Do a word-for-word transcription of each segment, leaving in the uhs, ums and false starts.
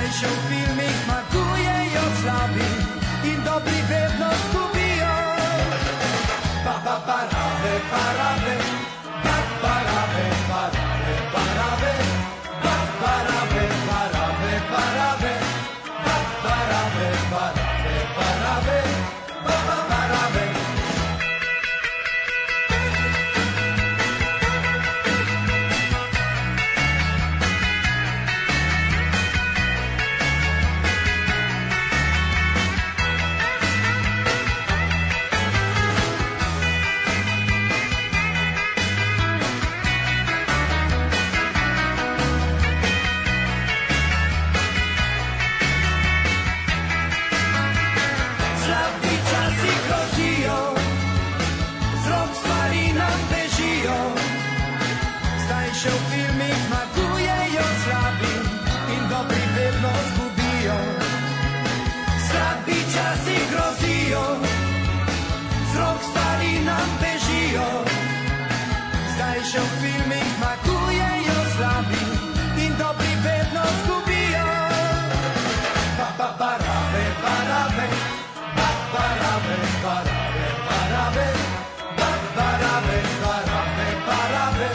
Zdaj się w filmik smakuje i oslabi i dobry wredność gubią. Pa, pa, parabe, parabe, pa, parabe, parabe, parabe, pa, parabe, parabe, parabe, pa, parabe, parabe, parabe, pa, pa, parabe. Się filmik smakuje i oslabi i dobry wredność gubiją. Slabi czasy groziją, wzrok stali nam bežiją. Zdaj się filmik smakuje i oslabi i dobry wredność gubiją. Pa, pa, parabe, parabe, pa, parabe, parabe, parabe, pa, parabe, parabe, parabe.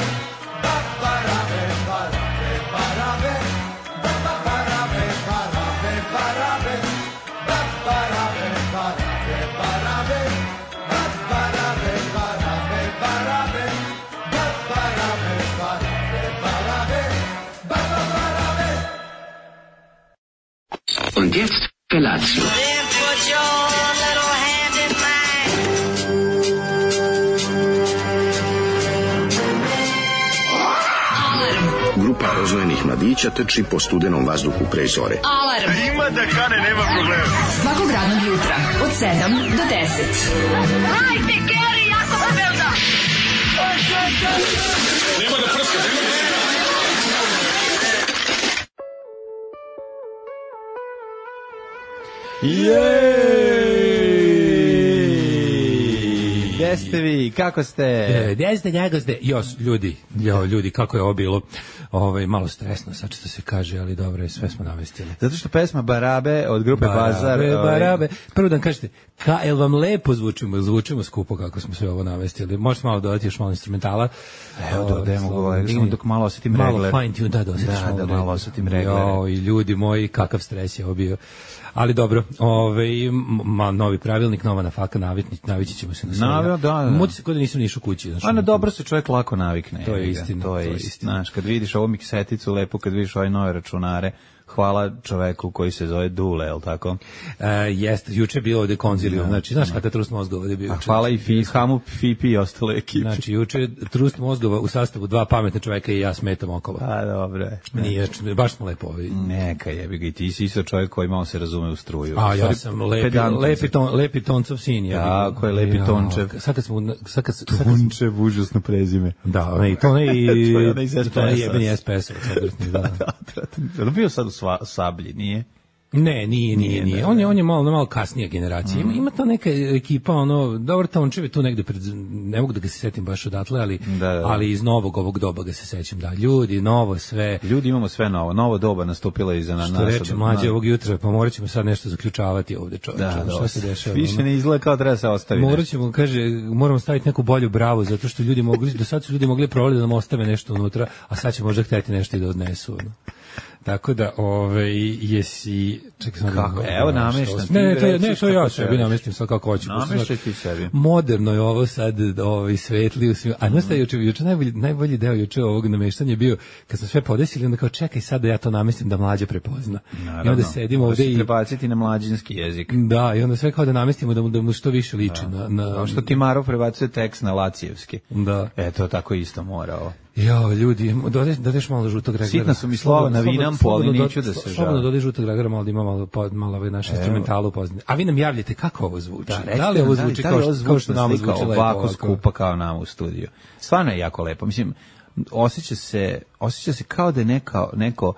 Und jetzt Felatio. Grupa rozvojenih mladića trči po studenom vazduhu pre zore. Alarm! Ima da kane, nema problema. Svakog radnog jutra, od sedam do deset. Hajde, Geri, jako se velda! Nema da prska, nema da prska. Jej! Gde ste vi? Kako ste? Gde ste, kako ste? Jos, ljudi, jo, ljudi, kako je ovo bilo? Ovaj, malo stresno, sad što se kaže, ali dobro je, sve smo namestili. Zato što pesma Barabe od grupe Barabe, Bazar... Barabe, prvo da vam kažete, ka, jel vam lepo zvučimo, zvučimo skupo kako smo sve ovo namestili? Možete malo dodati još malo instrumentala? Evo, dodajemo go, samo dok malo osetim regler. Malo fine tune, da, da osjetiš da, malo da, regler. malo osetim regler. Jo, i ljudi moji, kakav stres je ovo bio. Ali dobro, ovaj ma, novi pravilnik, nova nafaka, navikni, navići ćemo se na sve. Naravno, da, da. Muti se kod da nisam ni išao kući. Znači, a na dobro se čovjek lako navikne. To je istina. To je istina. Znaš, kad vidiš ovu mikseticu lepo, kad vidiš ove nove računare, hvala čoveku koji se zove Dule, je li tako? Uh, jeste, juče je bilo ovde konzilijum, znači, znaš kada trust mozgova ovde bio. A hvala i Fi, Hamu, Fipi i ostale ekipe. Znači, juče trust mozgova u sastavu dva pametna čoveka i ja smetam okolo. A, dobro. Nije, baš smo lepo ovi. Neka jebi ga, i ti si isto čovjek koji malo se razume u struju. A, ja sam lepi, lepi, ton, lepi toncov sin. Ja, ko je lepi ja, tončev. Sad kad smo... Sad kad, Tončev, užasno prezime. Da, ne, to ne i... to ne jebeni S P S-ov. Da, da, da. Bio sad u Sablji, nije? Ne, nije, nije, nije. On je on je malo malo kasnija generacija. Ima, ima ta neka ekipa, ono, dobro Tončev je tu negde pred, ne mogu da ga se setim baš odatle, ali da, da. ali iz novog ovog doba ga se sećam, da. Ljudi, novo sve. Ljudi imamo sve novo. Novo doba nastupilo iza nas. Što reče mlađe ovog jutra, pa morat ćemo sad nešto zaključavati ovde, čoveče. Da, šta se dešava? Više ne izgleda kao treba se ostaviti. Morat ćemo, kaže, moramo staviti neku bolju bravu, zato što ljudi mogu, do sad su ljudi mogli provaliti da nam ostave nešto unutra, a sad će možda hteti nešto i da odnesu. No. Tako da, ovaj, jesi... Čekaj, sam kako? Da, evo, nameštam. Ne, ne, to, ne, to ja sebi namestim sad kako hoću. Nameštaj ti sebi. Moderno je ovo sad, ovaj, svetli u svim... A znaš šta je juče, juče najbolji, najbolji deo juče ovog nameštanja je bio, kad smo sve podesili, onda kao čekaj sad da ja to namestim da mlađe prepozna. Naravno. I onda sedimo ovde i... prebaciti na mlađinski jezik. Da, i onda sve kao da namestimo da mu, da mu što više liči. Da. Na, na... Kao što ti Marov prebacuje tekst na lacijevski. Da. Eto, tako isto mora ovo. Jo, ljudi, dodeš, dodeš malo žutog reglera. Sitna su mi slova na Vinampu, ali neću da se žalim. Slobodno dodeš žutog reglera, malo da ima malo, malo ove naše instrumentalu pozadine. A vi nam javljate kako ovo zvuči. Da, recite, da li ovo zvuči da li, kao, kao što nam zvuči lepo? Ovako skupa kao nam u studiju. Stvarno je jako lepo. Mislim, osjeća se, osjeća se kao da je neka, neko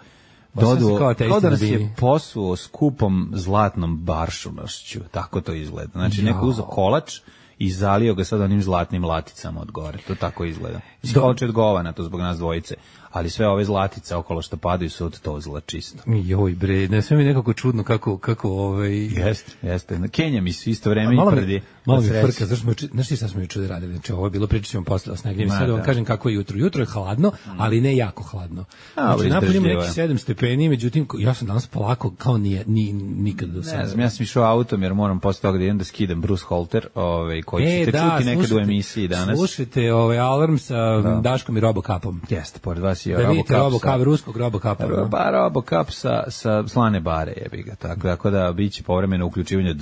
dodu, kao, kao da nas je posuo skupom zlatnom baršunošću. Tako to izgleda. Znači, jo. Neko uzo kolač i zalio ga sad onim zlatnim laticama od gore. To tako izgleda. Kolče od govana, to zbog nas dvojice. Ali sve ove zlatice okolo što padaju su od tozla čisto. Joj bre, ne sve mi nekako čudno kako kako ovaj jeste, jeste. Na Kenja mi su isto vreme i prdi. Malo mi frka, zašto smo znaš šta smo juče radili? Znači ovo je bilo pričamo posle o snegu. Sad vam kažem kako je jutro. Jutro je hladno, ali ne jako hladno. Znači napolju ima neki sedam stepeni, međutim ja sam danas polako kao nije ni nikad do sada. Ne znam, ja sam išao autom jer moram posle toga da idem da skidam Bruce Holter, ovaj koji e, ćete da, čuti nekad slušajte, u emisiji danas. Slušajte ovaj alarm sa da. Daškom i Robocapom. Jeste, pored vas je da vidite Robocap, ruskog Robocapa. Ba Robocap sa sa slane bare jebi ga, tako tako da biće povremeno uključivanje.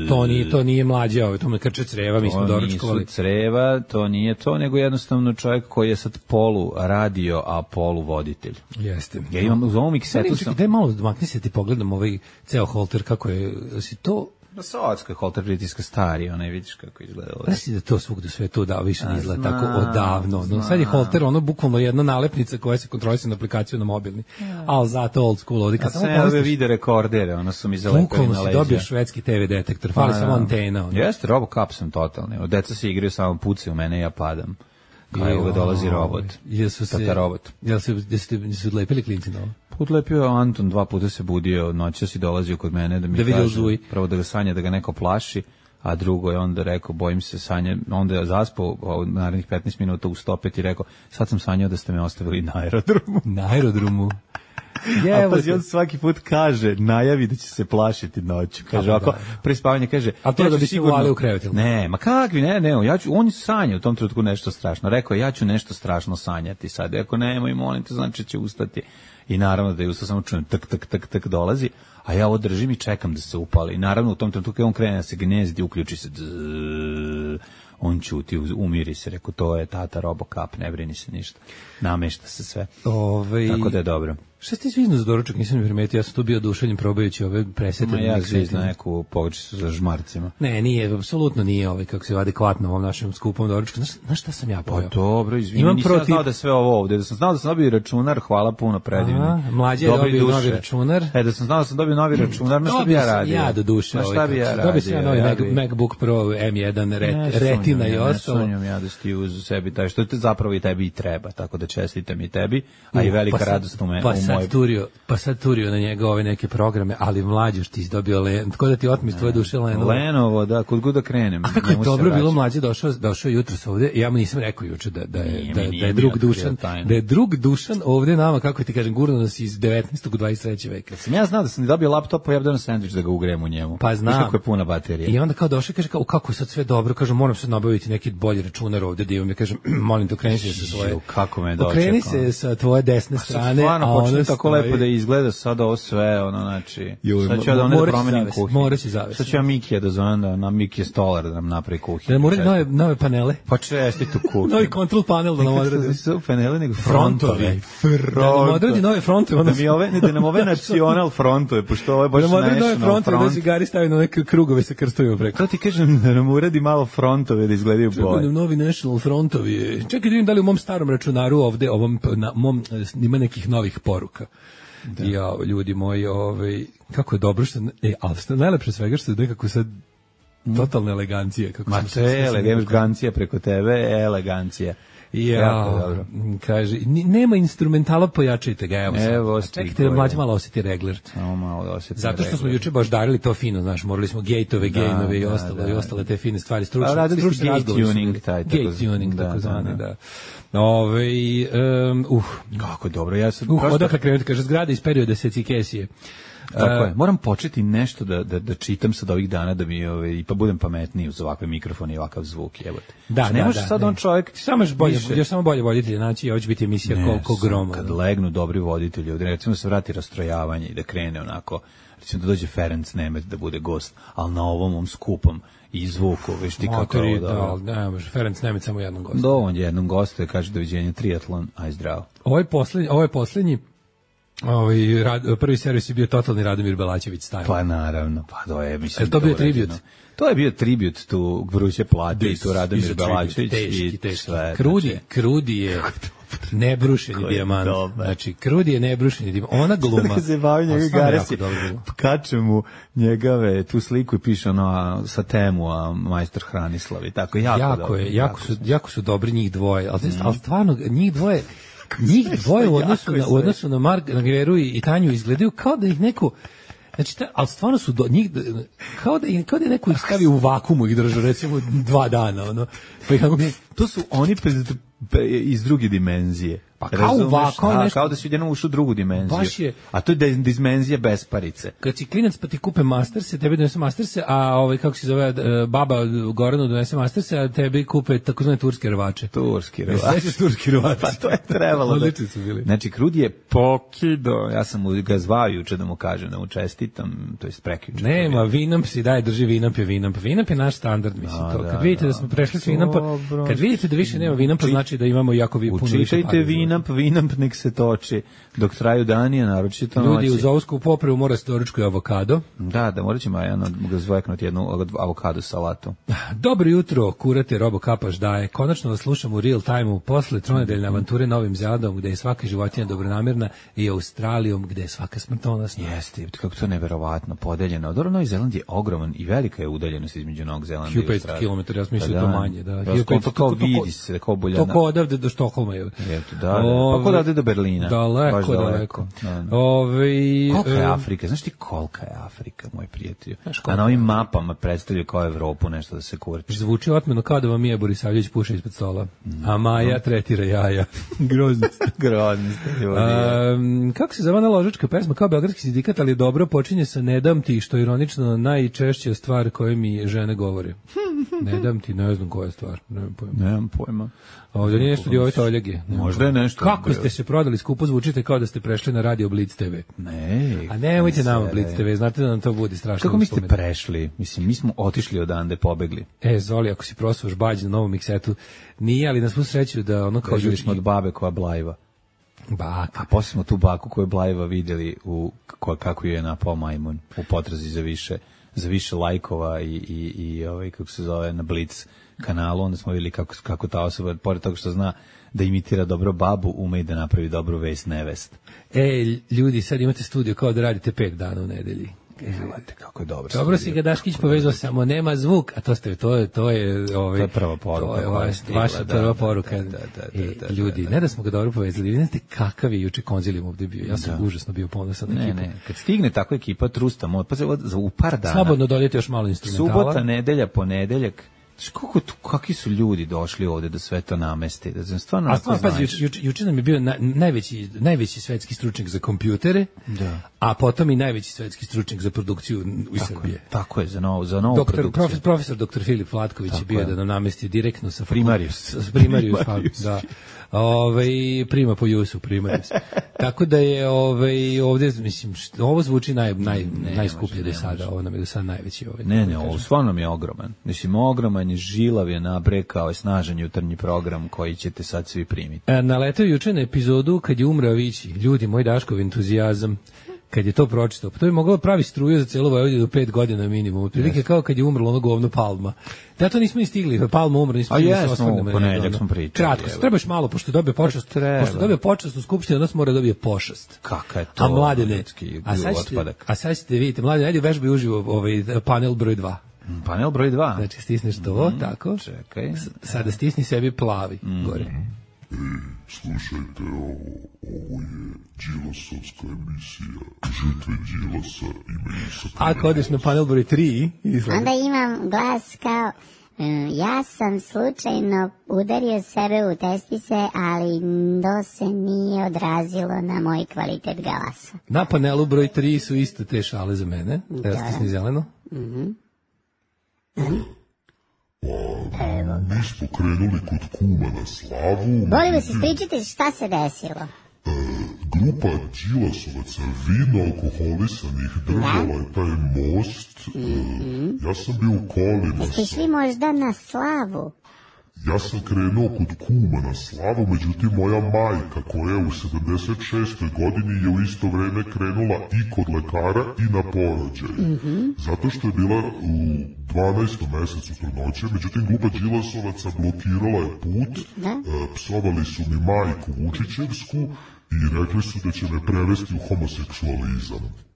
To nije to nije mlađe, ovaj to me krče creva, mi smo doručkovali. Creva, to nije to, nego jednostavno čovjek koji je sad polu radio, a polu voditelj. Jeste. Ja imam uz ovom miksetu sam... Daj malo makni se ti pogledam ovaj ceo holter, kako je, si to... Na Sovjetskoj holter pritiska stari, onaj vidiš kako izgleda. Znaš da to svugde sve to da više ne izgleda tako odavno. No, sad je holter ono bukvalno jedna nalepnica koja se kontroliše na aplikaciju na mobilni. Ja. Ali zato old school ovdje. Kad sam ove video rekordere, ono su mi zalepili na leđa. Bukvalno si dobio švedski te ve detektor, fali samo antena. Ono. Jeste, Robocap sam totalni. Deca se igraju samo pucaju u mene i ja padam. Kao evo ga dolazi robot. Jesu se, Tata robot. Jel se, jeste se odlepili klinci na ovo? Odlepio je Anton, dva puta se budio, noćas si dolazio kod mene da mi da kaže, prvo da ga sanja da ga neko plaši, a drugo je onda rekao, bojim se sanja, onda je zaspao od narednih petnaest minuta u stopet i rekao, sad sam sanjao da ste me ostavili na aerodromu. Na aerodromu. Je, a pazi, on svaki put kaže, najavi da će se plašiti noću. Kaže, ako pre spavanja kaže, a to ja da bi se uvali u krevet. Ne, ma kakvi, ne, ne, ja ću, on sanja u tom trenutku nešto strašno. Rekao je, ja ću nešto strašno sanjati sad. Ako nemoj, molim te, znači će ustati. I naravno da je ustao, samo čujem, tak, tak, tak, tak, dolazi, a ja ovo držim i čekam da se upali. I naravno u tom trenutku kad on krene da se gnezdi, uključi se, dzz, on ćuti, umiri se, rekao, to je Tata Robocap, ne brini se ništa. Namešta se sve. Ove... Tako da je dobro. Šta ste zvizno za doručak, nisam mi primetio, ja sam tu bio oduševljen probajući ove presete. Ma ja zvizno neku pogačicu sa žmarcima. Ne, nije, apsolutno nije ovaj, kako se adekvatno ovom našem skupom doručku. Znaš, znaš šta sam ja pojao? Pa dobro, izvini, Imam nisam protiv... znao da sve ovo ovde, da sam znao da sam dobio računar, hvala puno, predivni. Aha, mlađe je dobio duše. Novi računar. E, da sam znao da sam dobio novi računar, na šta bi ja radio? Ja do duše. Šta bi ja radio? Dobio sam ja novi ja bi... MacBook Pro M jedan ret, ne, Retina i ostalo. Ne sunjam ja da si ti uz sebi taj, što te zapravo i tebi i treba, tako da čestitam i tebi, a i velika radost u mojoj... Pa sad turio na njega ove neke programe, ali mlađe što ti dobio Lenovo, tako da ti otmis tvoje duše Lenovo. Lenovo, da, kod god da krenem. A kako je dobro bilo mlađe došao, došao jutros ovde, ja mu nisam rekao juče da, da, je, da, da je drug Dušan, da je drug Dušan ovde nama, kako ti kažem, gurno nas iz devetnaestog u dvadeset trećeg veka. Sam ja znao da sam dobio laptop, pa ja bih sendvič da ga ugrem u njemu. Pa znam. Kako je puna baterija. I onda kao došao, kaže, kao, kako je sad sve dobro, kaže, moram sad nabaviti neki bolji računar ovde, da imam, ja kažem, molim te, okreni se sa svoje. Kako me dočekao. Okreni se sa tvoje desne strane, a ono tako lepo da izgleda sad ovo sve, ono, znači, sad ću ja da one da promenim kuhinju. Morat će zavesti. Sad ću ja Mikija da zovem da na Mikija stolar da nam napravi kuhinju. Da moraju nove, nove panele. Pa čestit u kuhinju. Novi control panel da nam odradi. Su panele nego frontovi. Frontovi. Da nam odradi nove frontove. Da mi ove, ne, da nam ove nacional frontove, pošto ovo je baš national front. Da nam odradi nove frontove, da si Gari stavi na neke krugove sa krstovima preko. To ti kažem da nam uradi malo frontove da izgledaju bolje. Čekaj, novi national frontovi. Čekaj da vidim da li u mom starom računaru ovde, ovom, na mom, ima nekih novih poruka. Da. Ja, ljudi moji, ovaj, kako je dobro što, e, ali što najlepše svega što je nekako sad totalna elegancija. Kako Ma to je elegancija preko tebe, elegancija. Ja, kaže, nema instrumentala, pojačajte ga, evo sad. Evo, čekajte da mlađe malo osjeti regler. Samo malo da osjeti Zato što regler. Smo juče baš darili to fino, znaš, morali smo gejtove, da, gejnove i da, ostalo, da, i ostale te fine stvari, stručne, radili stručne razgovore. Gay tuning, taj, tako, gay tuning, da, tako zvane, da. da. Ove, um, uh, kako je dobro, ja sam... Uh, prosto... odakle krenuti, kaže, zgrada iz perioda Secikesije. Tako je. Moram početi nešto da, da, da čitam sad ovih dana da mi ove, pa budem pametniji uz ovakve mikrofone i ovakav zvuk, jebote. Da, ne da, može da, sad ne. on čovjek samo još bolje, još samo bolje voditelji, znači ovo će biti emisija koliko groma. Kad legnu dobri voditelji, ovdje recimo se vrati rastrojavanje i da krene onako, recimo da dođe Ferenc Nemet da bude gost, ali na ovom ovom skupom i zvuku, veš ti kako je da, da, ne može, Ferenc Nemet samo jednom gostu. Do, on jednom gostu je, kaže doviđenja, triatlon, aj zdravo. Ovo je poslednji, ovo je poslednji Ovaj rad, prvi servis je bio totalni Radomir Belačević style. Pa naravno, pa to je mislim. Je to bio tribut. To je bio tribut tu Vruće plate i tu Radomir Belačević i sve. Krudi, Krudi je Nebrušeni dijamant. Znači, Krudi je nebrušeni dijamant. Ona gluma. Kada se bavi njega Garesi, kače mu njegove tu sliku i piše ono sa temu, a majstor Hranislavi. Tako, jako, jako je, jako su, jako su dobri njih dvoje. Ali, mm. ali stvarno, njih dvoje, njih dvoje u odnosu na, u odnosu na Mark, na Geru i, i Tanju izgledaju kao da ih neko... Znači, ta, ali stvarno su do njih, kao da, kao da je neko ih stavio u vakumu ih držao, recimo, dva dana, ono. Pa ih, ne, to su oni iz druge dimenzije. Pa kao u vaku, nešto... kao da si jednom ušao u drugu dimenziju. Je, a to je dimenzija besparice. Kad si klinac pa ti kupe Masterse, tebi donese Masterse, a ovaj, kako se zove, baba Goranu donese Masterse, a tebi kupe takozvane turske rvače. Turski rvače. Sveći turski rvače. Pa to je trebalo. Da... su bili. Znači, Krudi je pokido. Ja sam mu ga zvao juče da mu kažem, da mu čestitam, to je prekjuče. Nema, Vinamp si daje, drži Vinamp je Vinamp. Vinamp je naš standard, mislim. A, to. Kad da, vidite da, da smo prešli s Vinampa, kad vidite da više nema Vinampa, znači da imamo jako vi puno više pari. Vinamp, Vinamp nek se toči dok traju dani, a naročito noći. Ljudi uz ovsku popravu mora se doručkuje avokado. Da, da, morat ćemo jedan zvojeknuti jednu avokado salatu. Dobro jutro, kurate, Robo Kapaš daje. Konačno vas slušam u real time-u posle tronedeljne avanture Novim Zelandom, gde je svaka životinja dobronamirna, i Australijom, gde je svaka smrtonosna. Jeste, kako to neverovatno podeljeno. Dobro, Novi Zeland je ogroman i velika je udaljenost između Novog Zelanda i Australije. hiljadu petsto kilometara, ja sam mislio to manje. Da. To kao vidi se, kao boljana. To kao odavde do Štokholma je. Da, da, pa kod ovde do Berlina. Daleko, daleko. Da, da. Ove, kolika je Afrika? Znaš ti kolika je Afrika, moj prijatelj? A na ovim mapama predstavljaju kao Evropu nešto da se kurči. Zvuči otmeno kao da vam je Borisavljević puša ispod stola. Mm. A Maja tretira jaja. Grozno ste. Grozno ste, ljudi. Um, kako se zove ložička pesma? Kao beogradski sindikat, ali dobro, počinje sa ne dam ti, što je ironično najčešća stvar koju mi žene govore. Ne dam ti, ne znam koja je stvar. Nemam pojma. Nemam pojma. Ovdje nije nešto dio Oljegi. Možda je nešto. Kako ste se prodali skupo, zvučite kao da ste prešli na radio Blitz te ve. Ne. A nemojte nama Blitz te ve, znate da nam to budi strašno. Kako mi ste prešli? Mislim, mi smo otišli odande, pobegli. E, Zoli, ako si prosuvaš bađ na novom miksetu, nije, ali na svu sreću da ono kao... Prežili smo od babe koja blajva. Baka. A posle smo tu baku koju blajva vidjeli u, ko, kako ju je napao majmun u potrazi za više, za više lajkova i, i, i ovaj, kako se zove, na Blitz kanalu, onda smo vidjeli kako, kako ta osoba, pored toga što zna da imitira dobro babu, ume i da napravi dobru vest nevest. E, ljudi, sad imate studio kao da radite pet dana u nedelji. Evo, kako je dobro. Dobro si ga Daškić povezao, samo nema zvuk, a to ste to je to je ovaj to je prva poruka. To je vaš, vaša prva poruka. Da, da, da, da, da, ljudi, ne da smo ga dobro povezali, vidite kakav je juče konzilijum ovdje bio. Ja sam da. užasno bio ponosan na ekipu. Ne, ne, kad stigne takva ekipa trustamo, pa za u par dana. Slobodno dodajte još malo instrumentala. Subota, nedelja, ponedeljak. Kako tu, kakvi su ljudi došli ovde da sve to nameste? Da znam, stvarno... A stvarno, pazi, juče juč, juč nam je bio na, najveći, najveći svetski stručnjak za kompjutere, da. A potom i najveći svetski stručnjak za produkciju u Srbije. Je, tako je, za novu, za novu doktor, produkciju. Profesor, profesor doktor Filip Vlatković je bio je. da nam namesti direktno sa... Primarius. S Primarius, Primarius. Da. Ove, prima po Jusu, Primarius. Tako da je ove, ovdje, mislim, što, ovo zvuči naj, naj, ne, najskuplje do sada, ovo nam je do sada najveći. Ove, ne, ne, ovo stvarno mi je ogroman. Mislim, ogroman je, žilav je, nabrekao je, snažan jutarnji program koji ćete sad svi primiti. E, naletao juče na epizodu kad je umrao Vići. Ljudi, moj Daškov entuzijazam. Kad je to pročitao, pa to bi moglo pravi struju za celu Vojvodinu do pet godina minimum. Otprilike yes. kao kad je umrlo ono govno Palma. Da to nismo ni stigli, Palma umro, nismo stigli. A jesmo, u ponedjeljak smo pričali. Kratko, trebaš malo, pošto dobije počast, pošto dobije počast u skupštini, odnos mora dobije pošast. Kaka je to? A mladene, a sad ćete, a sad ćete vidite, mladene, ajde vežbaj uživo ovaj panel broj dva. Panel broj dva. Znači stisneš to, mm, tako. Čekaj. Sada stisni sebi plavi, mm. gore. Ej, slušajte ovo, ovo je Đilasovska emisija, žrtve Đilasa imaju sa... Ako odeš na panel broj tri, izgleda. Onda imam glas kao, um, ja sam slučajno udario sebe u testise, ali to se nije odrazilo na moj kvalitet glasa. Na panelu broj tri su isto te šale za mene, da stisni zeleno. Mhm. Pa, mi smo krenuli kod kuma na slavu. Molim vas, ispričajte šta se desilo. E, grupa Đilasovaca vino alkoholisanih držala je taj most. E, ja sam bio u kolima. Jeste šli možda na slavu? Ja sam krenuo kod kuma na slavu, međutim moja majka koja je u sedamdeset šestoj godini je u isto vreme krenula i kod lekara i na porođaj. Mm-hmm. Zato što je bila u dvanaestom mesecu trudnoće, međutim grupa Đilasovaca blokirala je put, da? E, psovali su mi majku Vučićevsku i rekli su da će me prevesti u homoseksualizam.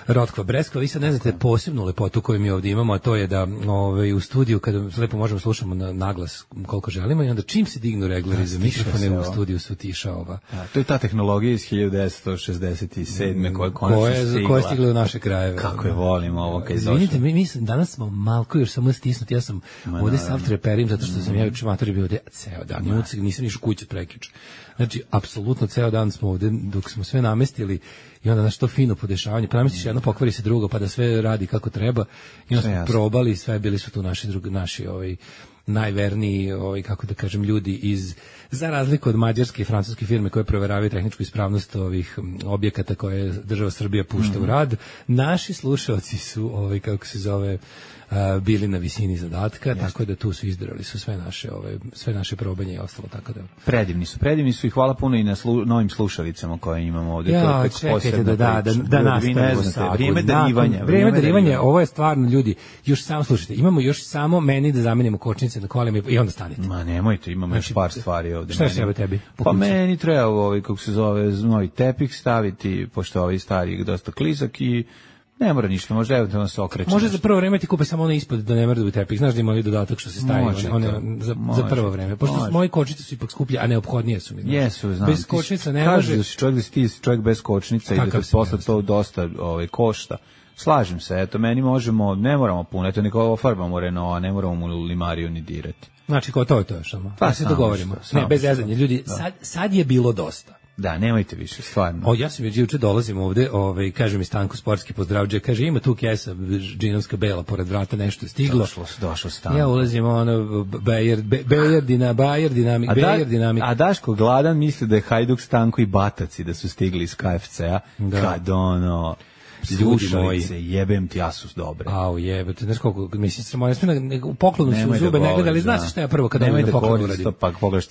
Rotkva Breskva, vi sad ne znate posebnu lepotu koju mi ovdje imamo, a to je da ovaj, u studiju, kada lepo možemo slušamo na naglas koliko želimo, i onda čim se dignu reglari za mikrofone, u studiju su tiša ova. A, to je ta tehnologija iz hiljadu devetsto šezdeset sedme koja je konačno stigla. Koja je stigla u naše krajeve. Kako je volim ovo kad je došlo. Vidite, mi, mi danas smo malko još samo stisnuti, ja sam Ma, ovdje sav treperim, zato što sam ja juče matori bio ovdje ceo dan, ja. Nisam išao kući prekič. Znači, apsolutno ceo dan smo ovdje, dok smo sve namestili, i onda naš to fino podešavanje, pa namestiš jedno, pokvari se drugo, pa da sve radi kako treba, i onda smo jasno. Probali, sve bili su tu naši, drugi, naši ovaj, najverniji, ovaj, kako da kažem, ljudi iz, za razliku od mađarske i francuske firme koje proveravaju tehničku ispravnost ovih objekata koje država Srbija pušta mm-hmm. u rad, naši slušalci su, ovaj, kako se zove, Uh, bili na visini zadatka, Jeste. Tako da tu su izdržali su sve naše ove sve naše probanje i ostalo, tako da predivni su, predivni su i hvala puno i na slu, novim slušalicama koje imamo ovdje. Ja, to čekajte da da da, da nastavimo sa vrijeme darivanja, vrijeme darivanja, ovo je stvarno ljudi, još samo slušajte, imamo još samo meni da zamenimo kočnice na kolima i onda stanite. Ma nemojte, imamo znači, još par stvari ovdje. Šta je treba tebi? Pa meni treba ovaj kako se zove novi tepih staviti, pošto ovaj stari dosta klizak i ne mora ništa, može eventualno se okreće. Može za prvo vreme ti kupe samo ono ispod da ne mrda u tepih. Znaš da ima ovaj dodatak što se stavi one, one, za, za prvo vreme. Pošto može. Moji kočnice su ipak skuplje, a neophodnije su mi. Znači. Jesu, znam. Bez kočnica ne može. Kažeš da si čovjek, da si ti čovjek bez kočnica i da te posle to dosta ovaj, košta. Slažem se, eto, meni možemo, ne moramo puno, eto, niko ofarbamo Renault, a ne moramo mu limariju ni dirati. Znači, ko to je to još samo. Pa se dogovorimo. Ne, bez zezanja. Ljudi, sad, sad je bilo dosta. Da, nemojte više, stvarno. O, ja sam već juče dolazim ovde, ovaj, kaže mi Stanko sportski pozdravđe, kaže ima tu kesa džinovska bela pored vrata, nešto je stiglo. Došlo, došlo Stanko. Ja ulazim ono, Bayer, Bayer, dina, Bayer dinamik, Bayer dinamik. A Daško gladan misli da je Hajduk, Stanko i Bataci da su stigli iz K F C-a, da. Kad ono... Slušalice, jebem ti, Asus dobre. Au, jebete, znaš koliko, mislim, sramo, ja sam u poklonu su u zube, ne gledali, znaš šta ja prvo kada dobijem poklon uradim?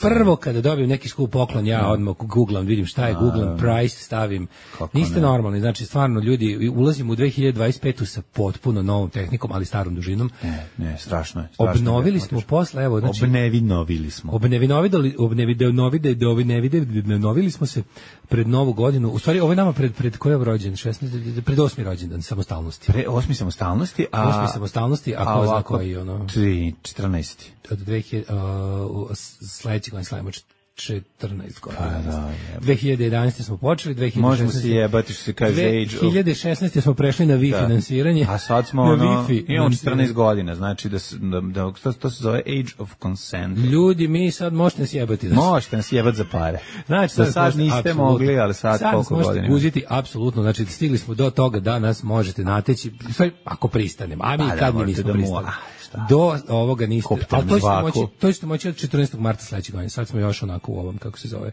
Prvo kada dobijem neki skup poklon, ja odmah googlam, vidim šta je, googlam price, stavim. Niste normalni, znači stvarno ljudi, ulazim u dve hiljade dvadeset petu sa potpuno novom tehnikom, ali starom dužinom. Ne, ne, strašno je. Obnovili smo posle, evo, znači... Obnevinovili smo. Obnevinovili, obnevinovili, obnevinovili smo se pred novu godinu, u stvari ovo je nama pred, pred koji je rođen, šesnaesti, pred osmi rođendan samostalnosti. Pre osmi samostalnosti, a osmi samostalnosti, a ko zna koji ono? tri četrnaesti. Od dve hiljade uh, sledeće godine slavimo četrnaest godina. Pa, da, dve hiljade jedanaeste smo počeli, dve hiljade šesnaeste možemo se jebati što se kaže age. dve hiljade šesnaeste smo prešli na Wi-Fi da. Finansiranje. A sad smo ono, imamo četrnaest godina, znači da, da, da to, to se zove age of consent. Ljudi, mi sad možete nas jebati. Znači. Možete nas jebati za pare. Znači, sad, sad niste apsolutno mogli, ali sad, sad koliko godina. Sad možete guziti, apsolutno, znači stigli smo do toga da nas možete nateći, ako pristanemo, a mi pa, kad da, mi nismo da pristali. Do ovoga niste, ali to ćete moći, to ćete moći od četrnaestog marta sledeće godine. Sad smo još onako u ovom, kako se zove.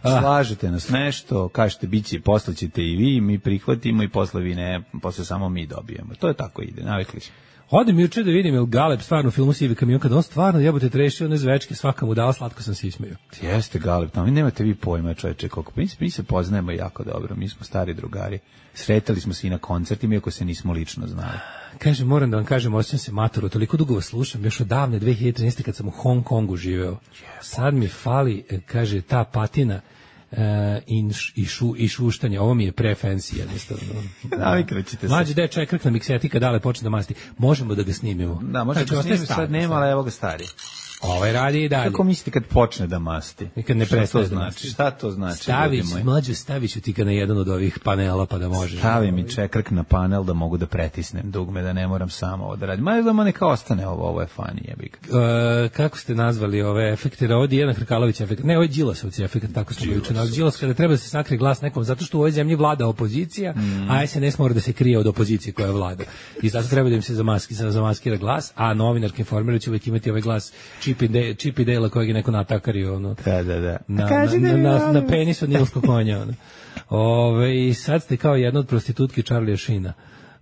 Ah. Slažete nas nešto, kažete biće, posle ćete i vi, mi prihvatimo i posle vi ne, posle samo mi dobijemo. To je tako ide, navikli smo. Odem juče da vidim jel Galeb stvarno u filmu Sivi kamion, kada on stvarno jebote trešio one zvečke, svaka mu dala, slatko sam se ismejao. Jeste Galeb, tamo nemate vi pojma čoveče koliko. Mi, mi se poznajemo jako dobro, mi smo stari drugari. Sretali smo se i na koncertima, iako se nismo lično znali. Kaže, moram da vam kažem, osjećam se maturo, toliko dugo vas slušam, još od davne dve hiljade trinaeste kad sam u Hong Kongu živeo. Yes. Sad mi fali, kaže, ta patina uh, in, i, šu, i šuštanje, ovo mi je pre-fancy jednostavno. Navikrećite se. Mlađe da je čekrk na miksetika, dale počne da masti. Možemo da ga snimimo. Da, možemo da ga snimimo, sad nema, ali evo ga stari. Ovaj radi i dalje. Kako mislite kad počne da masti? I kad ne prestaje da masti. Šta to znači? Staviš, mlađe, staviš ti ga na jedan od ovih panela pa da možeš. Stavi mi čekrk na panel da mogu da pretisnem dugme, da ne moram samo ovo da radim. Ma da neka ostane ovo, ovo je funny, jebik. Uh, kako ste nazvali ove efekte? Ovo je Dijana Hrkalović efekt. Ne, ovo je Đilasovci efekt, tako smo ga učinali. Đilas kada treba da se sakrije glas nekom, zato što u ovoj zemlji vlada opozicija, mm. a S N S mora da se krije od opozicije koja vlada. I zato treba da im se zamaski, zamaskira glas, a novinarke informiraju će uvijek imati ovaj glas čip i čip i dela kojeg je neko natakario ono, da, da, da. Na, na, na, na, na penis od nilskog konja. Ono. Ove, I sad ste kao jedna od prostitutki Charlie Sheena.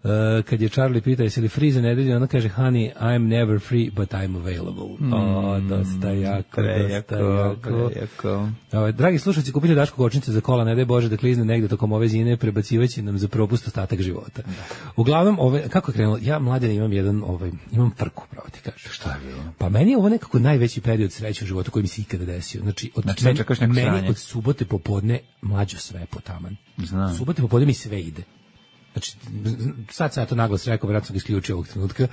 Uh, kad je Charlie pita jesi li free za nedelju, ona kaže honey, I'm never free, but I'm available. Mm, o, dosta jako, prejako, dosta jako. prejako. O, dragi slušalci, kupite Daško kočnice za kola, ne daj Bože da klizne negde tokom ove zime, prebacivaće nam za propust ostatak života. Da. Uglavnom, ove, kako je krenulo, ja mladen imam jedan, ovaj, imam frku, pravo ti kažem. Šta je bilo? Pa meni je ovo nekako najveći period sreće u životu koji mi se ikada desio. Znači, od, znači meni, čekaš neko meni sranje. od subote popodne mlađo sve potaman. Znam. Subote popodne mi sve ide. Znači, sad sam ja to naglas rekao, vjerojatno sam ga isključio ovog trenutka,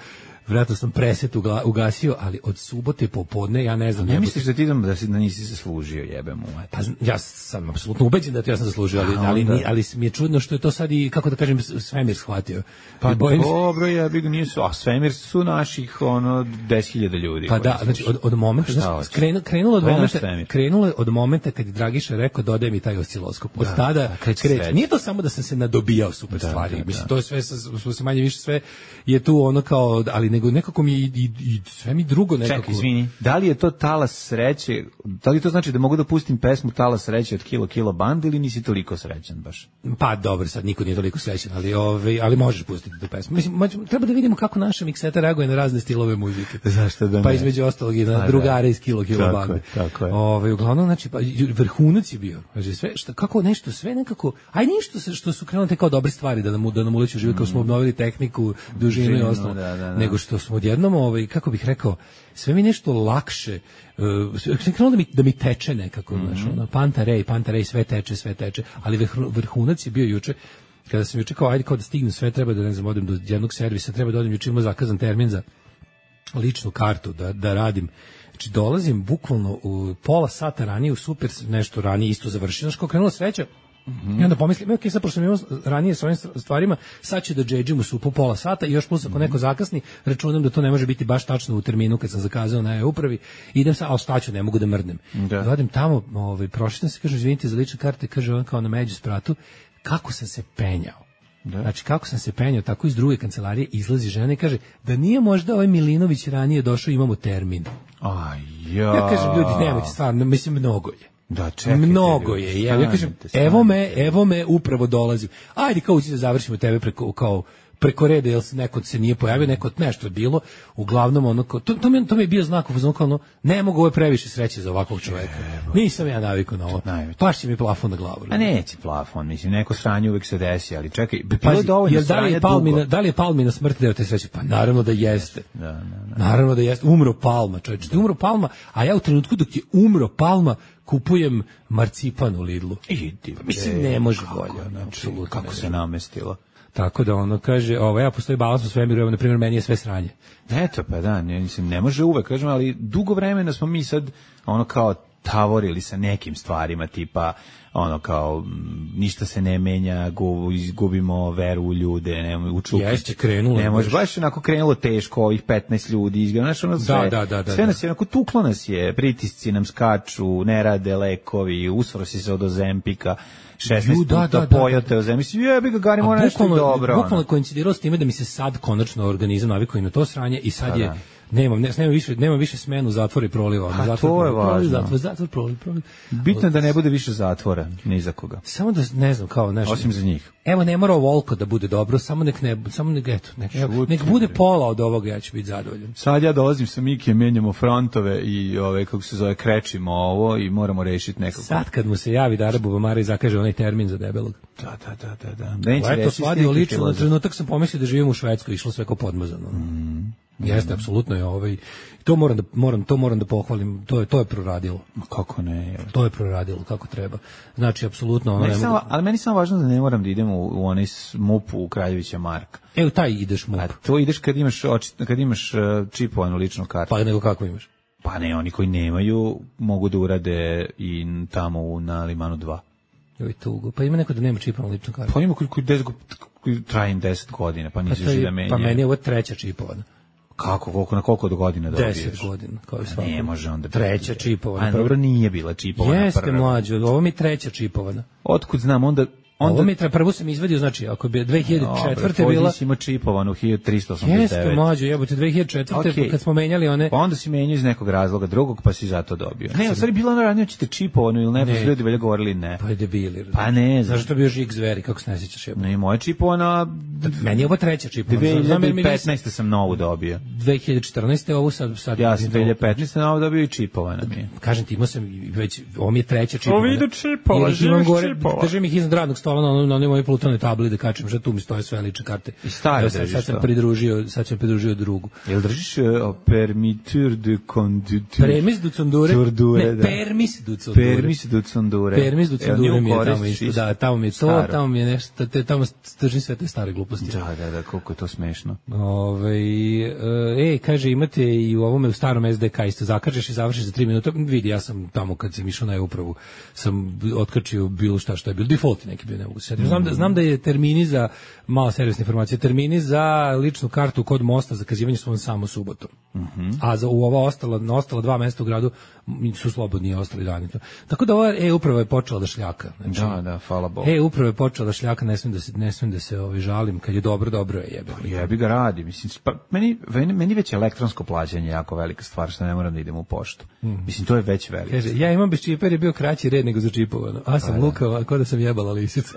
vjerojatno sam preset uga, ugasio, ali od subote popodne, ja ne znam... Ne misliš da ti idem da, si, da nisi zaslužio, jebem u Pa ja sam apsolutno ubeđen da to ja sam zaslužio, ali, ali, ali, ali mi je čudno što je to sad i, kako da kažem, svemir shvatio. Pa bojim dobro, jebi ga, nisu, a svemir su naših, ono, deset hiljada ljudi. Pa da, znači, od, od momenta, znači, krenu, krenulo, od momenta, krenulo od momenta kad je Dragiša rekao, dodaj mi taj osciloskop. Od da, tada da, kreće. Nije to samo da sam se nadobijao super da, stvari, da, mislim, da. To je sve, sve se manje više sve je tu ono kao, ali nego nekako mi i, i, i sve mi drugo nekako. Čekaj, izvini, da li je to talas sreće, da li to znači da mogu da pustim pesmu talas sreće od Kilo Kilo Band ili nisi toliko srećan baš? Pa dobro, sad niko nije toliko srećan, ali, ove, ali možeš pustiti tu pesmu. Mislim, treba da vidimo kako naša mikseta reaguje na razne stilove muzike. Zašto da ne? Pa između ostalog i na drugare iz Kilo Kilo tako Band. Je, tako je. Ove, uglavnom, znači, pa, vrhunac je bio. Znači, sve, šta, kako nešto, sve nekako, aj ništa što su krenuli kao dobre stvari da nam, da nam uleću život, kao smo obnovili tehniku, dužinu i ostalo. Da, da, da. Nego što smo odjednom, ovaj, kako bih rekao, sve mi nešto lakše, uh, krenulo da mi, da mi teče nekako, mm -hmm. znaš, ono, Pantarej, Pantarej, sve teče, sve teče, ali vrhunac je bio juče, kada sam juče kao, ajde kao da stignem sve, treba da, ne znam, odem do jednog servisa, treba da odem, juče imao zakazan termin za ličnu kartu, da, da radim. Znači, dolazim bukvalno u pola sata ranije, u super nešto ranije, isto završio, znaš, kao krenula sreća, mm-hmm. I onda pomislim, ok, sad pošto sam imao ranije s ovim stvarima, sad ću da džedžim u supu pola sata i još plus ako neko zakasni, računam da to ne može biti baš tačno u terminu kad sam zakazao na e-upravi, idem sad, a ostaću, ne mogu da mrdnem. Da. Dođem tamo, ovaj, prošli se, kaže, izvinite za lične karte, kaže on kao na među spratu, kako sam se penjao. Da. Znači, kako sam se penjao, tako iz druge kancelarije izlazi žena i kaže, da nije možda ovaj Milinović ranije došao, imamo termin. Aj, ja. Ja kažem, ljudi, nemojte, stvarno, mislim, mnogo je. Da, čekaj, mnogo je. Ja, ja kažem, evo me, evo me, upravo dolazim. Ajde, kao ući da završimo tebe preko, kao, preko reda, jer se neko se nije pojavio, neko nešto je bilo, uglavnom ono, to, to, mi, to mi je bio znak, ono, ne mogu, ovo je previše sreće za ovakvog čoveka. Nisam ja navikao na ovo. Pašće mi plafon na glavu. A neće plafon, mislim, neko sranje uvek se desi, ali čekaj, bilo je dovoljno sranje dugo. Da li je Palmina smrt deo te sreće? Pa naravno da jeste. Da, da, da. Naravno da jeste. Umro Palma, čovječe. Da. Umro Palma, a ja u trenutku dok je umro Palma, kupujem marcipan u Lidlu. Idi, mislim, ne može bolje. Apsolutno. Kako se namestilo. Tako da ono kaže, ovo ja postoji balans u svemiru, evo na primjer meni je sve sranje. Eto pa da, ne, mislim, ne može uvek, kažem, ali dugo vremena smo mi sad ono kao tavorili sa nekim stvarima, tipa ono kao ništa se ne menja, izgubimo veru u ljude, ne u čuki. Jeste krenulo. Ne može baš onako krenulo teško, ovih petnaest ljudi izgleda, znači ono sve. Da, da, da, da, sve nas je onako tuklo nas je, pritisci nam skaču, ne rade lekovi, usrosi se od Ozempika. šesnaest da, puta da, pojote o zemlji. Mislim, jebi ga, Gari, mora nešto dobro. Bukvalno koincidiralo s time da mi se sad konačno organizam navikao na to sranje i sad je, nemam, ne, nema više, nema više smenu zatvora i proliva. A zatvor, to je proliv, važno. Zatvor, zatvor, proliv, proliv. Bitno je da ne bude više zatvora, ni za koga. Samo da, ne znam, kao nešto. Osim za njih. Evo, ne mora ovoliko da bude dobro, samo nek ne, samo nek, eto, nek, evo, nek bude pola od ovoga, ja ću biti zadovoljan. Sad ja dolazim sa Mikijem, menjamo frontove i ove, kako se zove, krećimo ovo i moramo rešiti nekako. Sad kad mu se javi da Arabu Bamara i zakaže onaj termin za debelog. Da, da, da, da. da. da eto, svadio lično, na trenutak sam pomislio da živim u Švedskoj, išlo sve kao podmazano. Mm. Jeste, apsolutno je ovaj, to moram da, moram, to moram da pohvalim, to je, to je proradilo. Kako ne? Je. To je proradilo, kako treba. Znači, apsolutno ono... Ne samo, mogu... Ali meni samo važno da ne moram da idem u, u onaj MUP u Kraljevića Marka. E, u taj ideš MUP. A to ideš kad imaš, kad imaš čipovanu ličnu kartu. Pa nego kako imaš? Pa ne, oni koji nemaju mogu da urade i tamo u, na Limanu dva. Joj, tugo. Pa ima neko da nema čipovanu ličnu kartu? Pa ima koji, koji, deset, koji traje deset godina, pa nisi pa da menja. Pa meni je ovo treća čipovana. Kako, koliko, na koliko do godina dobiješ? Deset godina, kao i svako. Ne može onda. Treća čipovana. A dobro, nije bila čipovana. Jeste, mlađo, ovo mi treća čipovana. Otkud znam, onda, Onda, ovo mi je prvo sam izvadio, znači, ako bi dve hiljade četvrte bila... Ovo si imao čipovanu hiljadu trista osamdeset devet. Jeste, mlađo, jebote, dve hiljade četvrte okay. Kad smo menjali one... Pa onda si menjao iz nekog razloga drugog, pa si zato dobio. Ne, u stvari bila ono ranije, ćete čipovanu ili ne, pa su ljudi velja govorili ne. Pa je debili. Pa ne, znaš što bio žig zveri, kako se ne sjećaš jebote? Ne, moja čipovana... Meni je ovo treća čipovana. dve hiljade petnaeste sam novu dobio. dve hiljade četrnaeste ovu sad... sad ja sam dve hiljade petnaeste novu dobio i čipovana mi je. Kažem ti, imao sam već, ovo mi je treća čipovana. Ovo idu čipova, živiš čipova. Držim ih iznad radnog stola na, na onoj mojoj plutonoj tabli da kačem, što tu mi stoje sve lične karte. I staje ja, sad, sad sam pridružio, sad sam pridružio drugu. Jel držiš uh, permitur de conducture? Premis du condure? Ne, da. permis du condure. Permis du condure. Permis du condure mi je tamo isto, da, tamo mi je to, tamo mi je nešto, te, tamo držim sve te stare gluposti. Da, da, da, koliko je to smešno. Ove, e, kaže, imate i u ovome u starom es de ka isto, zakažeš i završiš za tri minuta, vidi, ja sam tamo kad sam išao na e-upravu, sam otkačio bilo šta što je bilo, default neki bio, ne mogu se sjetiti. Znam da, znam da je termini za, malo servisne informacije, termini za ličnu kartu kod mosta zakazivanje su vam samo subotom. Uh -huh. A za u ova ostala, na ostala dva mesta u gradu su slobodni ostali dani. Tako da ova e-uprava je počela da šljaka. Znači, da, da, hvala Bogu. E-uprava je počela da šljaka, ne smijem da se, ne smijem da se ovaj, žalim, kad je dobro, dobro je jebe. Pa jebi ga radi, mislim, pa, meni, meni već elektronsko plaćanje jako velika stvar, što ne moram da idem u poštu. Mm. Mislim, to je već veliko. Kaže, ja imam bez čipa jer je bio kraći red nego za čipovano. A sam lukao, a ko da sam jebala lisicu.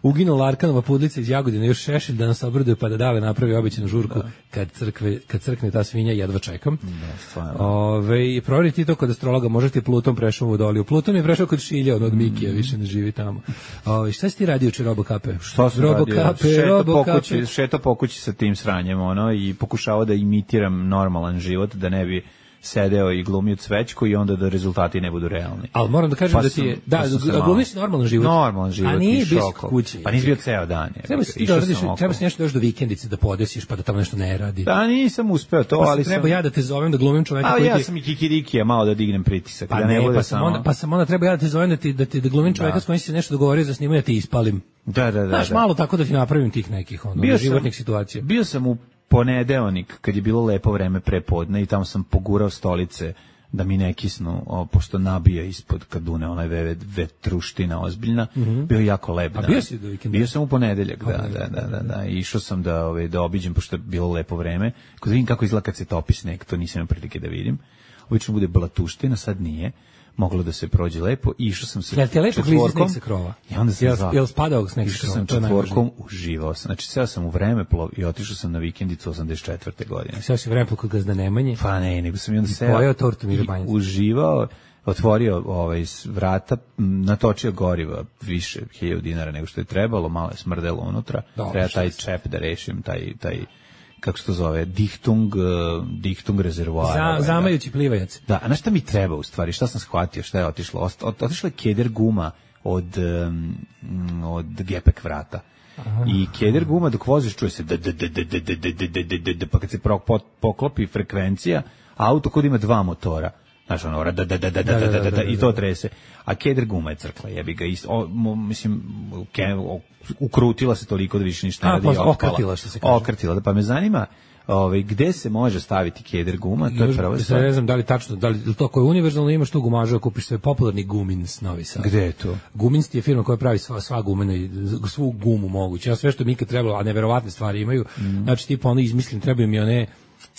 Uginula Arkanova pudlica iz Jagodine, još Šešelj da nas obraduje pa da dale napravi običnu žurku da. kad, crkve, kad crkne ta svinja, jedva čekam. Da, stvarno. Ove, provjeriti to kod astrologa, možete Pluton prešao u Vodoliju. Pluton je prešao kod Šilja, on od Mikija, više ne živi tamo. Ove, šta si ti radio uče Robokape? Šta sam radio? Šeto po kući, šeto po kući sa tim sranjem, ono, i pokušavao da imitiram normalan život, da ne bi sedeo i glumio cvećku i onda da rezultati ne budu realni. Ali moram da kažem pa da ti je, da, pa glumiš normalan život. Normalan život. A nije bio kući. Pa nisi bio ceo dan. Je. Treba si ti da radiš, treba si nešto još do vikendice da podesiš pa da tamo nešto ne radi. Da, nisam uspeo to, pa ali treba sam... ja da te zovem da glumim čoveka a, koji ja ti... sam i kikirikija malo da dignem pritisak. Pa da ne, ne bude pa, sam samo... onda, pa sam onda treba ja da te zovem da ti da, ti, da glumim čoveka da. s kojim si se nešto dogovorio za snimanje, ja ti ispalim. Da, da, da. Znaš, da. malo tako da ti napravim tih nekih ono, životnih situacija. Bio sam u ponedeonik, kad je bilo lepo vreme prepodne i tamo sam pogurao stolice da mi ne kisnu, o, pošto nabija ispod kadune, onaj ve, vetruština ozbiljna, mm -hmm. bio jako lep. A bio si do vikenda? Bio sam u ponedeljak, da, da, da, da, da. I išao sam da, ove, da obiđem, pošto je bilo lepo vreme, kod da vidim kako izgleda kad se topi sneg, to nisam imao prilike da vidim. Obično bude blatuština, sad nije. Moglo da se prođe lepo i išao sam sa jel te lepo klizi sneg sa krova? I onda sam jel, jel spadao sneg sa krova? Išao sam četvorkom, uživao sam. Znači, seo sam u Vremeplov i otišao sam na vikendicu osamdeset četvrte godine. Seo si u Vremeplov kod Gazda Nemanje? Pa ne, nego sam i onda seo pojeo tortu Mire Banjac. Uživao, otvorio ovaj, vrata, natočio goriva više hiljadu dinara nego što je trebalo, malo je smrdelo unutra. Dobre, treba taj čep da rešim, taj... taj kako se to zove, Dichtung, uh, Dichtung rezervoar. Za, zamajući plivajac. Da, a na šta mi treba u stvari, šta sam shvatio, šta je otišlo? Ot, ot, otišla je keder guma od, um, od gepek vrata. Aha. I keder guma dok voziš čuje se da, da, da, da, da, da, da, da, da, pa kad se poklopi frekvencija, auto kod ima dva motora. Znaš, ono, da, da, da, da, da, da, da, da, da, i to trese. A keder guma je crkla, jebi ga, isto, o, mo, mislim, ke, o, ukrutila se toliko da više ništa ne radi. A, okrtila, što se kaže. Okrtila, da, pa me zanima, ovaj, gde se može staviti keder guma, to je prvo stvar. Ne znam da li tačno, da li to koje je univerzalno imaš tu gumaža, kupiš sve popularni Gumins Novi Sad. Gde je to? Gumins je firma koja pravi sva, sva gumena i svu gumu moguće. Ja sve što mi ikad trebalo, a neverovatne stvari imaju, mm. znači tipa ono izmislim, trebaju mi one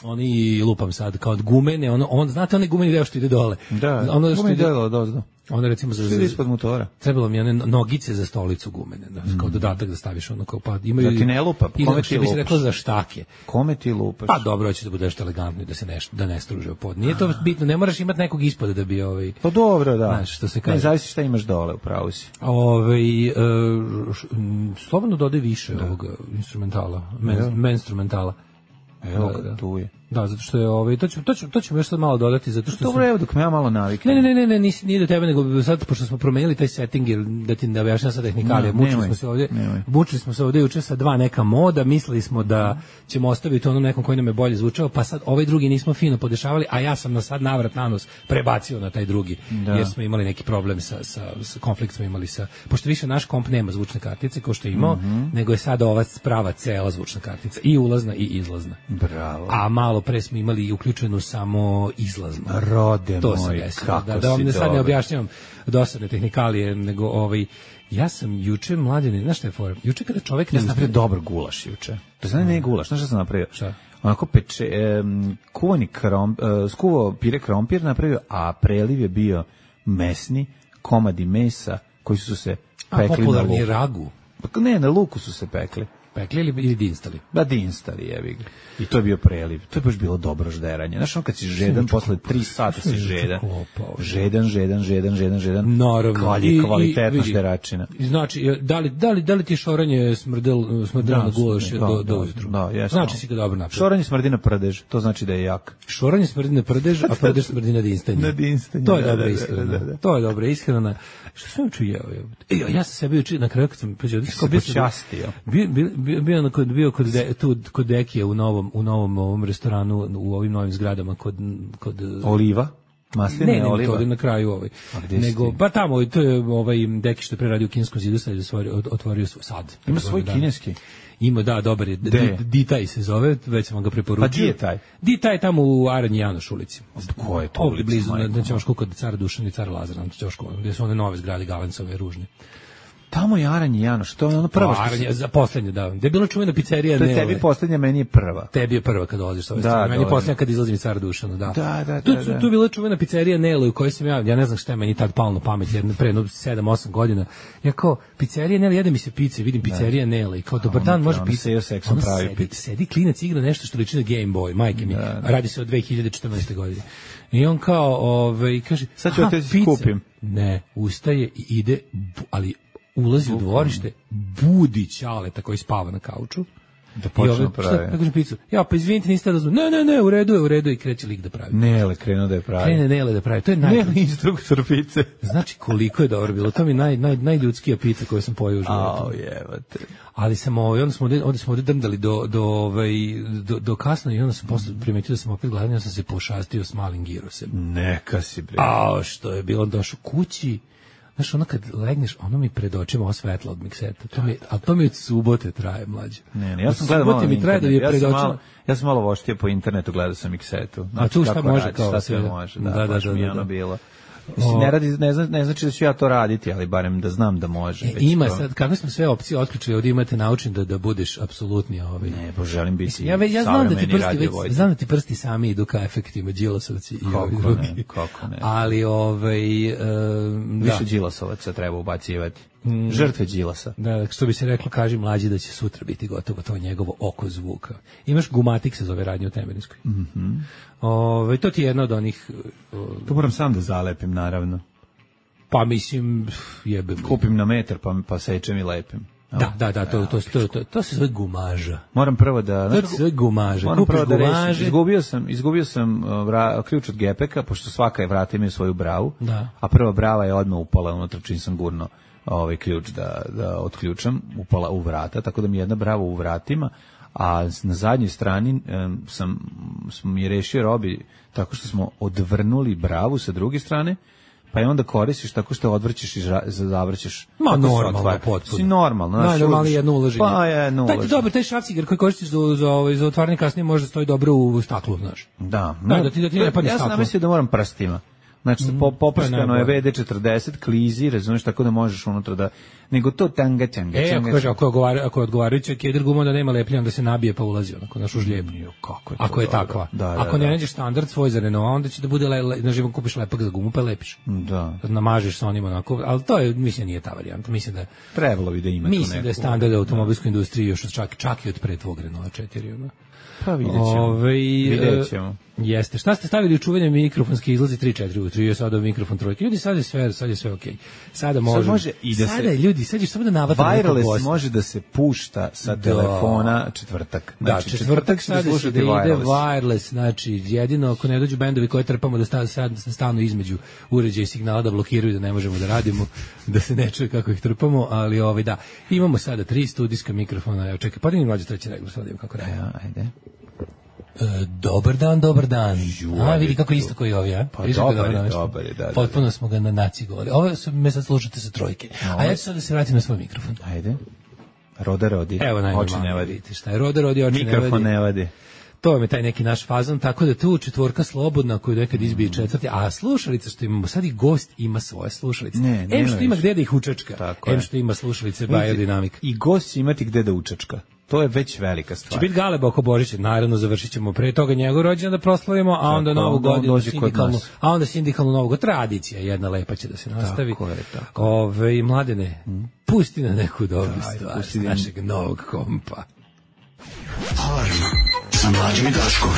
oni lupam sad kao od gumene, ono on znate onaj gumeni deo što ide dole. Da, ono što ide dole, dozdo. Onda recimo za ispod motora. Trebalo mi one nogice za stolicu gumene, da, kao dodatak da staviš ono kao pa imaju. Da ti ne lupa, kome ti lupaš? Bi se reklo za štake. Kome ti lupaš? Pa dobro, hoće da bude nešto elegantno da se ne da ne struže pod. Nije to bitno, ne moraš imati nekog ispoda da bi ovaj. Pa dobro, da. Znaš, što se kaže. Ne zavisi šta imaš dole, upravo si. Ovaj e, slobodno dodaj više da. ovog instrumentala, men, men instrumentala. Evo da, da. Tu je. Da, zato što je ovaj to ću to ću to ćemo još sad malo dodati zato što dobro, evo dok me ja malo naviknem. Ne, ne, ne, ne, ne, nije do tebe nego sad pošto smo promenili taj setting da ti ne objašnjavam sad tehnikalije, mučili smo se ovdje. Mučili smo se ovdje juče sa dva neka moda, mislili smo da ćemo ostaviti ono nekom koji nam je bolje zvučao, pa sad ovaj drugi nismo fino podešavali, a ja sam na sad navrat nanos prebacio na taj drugi. Da. Jer smo imali neki problem sa sa, sa konflikt smo imali sa pošto više naš komp nema zvučne kartice kao što je imao, mm -hmm. nego je sad ova prava cela zvučna kartica i ulazna i izlazna. Bravo. A malo pre smo imali uključenu samo izlaznu. Rode to moj, desilo, kako da, da vam si ne sad ne dobar. objašnjavam dosadne tehnikalije, nego ovaj, ja sam juče mladine, znaš šta je fora? Juče kada čovjek ne Ja sam napravio dobar gulaš juče. To znači ne gulaš, znaš šta sam napravio? Šta? Onako peče, um, kuvani krom, uh, skuvao pire krompir napravio, a preliv je bio mesni, komadi mesa koji su se pekli na popularni luku. ragu. Pa ne, na luku su se pekli. Pekli ili, ili dinstali? Da, dinstali, jebi ga. I to je bio preliv. To je baš bilo dobro žderanje. Znaš, ono kad si žedan, posle tri sata si žedan. Žedan, žedan, žedan, žedan, žedan. Naravno. Kalji, kvalitetna žderačina. Znači, da li, da li, da li ti šoranje smrdel, smrdel na gulaš da, do, da, do ujutru? Da, jesno. Znači si ga dobro napravio. Šoranje smrdi na prdež, to znači da je jak. Šoranje smrdi na prdež, a prdež smrdi na dinstanje. Na dinstanje. To je da, dobra da, ishrana. da, da, da. To je dobra ishrana. Što sam učio jeo? E, ja sam sebe učio na kraju kad sam pređeo. Se počastio. Bio, bio, bio, bio, kod, bio kod, de, tu, kod Dekije u novom, u novom ovom restoranu, u ovim novim zgradama kod... kod Oliva? Masline, ne, ne, oliva? to ovdje na kraju ovaj. Nego, pa tamo, to je ovaj Deki što je pre radio u Kineskom zidu, sad je otvorio, otvorio svoj sad. Ima svoj kineski? Ima, da, dobar je. Ditaj se zove, već sam vam ga preporučio. Pa di je taj? Ditaj je tamo u Aranji Janoš ulici. Ko je to ovdje ulica? Blizu, na Ćošku kod cara Dušana i cara Lazara, na Ćošku, gdje su one nove zgrade Galencove, ružne. Tamo je Aranji Janoš, to je ono prvo što Aranje, za poslednje, da. Gde je bila čuvena pizzerija to je Nele. tebi poslednja, meni je prva. Tebi je prva kad dolaziš sa ove Da, strane. Meni je dobro. poslednja kad izlazim iz cara Dušana, da. Da, da, Tu, da, da. tu je bila čuvena pizzerija Nele u kojoj sam ja, ja ne znam šta je meni tad palo na pamet, jedno pre jedno sedam osam godina. Ja kao, pizzerija Nele, jede mi se pice, vidim pizzerija Nele i kao, dobar dan, može on pice. se još seksom pravi sedi, pice. sedi klinac igra nešto što liči na Game Boy, majke mi. Radi se o dve hiljade četrnaeste. godine. I on kao, ovaj, kaže, sad ću aha, ja te pica. skupim. Ne, ustaje i ide, bu- ali ulazi u dvorište, budi Ćaleta koji spava na kauču. Da počne pravi. Ja kažem picu, ja pa izvinite, niste razumeli. Ne, ne, ne, u redu je, u redu je i kreće lik da pravi. Nele krenuo da je pravi. Krene Nele da pravi, to je naj... Nele instruktor pice. Znači koliko je dobro bilo, to mi je naj, naj, najljudskija pizza koju sam pojeo u životu. Au, jebate. Ali sam ovaj, onda smo ovdje, ovdje smo ovdje drndali do, do, ovaj, do, do kasno i onda sam posle primetio da sam opet gladan, ja sam se pošastio s malim girosem. Neka si bre. A što je bilo, došao kući. Znaš, ono kad legneš, ono mi pred očima osvetla od mikseta. To mi, ali to mi od subote traje, mlađe. Ne, ne, ja sam Od gledao malo subote mi traje da mi je ja pred sam očima. malo, ja sam malo voštio po internetu, gledao sam Miksetu. A tu šta kako može radi, kao šta sve, sve da. može, da, Da, da, baš da, mi je da, ono da. bilo. Mislim, ne, radi, ne, zna, ne znači da ću ja to raditi, ali barem da znam da može. E, već ima to. sad, kako smo sve opcije otključili, ovdje imate naučen da, da budeš apsolutni ovaj. Ne, bo želim biti Mislim, ja, ve- ja znam da ti savremeni prsti već, radiovođa. znam da ti prsti sami idu ka efektima Đilasovci i ovi Kako drugi. ne, kako ne. Ali ovaj um, da. Više Đilasovaca treba ubacivati. Žrtve Đilasa. Da, što bi se reklo, kaži mlađi da će sutra biti gotovo to njegovo oko zvuka. Imaš Gumatik se zove radnje u Temeljinskoj. Mhm. Ovaj, to ti je jedna od onih uh, To moram sam da zalepim, naravno. pa mislim jebem. Kupim na metar pa, pa sečem i lepim. Da, da, da, to, to, to, to, to se zove gumaža. Moram prvo da... To se zove gumaža. Moram Kupiš prvo da rešim. gumaže. Izgubio sam, izgubio sam uh, vra, ključ od gepeka, pošto svaka je vrata imaju svoju bravu, Da. a prva brava je odmah upala unutra čim sam gurno ovaj ključ da, da otključam, upala u vrata, tako da mi je jedna brava u vratima, a na zadnjoj strani um, sam, sam je rešio Robi tako što smo odvrnuli bravu sa druge strane, pa je onda koristiš tako što odvrćeš i ža- zavrćeš. Ma Tako se normalno, otvara. potpuno. Si normalno. znaš, Najnormalnije uđeš- jedno ulaženje. Pa je jedno Taj, ulaženje. dobro, taj šrafciger koji koristiš za, za, za, za otvaranje kasnije može da stoji dobro u staklu, znaš. Da, Da, da ti- da ti ne padne ja sam staklo. namislio da moram prstima. Znači, po, poprskano je najbolje. ve de četrdeset, klizi, razumiješ, tako da možeš unutra da... Nego to tanga, tanga, E, ako, tanga. kaže, ako, je odgovara, ako je odgovarajuća keder guma da nema lepljenja, onda se nabije pa ulazi onako naš užljeb. Kako je to Ako je dobro. takva. Da, da, ako ne da. nađeš standard svoj za Renault, onda će da bude, le, le, na živom kupiš lepak za gumu pa lepiš. Da. Kad namažeš sa onim onako, ali to je, mislim, nije ta varijanta. Mislim da, Trebalo bi da ima tu neku... mislim da je standard u automobilskoj industriji još od čak, čak i od pre tvog Renault četiri. Ono. Pa vidjet ćemo. Ove, Vidjet ćemo. Jeste. Šta ste stavili u čuvanje mikrofonske izlazi tri četiri ujutru i sada mikrofon trojke. Ljudi, sad je sve, sad je sve okej. Sada može. može i da se- Sada je, ljudi, sad je samo da navata nekog Wireless gosta. može da se pušta sa Da. telefona četvrtak. Da, Znači, četvrtak će sada će da slušati ide wireless. wireless, znači jedino ako ne dođu bendovi koje trpamo da sta- sad stanu između uređaja i signala da blokiraju da ne možemo da radimo, da se ne čuje kako ih trpamo, ali ovaj da. Imamo sada tri studijska mikrofona. Evo čekaj, podigni mlađe treći regler, sad da vidim kako radi. Ja, ajde. E, dobar dan, dobar dan. A, vidi kako je isto koji ovi, a? Pa Vidiš kako dobar je, namešten? dobar je, da, da, da. Potpuno smo ga na naci govorili. Ovo su, me sad slušate sa trojke. A ja ću sad da se vratim na svoj mikrofon. Ajde. Roda rodi. Evo Oči najnormalnije, ne vadi. vidite šta je. Roda rodi, oči ne Mikrofon vadi. ne vadi. To je taj neki naš fazon, tako da tu četvorka slobodna koju nekad izbije četvrti, a slušalica što imamo, sad i gost ima svoje slušalice. Ne, em što ima gde da ih učačka, em što ima slušalice Biodynamic. I gost će imati gde da učačka. To je već velika stvar. Će biti Galeba oko Božića, naravno završit ćemo pre toga njegov rođendan da proslavimo, a onda tako, novu godinu sindikalnu, a onda sindikalnu novu tradicija, jedna lepa će da se nastavi. Tako je, tako. Ove, Mladene, hmm? pusti na neku dobru stvar s našeg novog kompa. Alarm sa Mlađom i Daškom.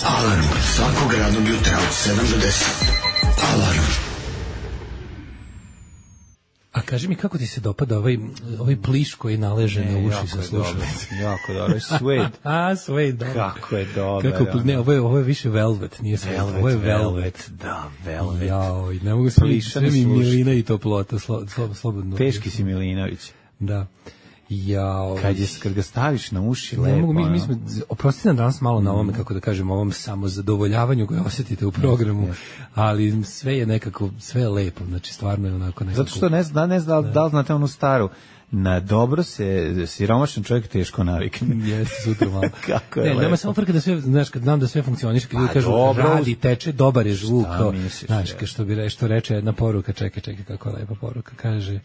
Alarm svakog radnog jutra od sedam do deset. Alarm. A kaži mi kako ti se dopada ovaj, ovaj pliš koji naleže ne, na uši sa slušalicom? Jako dobro, suede. A, suede, da. Kako je dobro. Kako, ne, ovo je, ovo je više velvet, nije suede, ovo je velvet. velvet. Da, velvet. Jao, ne mogu sve, sve mi milina i toplota, slo, slo, slobodno. Teški si Milinović. Da. Jao. Kad, je, kad ga staviš na uši, ne lepo. Mogu, mi, mi smo, oprostite nam danas malo na ovome, kako da kažem, ovom samozadovoljavanju koje osjetite u programu, yes, yes. ali sve je nekako, sve je lepo, znači stvarno je onako nekako. Zato što ne zna, ne zna, da. da li znate onu staru, na dobro se siromašan čovjek teško navikne. Jeste, sutra malo. Kako je ne, nema samo frka da sve, znaš, kad znam da sve funkcioniše, kad ljudi kažu, radi, teče, dobar je zvuk, kao, misliš, znaš, je. što bi re, što reče jedna poruka, čekaj, čekaj, kako lepa poruka, kaže,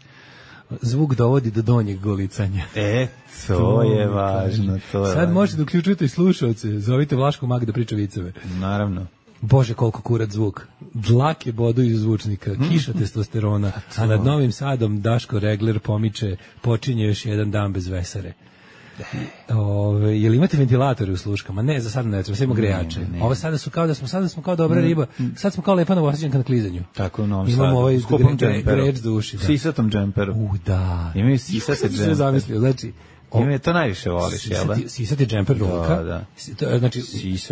zvuk dovodi do donjeg golicanja. E, to, to je važno. To je Sad možete da uključujete i slušalce, zovite Vlaškog Maga da priča viceve. Naravno. Bože, koliko kurat zvuk. Dlake bodu iz zvučnika, kiša testosterona, a nad Novim Sadom Daško Regler pomiče, počinje još jedan dan bez vesare. Ove, jel imate ventilatore u sluškama? Ne, za sad ne treba, sve ima grejače. Ne, ne. Ovo sada su kao da smo sada smo kao dobra ne. riba. Sad smo kao lepa Novosađanka na klizanju. Tako u Novom Sadu. Imamo ovaj greč do uši. Sisatom džemperu. U, da. Imaju sisate džemper. Sve zamislio, znači Ime to najviše voliš, jel da? Sisati džemper rolka. Da, da. Znači,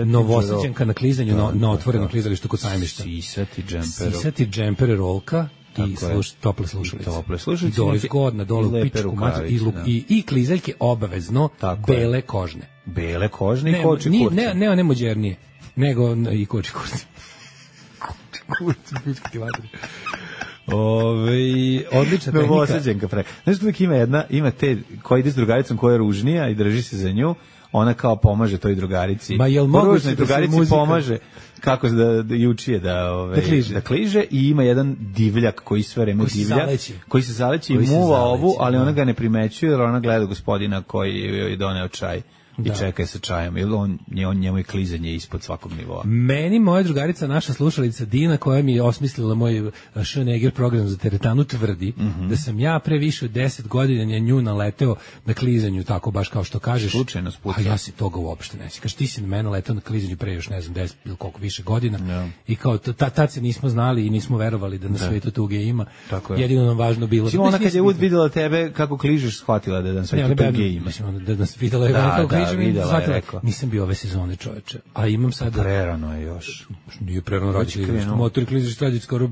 Novosađanka na klizanju, na, na otvorenom klizalištu kod Sajmišta. Sisati džemper. Sisati džemper rolka. I sluš, tople slušalice. Tople slušalice. I dole zgodna, dole u pičku mađu. I, i, i klizaljke obavezno tako bele je. kožne. Bele kožne i koči kurci. Ne, ne, ne mođernije, nego i koči kurci. Koči kurci, pičku ti vatri. Ove, odlična tehnika. Novosađanka pre. Znaš, uvijek ima jedna, ima te koja ide s drugaricom koja je ružnija i drži se za nju, ona kao pomaže toj drugarici. Ma jel moguće da drugarici muzika pomaže kako da, da jučije da, ove, da, kliže. da kliže i ima jedan divljak koji sve vreme divlja, koji se zaleći i muva zaleći, ovu, ali da. ona ga ne primećuje jer ona gleda gospodina koji je doneo čaj. I da. čeka sa čajom, jer on, on, njemu je klizanje ispod svakog nivoa. Meni moja drugarica, naša slušalica Dina, koja mi je osmislila moj Schneeger program za teretanu, tvrdi mm -hmm. da sam ja pre više od deset godina nju naleteo na klizanju, tako baš kao što kažeš. Slučajno spucao. A ja se toga uopšte neći. Kaš ti si na mene leteo na klizanju pre još, ne znam, deset ili koliko više godina. Ja. I kao, tad se nismo znali i nismo verovali da na da. svetu tuge ima. Tako je. Jedino nam važno bilo. Simo ona kad je ud videla tebe kako kližeš, shvatila da na svetu tuge ima. Mislim, da nas videla je kako kližeš. Videla je, rekao. Nisam bio ove sezone, čoveče. A imam sad... Prerano je još. Nije prerano raditi. Motor kliziš radi skoro,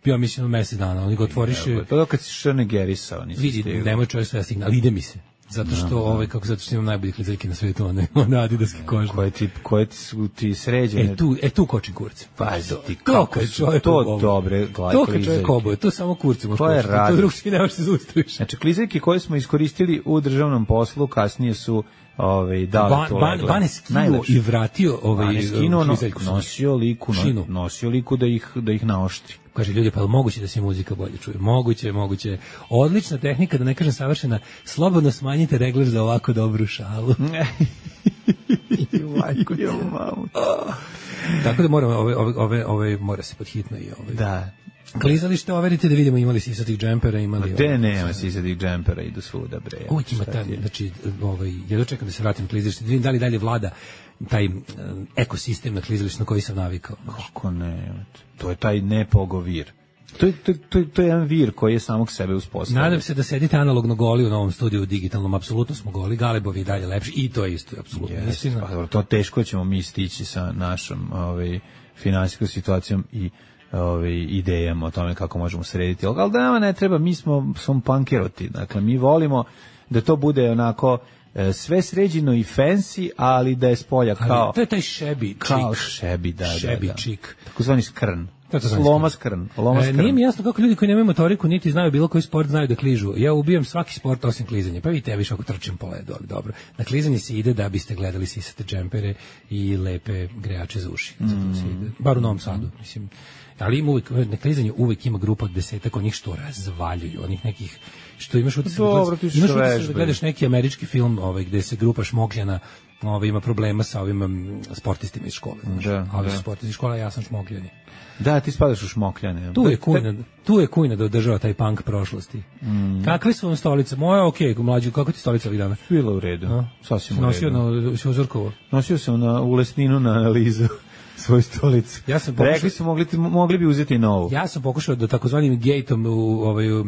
ja mislim, na mesec dana. Oni ga otvoriš... To je kad si šrnegerisao. Vidi, nemoj čovjek sve stigne, ali ide mi se. Zato što, no, ovaj, kako zato što imam najbolje klizaljke na svetu, one, one adidaske kožne. Koje ti, koje ti su ti sređene? E tu, e tu kočim kurce. Pazi ti, kako su to dobre klizaljke. To kad čovjek oboje, to samo kurce može kočiti. To drug ti nemaš se zaustaviš. Znači, klizaljke koje smo iskoristili u državnom poslu, kasnije su ovaj da ban, to ban, ban je skinuo i vratio ovaj skinuo no, nosio liku no, nosio liku da ih da ih naoštri. Kaže ljudi, pa moguće da se muzika bolje čuje. Moguće, moguće. Odlična tehnika, da ne kažem savršena. Slobodno smanjite regler za ovako dobru šalu. Majko, jo mamu. Tako da moramo ove ove ove ove mora se podhitno i ovaj. Da. Klizalište, overite da vidimo imali sisatih džempera, imali... Gde nema sisatih džempera, idu svuda, bre. Uvijek ima taj, znači, ovaj, ja dočekam da se vratim na klizalište, da vidim da li dalje vlada taj um, ekosistem na klizalištu na koji sam navikao. Kako ne, to je taj nepogovir. To je, to, to, to je jedan vir koji je samog sebe uspostavio. Nadam se da sedite analogno goli u novom studiju digitalnom, apsolutno smo goli, Galebovi i dalje lepši i to je isto, apsolutno yes, istina. Pa, to teško ćemo mi stići sa našom ovaj, finansijskom situacijom i ove idejama o tome kako možemo srediti. Ali da nama ne treba, mi smo, smo pankeroti. Dakle, mi volimo da to bude onako e, sve sređeno i fancy, ali da je spolja kao... Ali to je taj šebi čik. Kao šebi, da, šebi da, da. čik. Tako zvani skrn. Loma skrn, loma skrn. E, nije mi jasno kako ljudi koji nemaju motoriku niti znaju bilo koji sport znaju da kližu. Ja ubijam svaki sport osim klizanja. Pa vidite, ja više ako trčim po ledu, ali dobro. Na klizanje se ide da biste gledali sisate džempere i lepe grejače za uši. Zato se ide. Bar u Novom Sadu, mislim. Ali ima uvijek, na klizanju uvijek ima grupa od desetak onih što razvaljuju, onih nekih što imaš utisak, Dobro, ti imaš što utisak da gledaš neki američki film ovaj, gde se grupa šmokljana ovaj, ima problema sa ovim um, sportistima iz škole. Znaš. Da, a ovi da. su sportisti iz škola, ja sam šmokljani. Da, ti spadaš u šmokljane. Tu je kujna, tu je kujna da održava taj punk prošlosti. Mm. Kakve su vam stolice? Moja okej, okay, mlađu, kako ti stolica ovih dana? Bila u redu, a? Sasvim u redu. Nosio na Ćuzorkovo? Nosio sam na, u Lesninu na analizu svoju stolicu. Ja sam pokušao, rekli su mogli, mogli bi uzeti novu. Ja sam pokušao da takozvanim gejtom u, ovaj, u,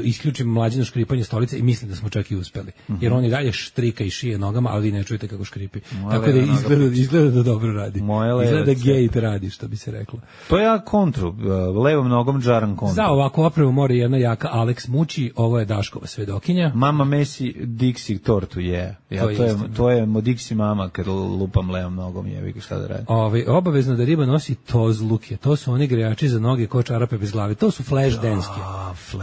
isključim mlađino škripanje stolice i mislim da smo čak i uspeli. Mm-hmm. Jer on i dalje štrika i šije nogama, ali vi ne čujete kako škripi. Moja tako da izgleda, izgleda da dobro radi. Izgleda da gejt radi, što bi se reklo. To ja kontru, levom nogom džaram kontru. Za ovako opremu mora jedna jaka Alex Muči, ovo je Daškova svedokinja. Mama Messi Dixie tortu je. Ja, to, je to, je, to je mo Dixie mama kad lupam levom nogom, jevi šta da radi. Ove, obavezno da riba nosi tozluke. To su oni grejači za noge ko čarape bez glave. To su flash denske.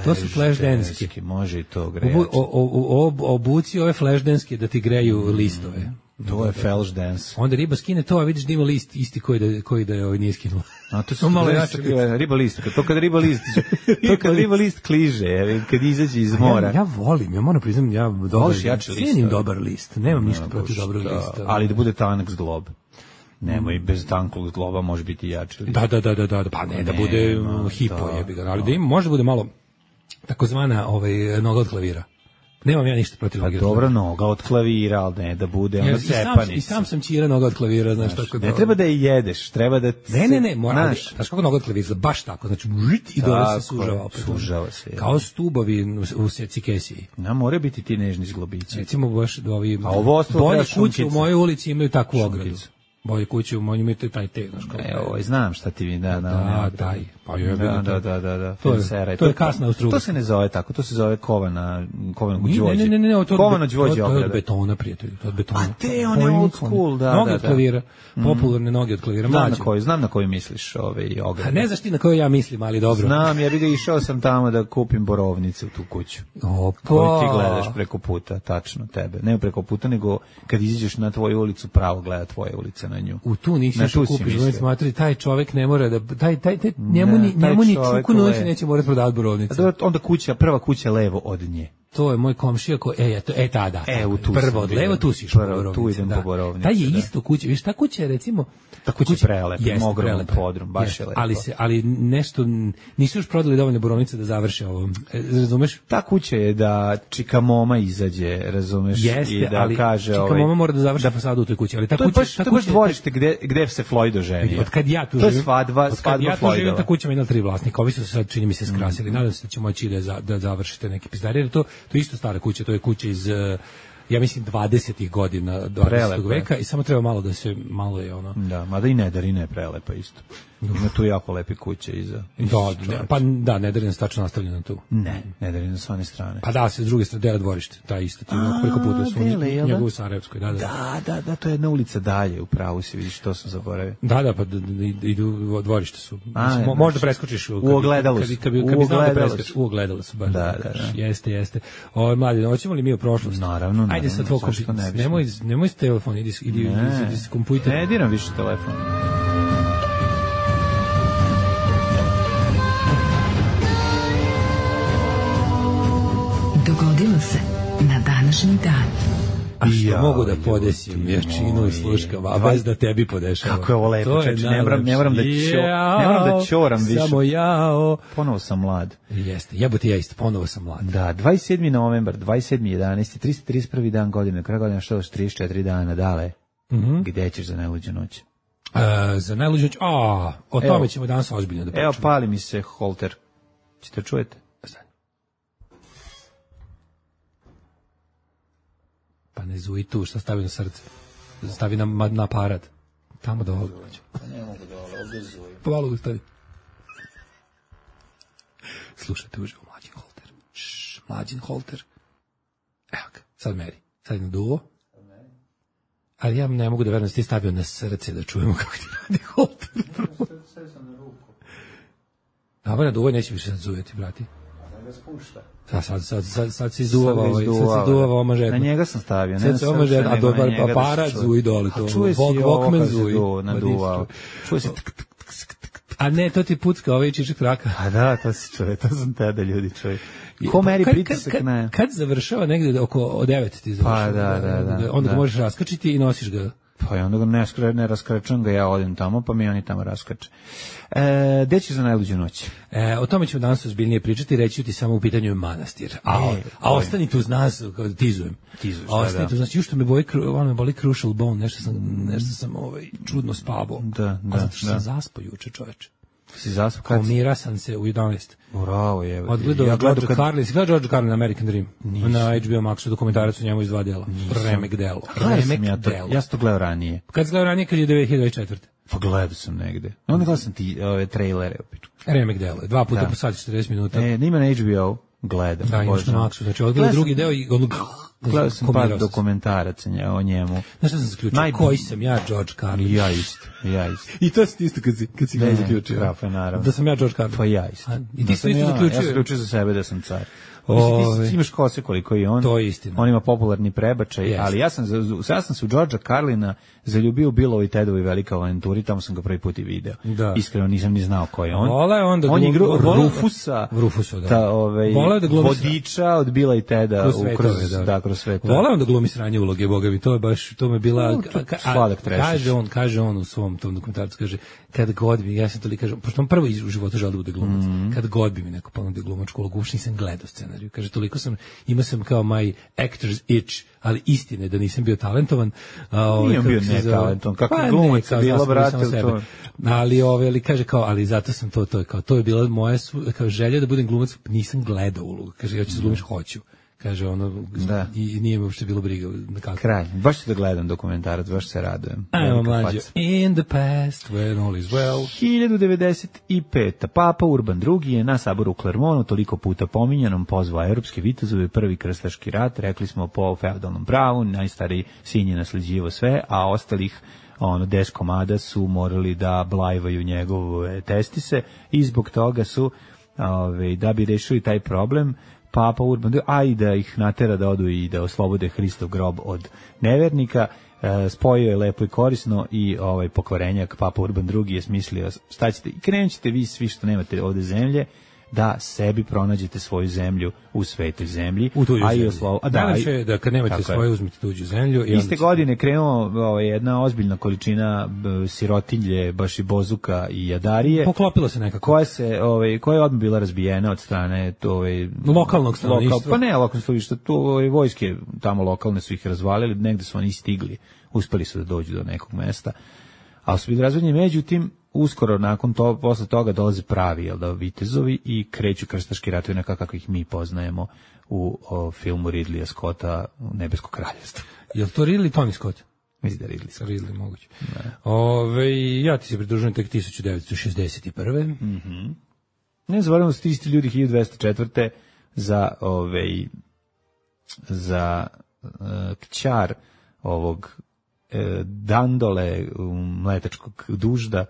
To su flash denske. Može i to grejači. Obu, o, o, o, obuci ove flash denske da ti greju mm, listove. To je flash dance. Onda riba skine to, a vidiš da ima list isti koji da, koji da je ovaj nije skinuo. A to su malo jače. Riba list. To kad riba list, to kad riba list kliže, kad izađe iz mora. Ja, ja volim, ja moram priznam, ja dobar, cijenim dobar list. Nemam ništa protiv dobrog lista. Ali da bude tanak zglob. Nemoj, bez tankog zgloba može biti jači. Da, da, da, da, da, pa ne, ne da bude no, hipo jebi ga, ali da ima, može bude malo takozvana ovaj, noga od klavira. Nemam ja ništa protiv noge. Pa dobro, noga od klavira, ali ne da bude ona cepanica. I sam sam čira noga od klavira, znaš, tako da. Ne treba da je jedeš, treba da... Ne, ne, ne, mora, znaš kako noga od klavira, baš tako, znači, i dole se sužava opet. Sužava se. Kao stubovi u secikesiji. Na, more biti ti nežni zglobići. Recimo, baš ovi... A ovo ostalo bolje kuće u mojoj ulici imaju takvu ogradu. Bolje kuće u mojoj imaju taj te, znaš kako. Evo, znam šta ti vi, da, da. Da, taj. Pa je da, da, da, da, da. To je, to je kasna u strugu. To se ne zove tako, to se zove kovana, kovano gvođe. Ne, ne, ne, ne, to kovano gvođe ograda. To je od betona, prijatelji, to je od betona. A te, one old school, da, da, da. Noge od klavira, popularne noge od klavira, mlađe. Znam na koju, znam na koju misliš, ove ograde. A ne znaš ti na koju ja mislim, ali dobro. Znam, ja bih išao sam tamo da kupim borovnice u tu kuću. Opa. Koju ti gledaš preko puta, tačno tebe. Ne preko puta, nego kad izađeš na tvoju ulicu, pravo gleda tvoje ulice na nju. U tu nisi što kupiš, znači smatri taj čovjek ne mora da taj taj, taj njemu ni njemu ni čuku noći neće morati prodavati borovnice. A onda kuća, prva kuća levo od nje. To je moj komšija ko e eto e tada. E, u tu prvo od levo tu si prvo tu idem po borovnice. Taj je isto kuća, viš ta kuća je recimo ta kuća je prelepa, ogroman podrum, baš je lepo. Ali se ali nešto nisu još prodali dovoljno borovnice da završe ovo. Razumeš? Ta kuća je da čika moma izađe, razumeš, i da kaže ovaj. Čika moma mora da završi fasadu u toj kući, ali ta kuća ta kuća dvorište gde gde se Floydo ženi. Od kad ja tu živim. To je svadba, svadba Floydova. Ta kuća ima jedna tri vlasnika, ovi su sad čini mi se skrasili. Nadam se da će moći da da završite neki pizdarije, to to isto stara kuća, to je kuća iz ja mislim dvadesetih godina dvadesetog veka i samo treba malo da se malo je ono. Da, mada i Nedarina je prelepa isto. Ima tu jako lepe kuće iza. Da, ne, pa da, Nedarina stačno nastavljena tu. Ne, Nedarina sa one strane. Pa da, se s druge strane dela dvorište, ta isto ti preko puta su njegovu Sarajevskoj, da, da. Da, da, da, to je jedna ulica dalje, u pravu se vidiš, to sam zaboravio. Da, da, pa idu dvorište su. Mislim, možda preskočiš u ogledalu su. Kad bi znao da preskočiš, u ogledalu su baš. Da, da, jeste, jeste. O, mladi, hoćemo li mi u prošlost? Naravno, ajde sa tvoj kompjuter. Nemoj, nemoj s telefon, idi, idi, idi s kompjuter. Ne diram više telefon. Dogodilo se na današnji dan. A što ja, mogu da podesim jačinu i sluškam, a bez da tebi podešava. Kako je ovo lepo, čeči, ne moram, ne moram da čo, ne moram da ćoram više. Samo jao. Ponovo sam mlad. Jeste, jebote ja isto, ponovo sam mlad. Da, dvadeset sedmi novembar, dvadeset sedmi jedanaesti, trista trideset prvi dan godine, kraj godine, što još trideset četiri dana, dale. Mm-hmm. Gde ćeš za najluđu noć? Uh, za najluđu noć, a, o tome ćemo danas ozbiljno da pričamo. Evo, pali mi se holter. Ćete čujete? Pa ne zuji tu, šta stavi na srce? Stavi na, na aparat. Tamo da ovdje uđu. Pa ne mogu da ovdje zuji. Pa malo ustavi. Slušajte uživo, mlađin holter. Šš, mlađin holter. Evo ga, sad meri. Sad je na duvo. Ali ja ne mogu da verujem da si ti stavio na srce da čujemo kako ti radi holter. Sve sam na ruku. Kava na duvoj neće više sad zujeti, brati. Da spušta. Sad, sad, sad, sad, sad se izduvava ovaj, sad se izduvava oma žedno. Na njega sam stavio. Sad se oma žedno, a dobar aparat zuji dole. A čuje si ovo kad se naduvao. Čuje se a ne, to ti pucka ovaj čičak traka. A da, to si čuje, to sam tada ljudi čuje. Ko meri pritisak na... Kad završava negde oko devet ti završava. Pa da, da, da. Onda ga možeš raskačiti i nosiš ga. Pa i onda ga ne, skre, ne raskračam ga, ja odem tamo, pa mi oni tamo raskače. E, gde ćeš za najluđu noć? E, o tome ćemo danas ozbiljnije pričati, reći ti samo u pitanju je manastir. A, e, a ostanite uz nas, tizujem. Tizuješ, a ostanite uz nas, ju što me boli, ono me boli crucial bone, nešto sam, nešto sam ovaj, čudno spavao. Da, da, a zato što da. sam zaspao juče, čoveče. Si zaspao kad? Pomira sam se u jedanaest. Bravo, je. Odgledao ja George kad... Carlin, si gledao George Carlin American Dream? Nisu. Na H B O Maxu dokumentarac o njemu iz dva dela. Remek delo. Remek ja delo. Ja sam to gledao ranije. Kad sam gledao ranije, kad je dve hiljade dvadeset četvrte. Pa gledao sam negde. Onda gledao sam ti ove trailere opiču. Remek delo. Dva puta da. Po sat četrdeset minuta. E, nima na H B O. Gledam. Da, imaš na Maxu. Znači, odgledao drugi deo i on... Gledao sam par dokumentaraca o njemu. Znaš šta sam zaključio? Naj... Koji sam ja, George Carlin? Ja isto, ja isto. I to si isto kad si, kad si ne zaključio. Krafa, naravno. Da sam ja George Carlin. Pa ja isto. A, I ti si isto zaključio? Ja sam zaključio za sebe da sam car. Mislim, ti imaš kose koliko i on. To je istina. On ima popularni prebačaj, yes. Ali ja sam, ja sam se u Georgea Carlina zaljubio u Billovi Tedovi Velika avanturi, tamo sam ga prvi put i video. Da. Iskreno nisam ni znao ko je on. Vola on da on je igrao Rufusa, Rufusa, da. Ta, ovaj, da vodiča od Billa i Teda kroz u svetove, kroz, da. Da, kroz sve to. Vola on da glumi sranje uloge, boga mi, to je baš, to me bila, no, to, ka, a, kaže on, kaže on u svom tom dokumentarcu, kaže, kad god bi, ja sam to li kažem, pošto on prvo u životu želeo da bude glumac, mm. kad god bi mi neko ponudio glumačku ulogu, uopšte nisam gledao scenariju, kaže, toliko sam, imao sam kao my actor's itch, ali istine da nisam bio talentovan. A, nije bio netalentovan, kako pa, glumac je bilo, brate, to. Ali, ove, ali kaže kao, ali zato sam to, to je kao, to je bila moja kao želja da budem glumac, nisam gledao ulogu, kaže, ja ću da glumiš, hoću. Kaže ono, da. I nije mi uopšte bilo briga. Kralj, baš ću da gledam dokumentarac, baš se radujem. Ajmo mlađe. In the past, when all is well. hiljadu devedeset peta. Papa Urban drugi je na saboru u Klermonu toliko puta pominjanom pozvao evropske vitezove prvi krstaški rat, rekli smo po feudalnom pravu, najstariji sin je nasleđivo sve, a ostalih ono, des komada su morali da blajvaju njegove testise i zbog toga su, ove, da bi rešili taj problem, Papa Urban, a i da ih natera da odu i da oslobode Hristov grob od nevernika, e, spojio je lepo i korisno i ovaj pokvarenjak Papa Urban drugi je smislio šta ćete, i krenut ćete vi svi što nemate ovde zemlje, da sebi pronađete svoju zemlju u svetoj zemlji, u tuđu a zemlju. i oslo... a da, je da kad nemate svoju uzmite tuđu zemlju. I iste godine krenuo ovaj, jedna ozbiljna količina b, sirotilje, baš i bozuka i jadarije. Poklopilo se nekako. Koja se, ovaj, koja je odmah bila razbijena od strane ovaj, lokalnog stanovništva. Lokal, pa ne lokalnog stanovništva, tu ovaj, vojske tamo lokalne su ih razvalili, negde su oni stigli, uspeli su da dođu do nekog mesta. Ali su bili razvodnjeni, međutim, uskoro nakon to, posle toga dolaze pravi, jel da, vitezovi i kreću krstaški ratovi onako kako ih mi poznajemo u o, filmu Ridleya Scotta Nebesko kraljevstvo. Je li to Ridley, Tony Scott? Mislim da je Ridley Scott. Ridley, moguće. Ove, ja ti se pridružujem tek hiljadu devetsto šezdeset prve. Mm-hmm. Ne zaboravimo su ti isti ljudi hiljadu dvesta četvrte za, ove, za uh, kćar ovog Dandole, mletačkog dužda,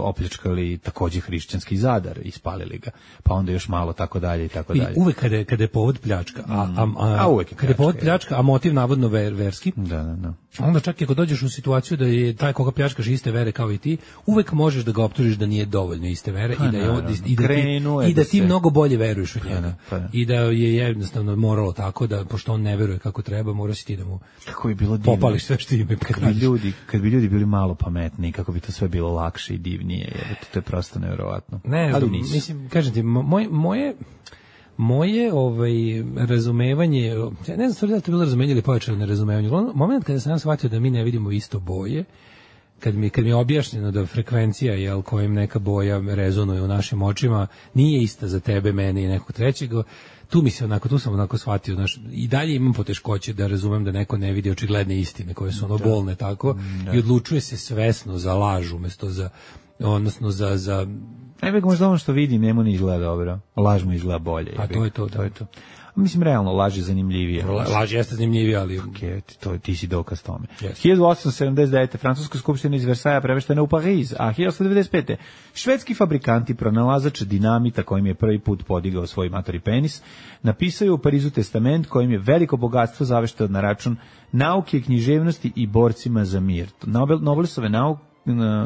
opljačkali takođe hrišćanski Zadar, ispalili ga, pa onda još malo tako dalje i tako dalje. I uvek kada je, kada je povod pljačka, a, a, a, a uvek je kada je povod pljačka, a motiv navodno ver, verski, da, da, da. Onda čak i ako dođeš u situaciju da je taj koga pljačkaš iste vere kao i ti, uvek možeš da ga optužiš da nije dovoljno iste vere pa, i da je on, i da ti, i da ti mnogo bolje veruješ u njega. Pa, pa, I da je jednostavno moralo tako da pošto on ne veruje kako treba, mora si ti da mu kako bi bilo divno, popališ sve što ime kad bi ljudi, kad bi ljudi bili malo pametniji, kako bi to sve bilo lakše i divnije, jer to je prosto neverovatno. Ne, ali nisu. Mislim, kažem ti, moj, moje moje ovaj razumevanje, ja ne znam da li to bilo razumevanje ili pojačano nerazumevanje. Moment kada sam ja shvatio da mi ne vidimo isto boje, kad mi kad mi je objašnjeno da frekvencija jel kojim neka boja rezonuje u našim očima nije ista za tebe, mene i nekog trećeg, tu mi se onako, tu sam onako shvatio, znaš, i dalje imam poteškoće da razumem da neko ne vidi očigledne istine koje su ono bolne tako da. I odlučuje se svesno za laž umesto za odnosno za... za Najbeg možda ono što vidi, njemu ne izgleda dobro. Laž mu izgleda bolje. A to je to, to da. je to. Mislim, realno, laž je zanimljivije. La, laž jeste zanimljivije, ali... Okay, to, ti si dokaz tome. Yes. hiljadu osamsto sedamdeset devete. Francuska skupština iz Versaja preveštena u Pariz, a hiljadu osamsto devedeset pete. Švedski fabrikanti, pronalazač dinamita kojim je prvi put podigao svoj matori penis, napisaju u Parizu testament kojim je veliko bogatstvo zavešteno na račun nauke, književnosti i borcima za mir. Nobel, Nobelove nauke,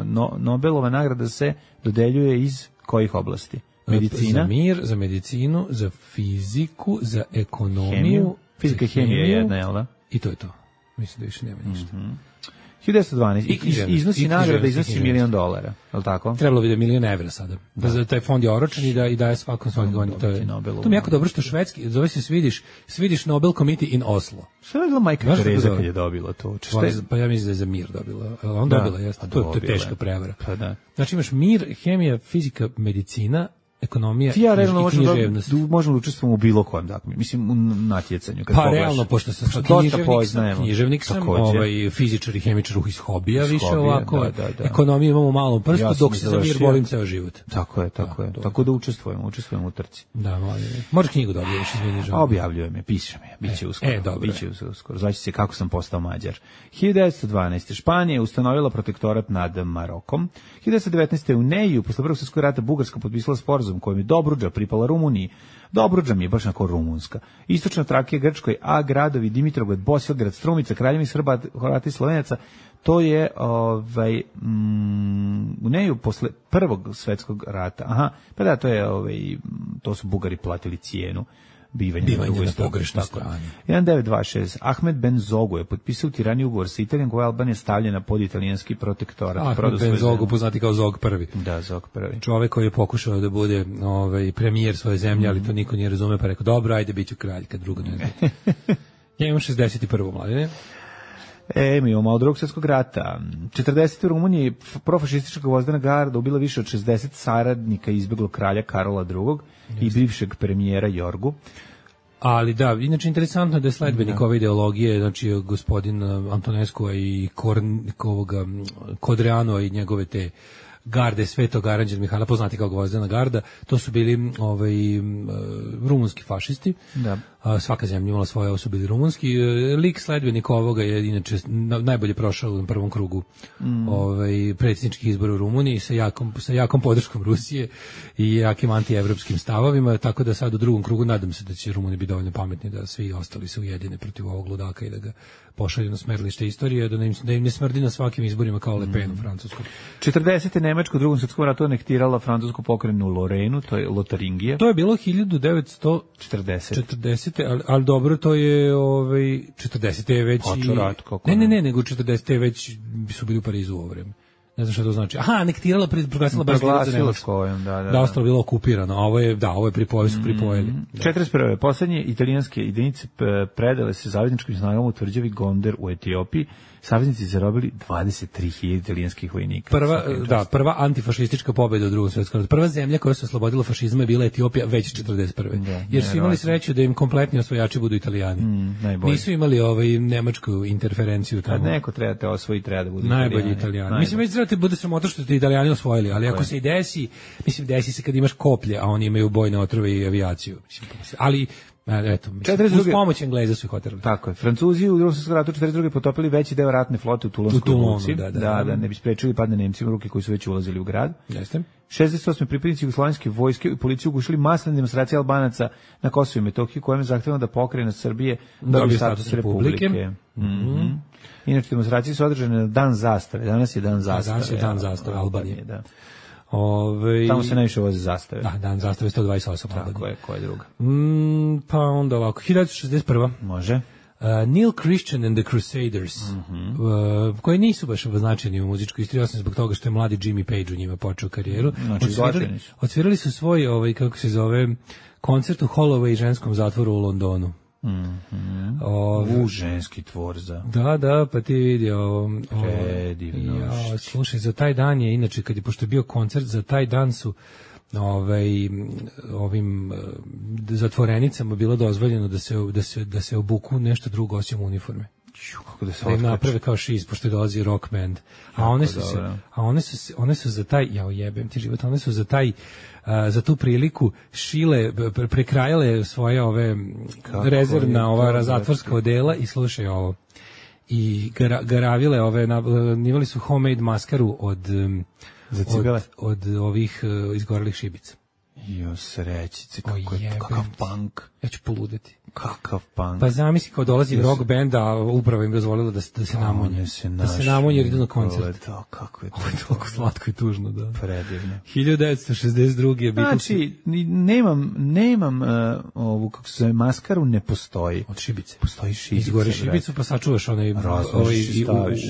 no, Nobelova nagrada se dodeljuje iz kojih oblasti? Medicina? Za mir, za medicinu, za fiziku, za ekonomiju. Hemiju. Fizika i hemija je jedna, jel da? I to je to. Mislim da više nema ništa. Mm-hmm. hiljadu devetsto dvanaeste. I, iznosi nagrada, iznosi milion dolara, je li tako? Trebalo bi da milion evra sada. Da. Da taj fond je oročan i da i daje svakom svaki godin. To je to mi jako dobro što švedski, zove se Swedish, Swedish Nobel Committee in Oslo. Šta je bila majka Tereza kad je dobila to? Šta je? Pa ja mislim da je za mir dobila. On da, dobila, jeste. To, to je teška prevara. Pa da. Znači imaš mir, hemija, fizika, medicina, ekonomija ja, i književnost. Da, možemo da učestvujemo u bilo kojem, dakle, mislim, u natjecanju. Kad pa poglaš, realno, pošto sam književnik, sam, književnik sam, ovaj, fizičar i hemičar iz hobija, iz više hobija, ovako, da, da, da. Ekonomiju imamo u malom prstu, ja dok se za mir borim ceo život. Tako je, tako da, je. Tako da učestvujemo, učestvujemo u trci. Da, molim. Možeš knjigu da objavlješ, izvini, žao. Objavljujem je, pišem je, bit će uskoro. E, dobro. Biće uskoro, znači se kako sam postao Mađar. hiljadu devetsto dvanaeste. Španija ustanovila protektorat nad Marokom. hiljadu devetsto devetnaeste. u Neju, posle Prvog svjetskog rata, Bugarska potpisala sporazum kojim je Dobruđa pripala Rumuniji. Dobruđa mi je baš onako rumunska. Istočna Trakija Grčkoj, a gradovi Dimitrovgrad, Bosilegrad, Strumica, Kraljevina Srba, Hrvata i Slovenaca, to je ovaj mm, u Neju posle Prvog svjetskog rata. Aha, pa da, to je ovaj to su Bugari platili cijenu bivanja, bivanja na pogrešnoj strani. hiljadu devetsto dvadeset šeste. Ahmed Ben Zogu je potpisao tirani ugovor sa Italijom, koja je Albanija stavljena pod italijanski protektorat. Ahmed Ben Zogu, poznati kao Zog prvi. Da, Zog prvi. Čovek koji je pokušao da bude ovaj, premijer svoje zemlje, ali to niko nije razume, pa rekao, dobro, ajde, bit ću kralj, kad drugo ne zna. Ja imam šezdeset prvo. mladine. E, mi imamo od Drugog svjetskog rata. četrdesete. u Rumuniji profašistička gvozdena garda ubila više od šezdeset saradnika izbeglog kralja Karola drugog i bivšeg premijera Jorgu. Ali da, inače interesantno da je sledbenik ove ideologije, znači gospodin Antonescu i Kornikovoga, Kodreano i njegove te garde Svetog Aranđela Mihajla, poznati kao gvozdena garda, to su bili ovaj, rumunski fašisti. Da. Svaka zemlja imala svoje, ovo su bili rumunski. Lik sledbenik ovoga je inače najbolje prošao u prvom krugu mm. ovaj, predsjedničkih izbora u Rumuniji sa jakom, sa jakom podrškom Rusije i jakim antievropskim stavovima, tako da sad u drugom krugu nadam se da će Rumuni biti dovoljno pametni da svi ostali se ujedine protiv ovog ludaka i da ga pošalju na smerlište istorije, da im, da im ne smrdi na svakim izborima kao Le Pen u Francuskom. četrdesete. Nemačko u Drugom svjetskom ratu anektirala francusku pokrajinu Lorenu, to je Lotaringija. To je bilo hiljadu devetsto četrdeset. Ali, ali dobro, to je ovaj četrdesete je već i... rat, kako ne, ne, ne, nego četrdesete već su bili u Parizu u ovo vreme. Ne znam šta to znači. Aha, anektirala, proglasila baš za Nemačku. Da, da, da. Da, ostalo bilo okupirano, a ovo je, da, ovo je pripojili, su pripojili. Mm, četrdeset prve. Poslednje italijanske jedinice predale se zavezničkim snagama u tvrđavi Gonder u Etiopiji. Saveznici zarobili dvadeset tri hiljade italijanskih vojnika. Prva, da, prva antifašistička pobjeda u Drugom svjetskom ratu. Prva zemlja koja se oslobodila fašizma je bila Etiopija već četrdeset prve. Da, jer su imali sreću da im kompletni osvojači budu Italijani. Mm, Nisu imali ovaj nemačku interferenciju tamo. Kad neko treba te osvojiti, treba da budu najbolji Italijani. Italijani. Mislim, već treba te bude sramota što te Italijani osvojili, ali ako se i desi, mislim, desi se kad imaš koplje, a oni imaju bojne otrove i avijaciju. Mislim, ali eto, mislim, uz pomoć Engleza su ih oterali. Tako je. Francuzi u Drugom svjetskom ratu četrdeset druge potopili veći deo ratne flote u Tulonskoj luci, da, da, da, da ne bi sprečili padne Nemcima u ruke koji su već ulazili u grad. Jeste. šezdeset osme. pripadnici jugoslovenske vojske i policiju ugušili masovne demonstracije Albanaca na Kosovu i Metohiji, kojim je zahtevano da pokrajina Srbije dobije status republike. Mm-hmm. Inače, demonstracije su održane na dan zastave. Danas je dan zastave. Danas je dan zastave Albanije. Da. Ove... Tamo se najviše voze zastave. Da, dan zastave sto dvadeset osam. Tako je, koja je druga? Mm, pa onda ovako, hiljadu šezdeset prva. Može. Uh, Neil Christian and the Crusaders, mm-hmm. uh, koji nisu baš označeni u muzičkoj istoriji, osim zbog toga što je mladi Jimmy Page u njima počeo karijeru. Znači, odsvirali, odsvirali su svoj, ovaj, kako se zove, koncert u Holloway ženskom zatvoru u Londonu. Mm-hmm. Ove, u ženski tvorza. Da, da, pa ti vidi ovo. Predivno. Ja, slušaj, za taj dan je, inače, kad je, pošto je bio koncert, za taj dan su ovaj, ovim zatvorenicama bilo dozvoljeno da se, da se, da se obuku nešto drugo osim uniforme. Kako da se da naprave kao šiz, pošto dolazi rock band. A one su se, a one su one su za taj, ja ujebem ti život, one su za taj Uh, za tu priliku šile, prekrajale svoje ove kako rezervna, ova zatvorska odela i slušaj ovo. I gara, garavile ove, nivali su homemade maskaru od, od, od ovih uh, izgorelih šibica. Jo, srećice, kako je, kakav punk. Ja ću poludeti. Kakav punk. Pa zamisli kao dolazi rock band, a upravo im dozvolilo da, da se namunje. Da se namunje jer idu na koncert. Da, kako je to. Ovo je toliko slatko i tužno, da. Predivno. hiljadu devetsto šezdeset druge Znači, nemam, nemam uh, ovu, kako se zove, maskaru, ne postoji. Od šibice. Postoji šibice. Izgore šibicu, pa sačuvaš onaj, ovaj,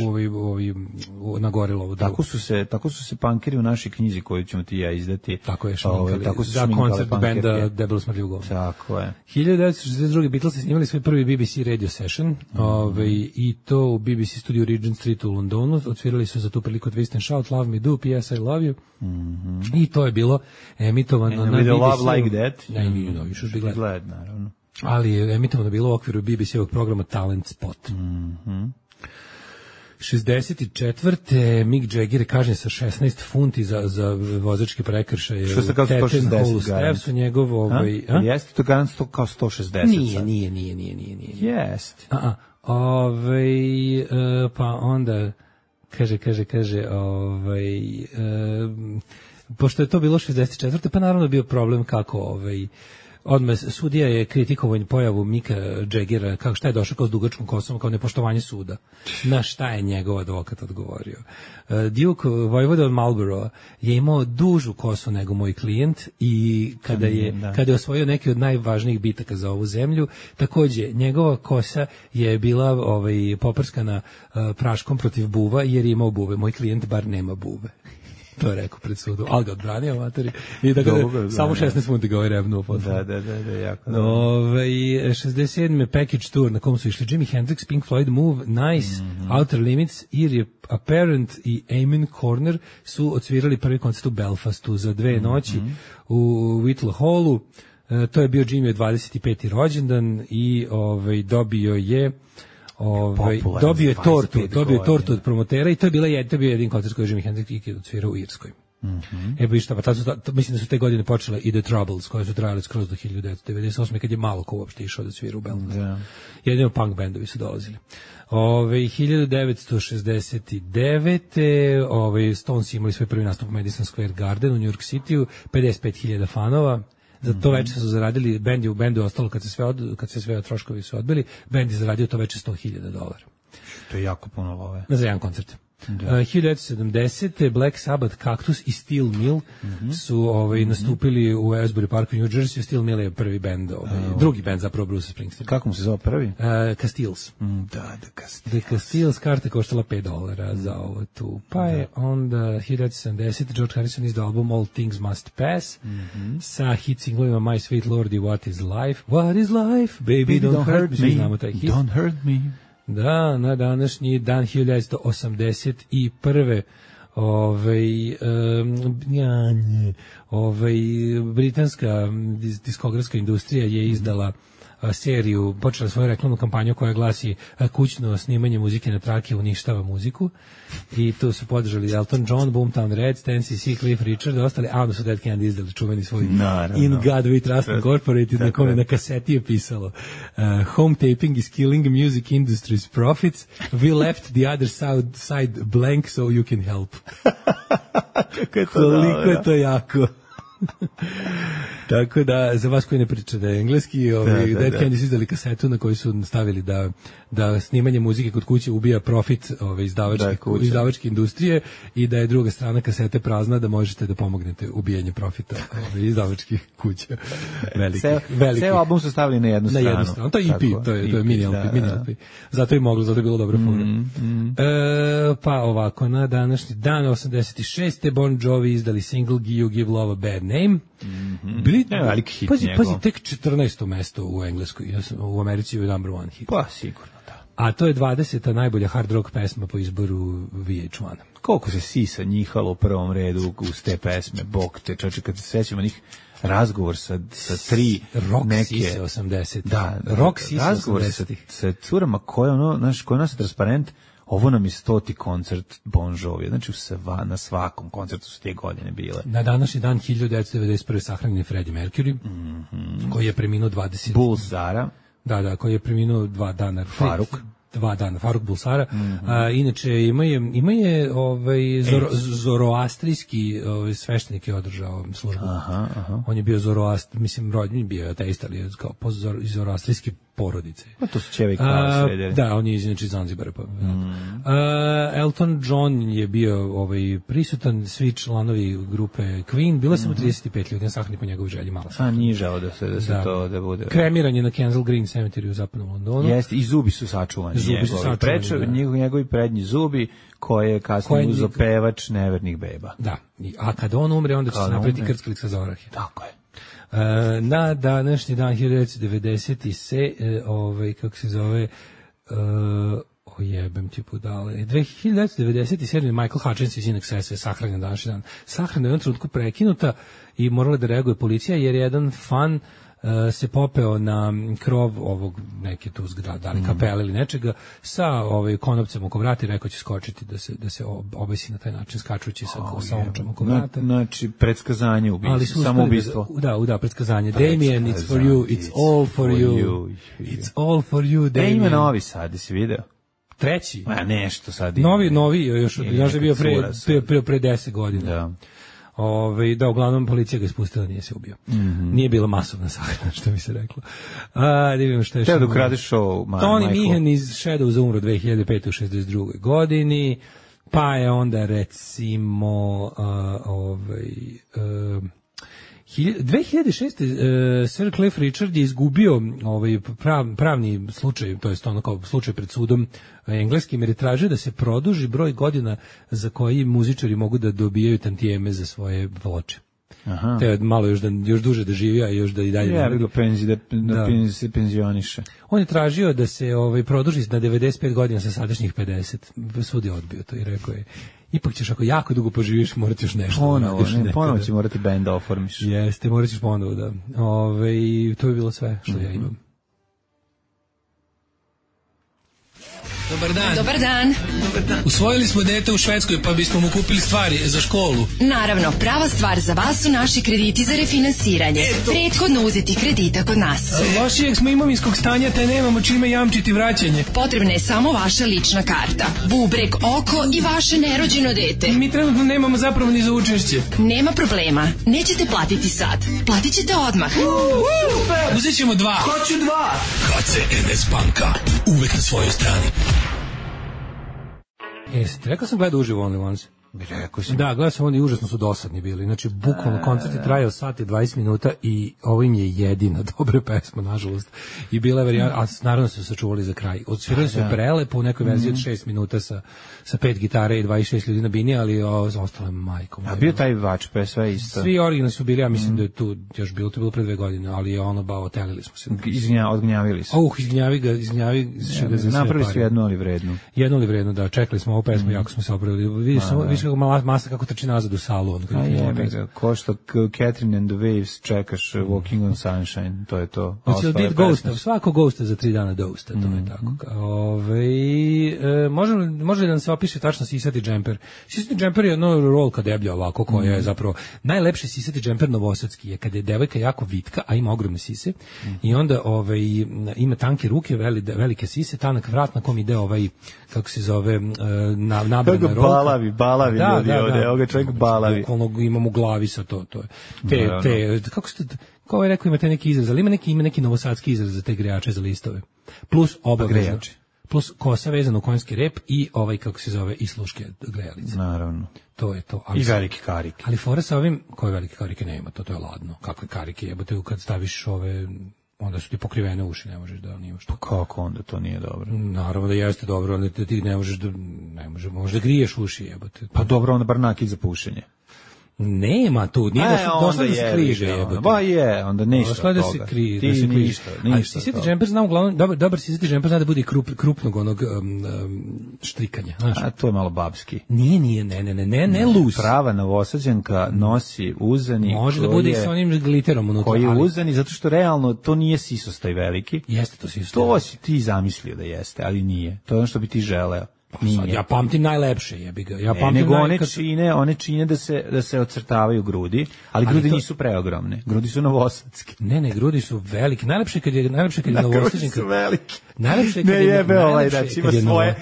ovaj, ovaj, nagorilo. Tako su se, tako su se punkeri u našoj knjizi koju ćemo ti ja izdati. Tako je šminkali. Tako su za koncert benda Debelo smrljivo govno. Tako je. hiljadu devetsto šezdeset druge Beatlesi snimali svoj prvi B B C radio session, mm-hmm. ovaj, i to u B B C studiju Regent Street u Londonu. Odsvirali su za tu priliku Twist and Shout, Love Me Do, P S I Love You. Mm-hmm. I to je bilo emitovano and na B B C. Love Like That. Ne, ne, no, you should be glad. glad, naravno. Ali je emitovano bilo u okviru B B C-ovog programa Talent Spot. Mhm. šezdeset četvrte Mick Jagger je kažnjen sa šesnaest funti za, za vozački prekršaj. Što se kao sto šezdeset garant? Su njegov, ovaj, a? Jeste to garant kao sto šezdeset? Nije, nije, nije, nije, nije. nije. Jeste. A, a, ovaj, uh, pa onda, kaže, kaže, kaže, ovaj, uh, pošto je to bilo šezdeset četvrte pa naravno je bio problem kako, ovaj, odmah sudija je kritikovao pojavu Mika Jaggera, kako šta je došao kao s dugačkom kosom, kao nepoštovanje suda. Na šta je njegov advokat odgovorio? Uh, Duke Vojvoda od Marlborough je imao dužu kosu nego moj klijent i kada je, da. kada je osvojio neki od najvažnijih bitaka za ovu zemlju, takođe njegova kosa je bila ovaj, poprskana uh, praškom protiv buva jer je imao buve. Moj klijent bar nema buve. To je rekao pred sudom, ali ga odbranio materi. I da ga samo šesnaest funti ga ovaj rebnuo. Da, da, da, da, jako. Ove, šezdeset sedme package tour na kom su išli Jimi Hendrix, Pink Floyd, Move, Nice, mm-hmm. Outer Limits, Eerie Apparent i Amen Corner su odsvirali prvi koncert u Belfastu za dve noći mm-hmm. u Whittle Hallu. E, to je bio Jimmy dvadeset peti rođendan i ovaj, dobio je Ovaj dobio je tortu, dobio je tortu od promotera i to je bila je to je bio jedin koncert koji je Jimi Hendrix ikad odsvirao u Irskoj. Mhm. Mm e pa šta, pa tad su, ta, mislim da su te godine počele i The Troubles koje su trajale skroz do hiljadu devetsto devedeset osme kad je malo ko uopšte išao da svira u Belfastu. Yeah. Jedino punk bendovi su dolazili. Ove hiljadu devetsto šezdeset devete ove Stones imali svoj prvi nastup u Madison Square Garden u New York Cityu, pedeset pet hiljada fanova. Za to veče su zaradili, bend je u bendu ostalo kad se sve od, kad se sve troškovi su odbili, bend je zaradio to veče sto hiljada dolara. To je jako puno love. Za jedan koncert. Da. Uh, hiljadu devetsto sedamdesete Black Sabbath, Cactus i Steel Mill mm-hmm. su ovaj, mm-hmm. nastupili u Asbury Parku u New Jersey. Steel Mill je prvi bend, ovaj, uh, drugi bend zapravo Bruce Springsteen. Kako mu se zove prvi? Uh, Castiles. Mm, da, The Castiles. The Castiles karta koštala pet dolara mm. za ovo tu. Pa da. Je onda hiljadu devetsto sedamdesete George Harrison izdao album All Things Must Pass mm-hmm. sa hit singlovima My Sweet Lord i What Is Life. What Is Life? Baby, Baby don't, don't hurt me. Znamo taj hit. Don't hurt me. Da, na današnji dan hiljadu devetsto osamdeset prve ovaj um, ja, nje, ovaj britanska diskografska industrija je izdala a, seriju, počela svoju reklamnu kampanju koja glasi a, kućno snimanje muzike na trake uništava muziku i tu su podržali Elton John, Boomtown Rats, Ten C C, Cliff Richard i ostali, a onda su Dead Candy izdali čuveni svoj Naravno. In God We Trust Incorporated na kome na kaseti je pisalo uh, home taping is killing music industry's profits, we left the other side, side blank so you can help. Kako je to koliko je to jako. Tako da, za vas koji ne pričate engleski, ovaj, da, da, Dead da. Candy su izdali kasetu na kojoj su stavili da, da snimanje muzike kod kuće ubija profit ove, izdavačke, da, izdavačke industrije i da je druga strana kasete prazna da možete da pomognete ubijanju profita ove, izdavačkih kuća. Veliki, Ceo, veliki. Ceo album su stavili na jednu stranu. Na jednu stranu. To je E P, to je, to je mini L P. Da, mini L P. Zato je moglo, zato je bilo dobro fora. Mm, mm. E, pa ovako, na današnji dan osamdeset šeste Bon Jovi izdali single You Give Love a Bad Name. Mm-hmm. Bili, ne, veliki hit pazi, njegov. pazi, tek četrnaesto mesto u Engleskoj, u Americi je number one hit. Pa, sigurno, da. A to je dvadeseta najbolja hard rock pesma po izboru V H jedan. Koliko se sisa njihalo u prvom redu uz te pesme, bog te, čoče, kad se sećamo njih razgovor sa, sa tri rock neke... sise osamdesetih. Da, rock sise razgovor osamdesetih. Sa, sa curama koje, ono, znaš, koje nas transparent, ovo nam je stoti koncert Bon Jovi, znači u sva, na svakom koncertu su te godine bile. Na današnji dan hiljadu devetsto devedeset prve sahranjen je Freddie Mercury, mm-hmm. koji je preminuo dvadeset... Bulsara. Da, da, koji je preminuo dva dana. Faruk. Dva dana, Faruk Bulsara. Mm-hmm. A, inače, ima je, ima je ovaj, zoro, zoroastrijski ovaj, sveštenik je održao službu. Aha, aha. On je bio zoroast, mislim, rodnji bio ateist, ali je kao po zoro, iz zoroastrijske porodice. Pa to su čevi kao srederi. Da, on je iz inače Zanzibara. Pa, mm. A, Elton John je bio ovaj, prisutan, svi članovi grupe Queen, bilo samo mm-hmm. trideset pet ljudi, sahni po njegovoj želji, malo. A nije žao da se, da se da. to da bude. Kremiran je na Kensal Green Cemetery u zapadnom Londonu. Jeste, i zubi su sačuvani. Zubi su sačuvani, Prečo, da. njegovi, njegovi prednji zubi, koje je kasnije uzo pevač nevernih beba. Da, a kada on umre, onda će se napraviti krckalica za orahe. Tako je. E, na današnji dan hiljadu devetsto devedeset se, e, ovaj, kako se zove, e, o jebem ti budale, hiljadu devetsto devedeset sedam Michael Hutchins iz In Excessa je sahranjen današnji dan. Sahrana je u jednom trenutku prekinuta i morala da reaguje policija, jer je jedan fan Uh, se popeo na krov ovog neke tu zgrade, da li kapele ili nečega, sa ovaj konopcem oko vrata i rekao će skočiti da se da se obesi na taj način skačući sa oh, sa omčom oko vrata. Znači predskazanje ubistva, samo ubistvo. Da, da, da, predskazanje. Damien, it's for you, it's all for you. It's all for you, Damien. E, ima novi sad, si video? Treći? Ma nešto sad ima. Novi, novi, još još je bio pre pre pre, pre deset godina. Da. Ove, da, uglavnom policija ga ispustila, nije se ubio. Mm-hmm. Nije bila masovna sahrana, što bi se reklo. A, da vidimo što je... Teo da ukradeš show, ma, Tony Meehan iz Shadows umro dve hiljade pete u šezdeset drugoj godini, pa je onda recimo uh, ovaj... Uh, dve hiljade šeste. Uh, Sir Cliff Richard je izgubio ovaj prav, pravni slučaj, to jest ono kao slučaj pred sudom engleskim, jer je tražio da se produži broj godina za koji muzičari mogu da dobijaju tantijeme za svoje ploče. Aha. Te malo još da još duže da živi, a još da i dalje. Ja bih ga penzi da, da, da. se penzioniše. On je tražio da se ovaj produži na devedeset pet godina sa sadašnjih pedeset. Sud je odbio to i rekao je: ipak ćeš ako jako dugo poživiš, morat još nešto. Ponovo, ne, ponovo će morati bend da oformiš. Jeste, morat ćeš ponovo da. Ove, to je bilo sve što mm-hmm. ja imam. Dobar dan. Dobar dan. Dobar dan. Usvojili smo dete u Švedskoj, pa bismo mu kupili stvari za školu. Naravno, prava stvar za vas su naši krediti za refinansiranje. Eto. Prethodno uzeti kredita kod nas. Lošijeg smo imovinskog stanja, te nemamo čime jamčiti vraćanje. Potrebna je samo vaša lična karta, bubreg, oko i vaše nerođeno dete. Mi trenutno nemamo zapravo ni za učešće. Nema problema, nećete platiti sad. Platit ćete odmah. Super! Uzet ćemo dva. Hoću dva! H C N S banka, uvek na svojoj strani. Jeste, rekao sam gledao uživo Only Ones. Rekao sam. Da, gledao sam, oni užasno su dosadni bili. Znači, bukvalno koncert je trajao sat i dvadeset minuta i ovo im je jedina dobra pesma, nažalost. I bila je varijanta, a naravno su se sačuvali za kraj. Odsvirali su prelepo u nekoj verziji od šest minuta sa, sa pet gitare i dvadeset šest ljudi na bini, ali o, ostalo je majkom. A bio taj vač, pa je sve isto. Svi originalni su bili, ja mislim mm. da je tu još bilo, to je bilo pre dve godine, ali je ono, ba, otelili smo se. Izgnja, odgnjavili su. Uh, izgnjavi ga, izgnjavi ja, ga za sve. Napravili su jednu, ali vrednu. Jednu, ali vrednu, da, čekali smo ovu pesmu, mm. jako smo se opravili. Vidiš, samo, vidiš kako mala masa kako trči nazad u salu. On, a je, ko što Catherine and the Waves čekaš mm. Walking on Sunshine, to je to. Hoće li Ghosta, svako Ghosta za tri dana Dosta, to mm. je tako. Ove, e, može, može li da nam se opiše tačno sisati džemper? Sisati džemper je ono rolka deblja ovako, koja mm. je zapravo najlepši sisati džemper novosadski je kada je devojka jako vitka, a ima ogromne sise mm. i onda ovaj, ima tanke ruke, veli, velike sise, tanak vrat na kom ide ovaj, kako se zove, na, nabrana rolka. Balavi, balavi da, ljudi da, ovde, da. Evo ga čovjek balavi. Bukvalno imam u glavi sa to, to je. Te, no, te, no. Kako ste, kao je rekao, imate neki izraz, ali ima neki, ima neki novosadski izraz za te grejače za listove. Plus obavezno. Plus kosa vezana u konjski rep i ovaj, kako se zove, i sluške grejalice. Naravno. To je to. Ali i velike karike. Ali fora sa ovim, koje velike karike nema, to, to je ladno. Kakve karike jebote, kad staviš ove, onda su ti pokrivene uši, ne možeš da nimaš. Pa kako onda to nije dobro? Naravno da jeste dobro, onda ti ne možeš da, ne možeš, možeš da griješ uši jebote. Pa dobro, onda bar nakid za pušenje. Nema tu, nije e, došlo, došlo da se križe, jebote. Ba je, onda ništa došlo od da toga. se krije, Ti da se ništa, ništa. Ali sisati džemper znam uglavnom, dobar, dobar sisati džemper zna da bude krup, krupnog onog um, um, štrikanja, znaš. A to je malo babski. Nije, nije, ne, ne, ne, ne, ne lus. Prava novosađanka nosi uzani. Može da bude i sa onim gliterom unutra. Koji je ali... uzani, zato što realno to nije sisostaj veliki. Jeste to sisostaj. To si ti zamislio da jeste, ali nije. To je ono što bi ti želeo. Sad, ja pamtim najlepše, jebi ga. Ja ne, pamtim nego naj... one čine, one čine da se da se ocrtavaju grudi, ali, ali grudi to... nisu preogromne. Grudi su novosadske. Ne, ne, grudi su velike. Najlepše kad je najlepše kad je novosađenka. Grudi su velike. Najlepše kad ne je jebe ovaj da ima svoje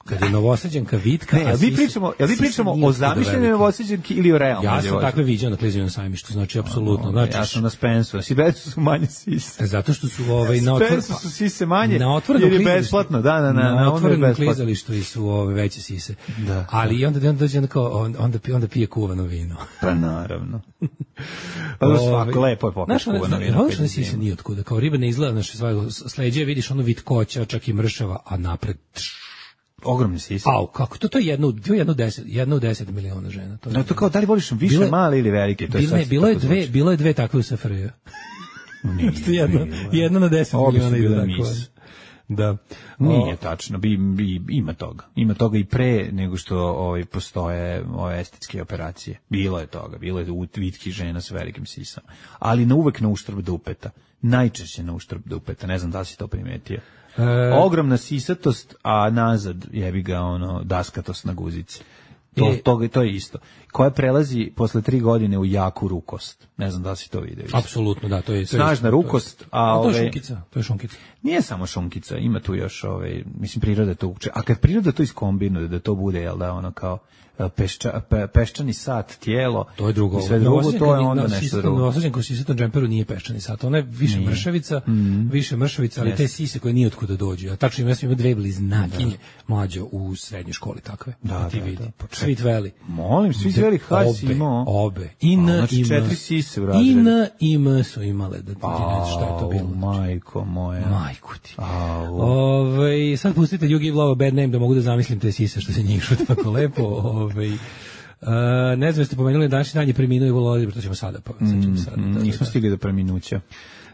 kad je novosađenka vitka. Ne, a vi pričamo, jel vi pričamo o zamišljenoj novosađenki ili o realnoj? Ja sam takve viđao na Klizinom sajmištu, znači apsolutno. Znači ja sam na Spensu, si Spensu su manje sise. Zato što su ovaj na otvorenom Spensu su sise manje. Na otvorenom jer je besplatno, da, da, na, na otvorenom klizalištu i su ove veće sise. Da. Ali onda onda dođe onda kao onda onda pije kuvano vino. Pa naravno. Pa svako lepo je popiti kuvano vino. Ovo što ne sise ni otkuda, kao riba ne izgleda naše svoje sleđe, vidiš ono vitkoća, čak i mršava, a napred ogromne sise. Au, kako to to je jedno, to je jedno deset, jedno u deset miliona žena. To je. No to kao da li voliš više bile, male ili velike, to je bile, bilo je dve, zvuči. Bilo je dve takve u S F R J. jedno, jedno na deset miliona ide tako. Da. Nije tačno, bi, bi, ima toga. Ima toga i pre nego što ovaj postoje ove estetske operacije. Bilo je toga, bilo je u vitki žena s velikim sisama, ali na uvek na uštrb dupeta. Najčešće na uštrb dupeta, ne znam da li si to primetio. E... Ogromna sisatost, a nazad jebi ga ono daskatost na guzici. To, e... to, to je isto. Koja prelazi posle tri godine u jaku rukost. Ne znam da li si to vidio. Apsolutno, da, to je... To snažna je, rukost, to je, a, a to je ove... šunkica, to je šunkica. Nije samo šunkica, ima tu još, ove, mislim, priroda to uče. A kad priroda to iskombinuje, da to bude, jel da, ono kao pešča, pe, peščani sat, tijelo, to je drugo. I sve drugo, to je onda nešto sistem, drugo. Novosađen ko sisatom džemperu nije peščani sat, ona je više nije. mršavica, mm. više mršavica, ali yes. te sise koje nije otkuda dođu. A tačno ima, ima dve bliznakinje mlađo u srednjoj školi takve. Da, ti da, vidi. da. Sweet Valley. Molim, Sweet Valley High si imao. Obe. I N, znači i M. četiri sise u razredu. I N, i M su imale, da ti ne šta je to bilo. Majko moja. Majko ti. Ove, sad pustite You Give Love a Bad Name da mogu da zamislim te sise što se njih šut tako lepo. Ove, Uh, ne znam, ste pomenuli današnji dan je preminuo i volio, to ćemo sada pa, sad ćemo sada. Mm, nismo stigli do preminuća.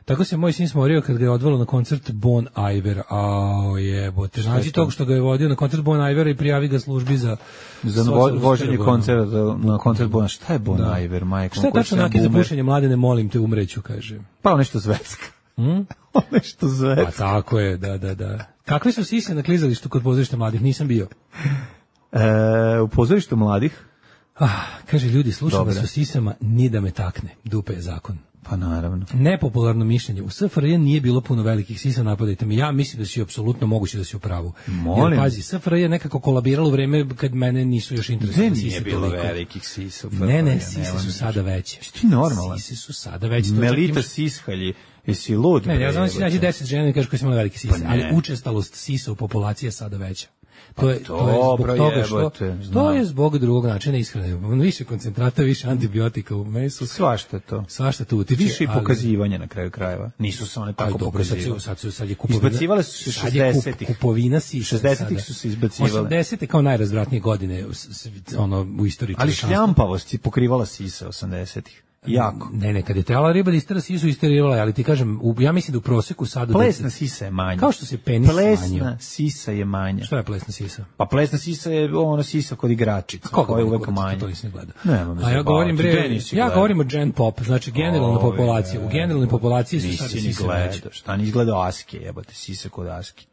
Tako se moj sin smorio kad ga je odvelo na koncert Bon Iver, a jebote, znači tog što ga je vodio na koncert Bon Ivera i prijavi ga službi za za vo, voženje koncerta na koncert Bon. Šta je Bon da. Iver, majko? Šta je tačno nakid za pušenje, mlade, ne molim te, umreću, kaže. Pa nešto zvetska. Hmm? nešto zvetska. Pa tako je, da, da, da. Kakve su sise na klizalištu kod pozorišta mladih? Nisam bio. E, u pozorištu mladih? Ah, kaže, ljudi, slušam vas o sisama, ni da me takne. Dupe je zakon. Pa naravno. Nepopularno mišljenje. U S F R J nije bilo puno velikih sisa, napadajte me. Ja mislim da si apsolutno moguće da si u pravu. Molim. Jer, pazi, S F R J je nekako kolabiralo u vreme kad mene nisu još interesovali sise. Nije bilo toliko. Velikih sisa. Ne, ne, sise su sada veće. Ti normalan. Sise su sada veće. Melita imaš... Sishalji. Jesi lud? Ne, ja znam da si nađi deset žena i kažeš koji su imali velike sise, pa ali učestalost sisa u populaciji je sada veća. To je, to je zbog toga što to je zbog drugog načina ishrane. Više koncentrata, više antibiotika u mesu. Svašta to. Svašta tu utiče. Više i pokazivanja na kraju krajeva. Nisu se one tako pokazivale. Sad su sad je kupovina. Izbacivale su se šezdesetih. Kupovina si šezdesetih su se izbacivale. osamdesete kao najrazvratnije godine ono u istoriji. Ali šljampavost je pokrivala sise osamdesetih. Jako. Ne, ne, kad je trebala riba da istera sisu, isterirala, ali ti kažem, u, ja mislim da u proseku sada... Plesna sisa je manja. Kao što se penis plesna smanjio. Plesna sisa je manja. Šta je plesna sisa? Pa plesna sisa je ono sisa kod igračica, koja je uvek manja. To nisam gledao. Nema me A ja govorim, bre, ja govorim o gen pop, znači generalna populacija. U generalnoj populaciji su sada sise veće. Šta nisi gledao Aske, jebate, sise kod Aske.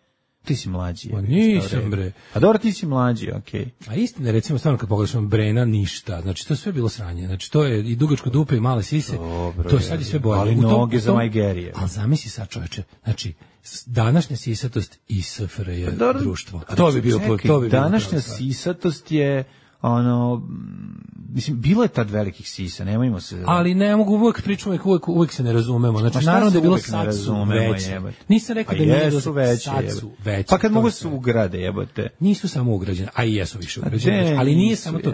Ti si mlađi. Pa nisam, bre. A dobro, ti si mlađi, okej. Okay. A istina, recimo, stvarno kad pogledaš Brena, ništa. Znači, to je sve bilo sranje. Znači, to je i dugačko dupe i male sise. Dobro, to je sad i sve bolje. Ali noge za majgerije. Ali zamisli sad, čoveče, znači, današnja sisatost i S F R J pa, društvo. To bi bio... Čekaj, to bi današnja sisatost je... ono, mislim, bilo je tad velikih sisa, nemojmo se... Ali ne mogu, uvek pričamo, uvek, uvek se ne razumemo. Znači, naravno da je bilo sad su veće. Nisam rekao da nije bilo veće, sad su veće. Pa kad mogu se ugrade, jebote. Nisu samo ugrađene, a i jesu više ugrađene. Ali nije samo to...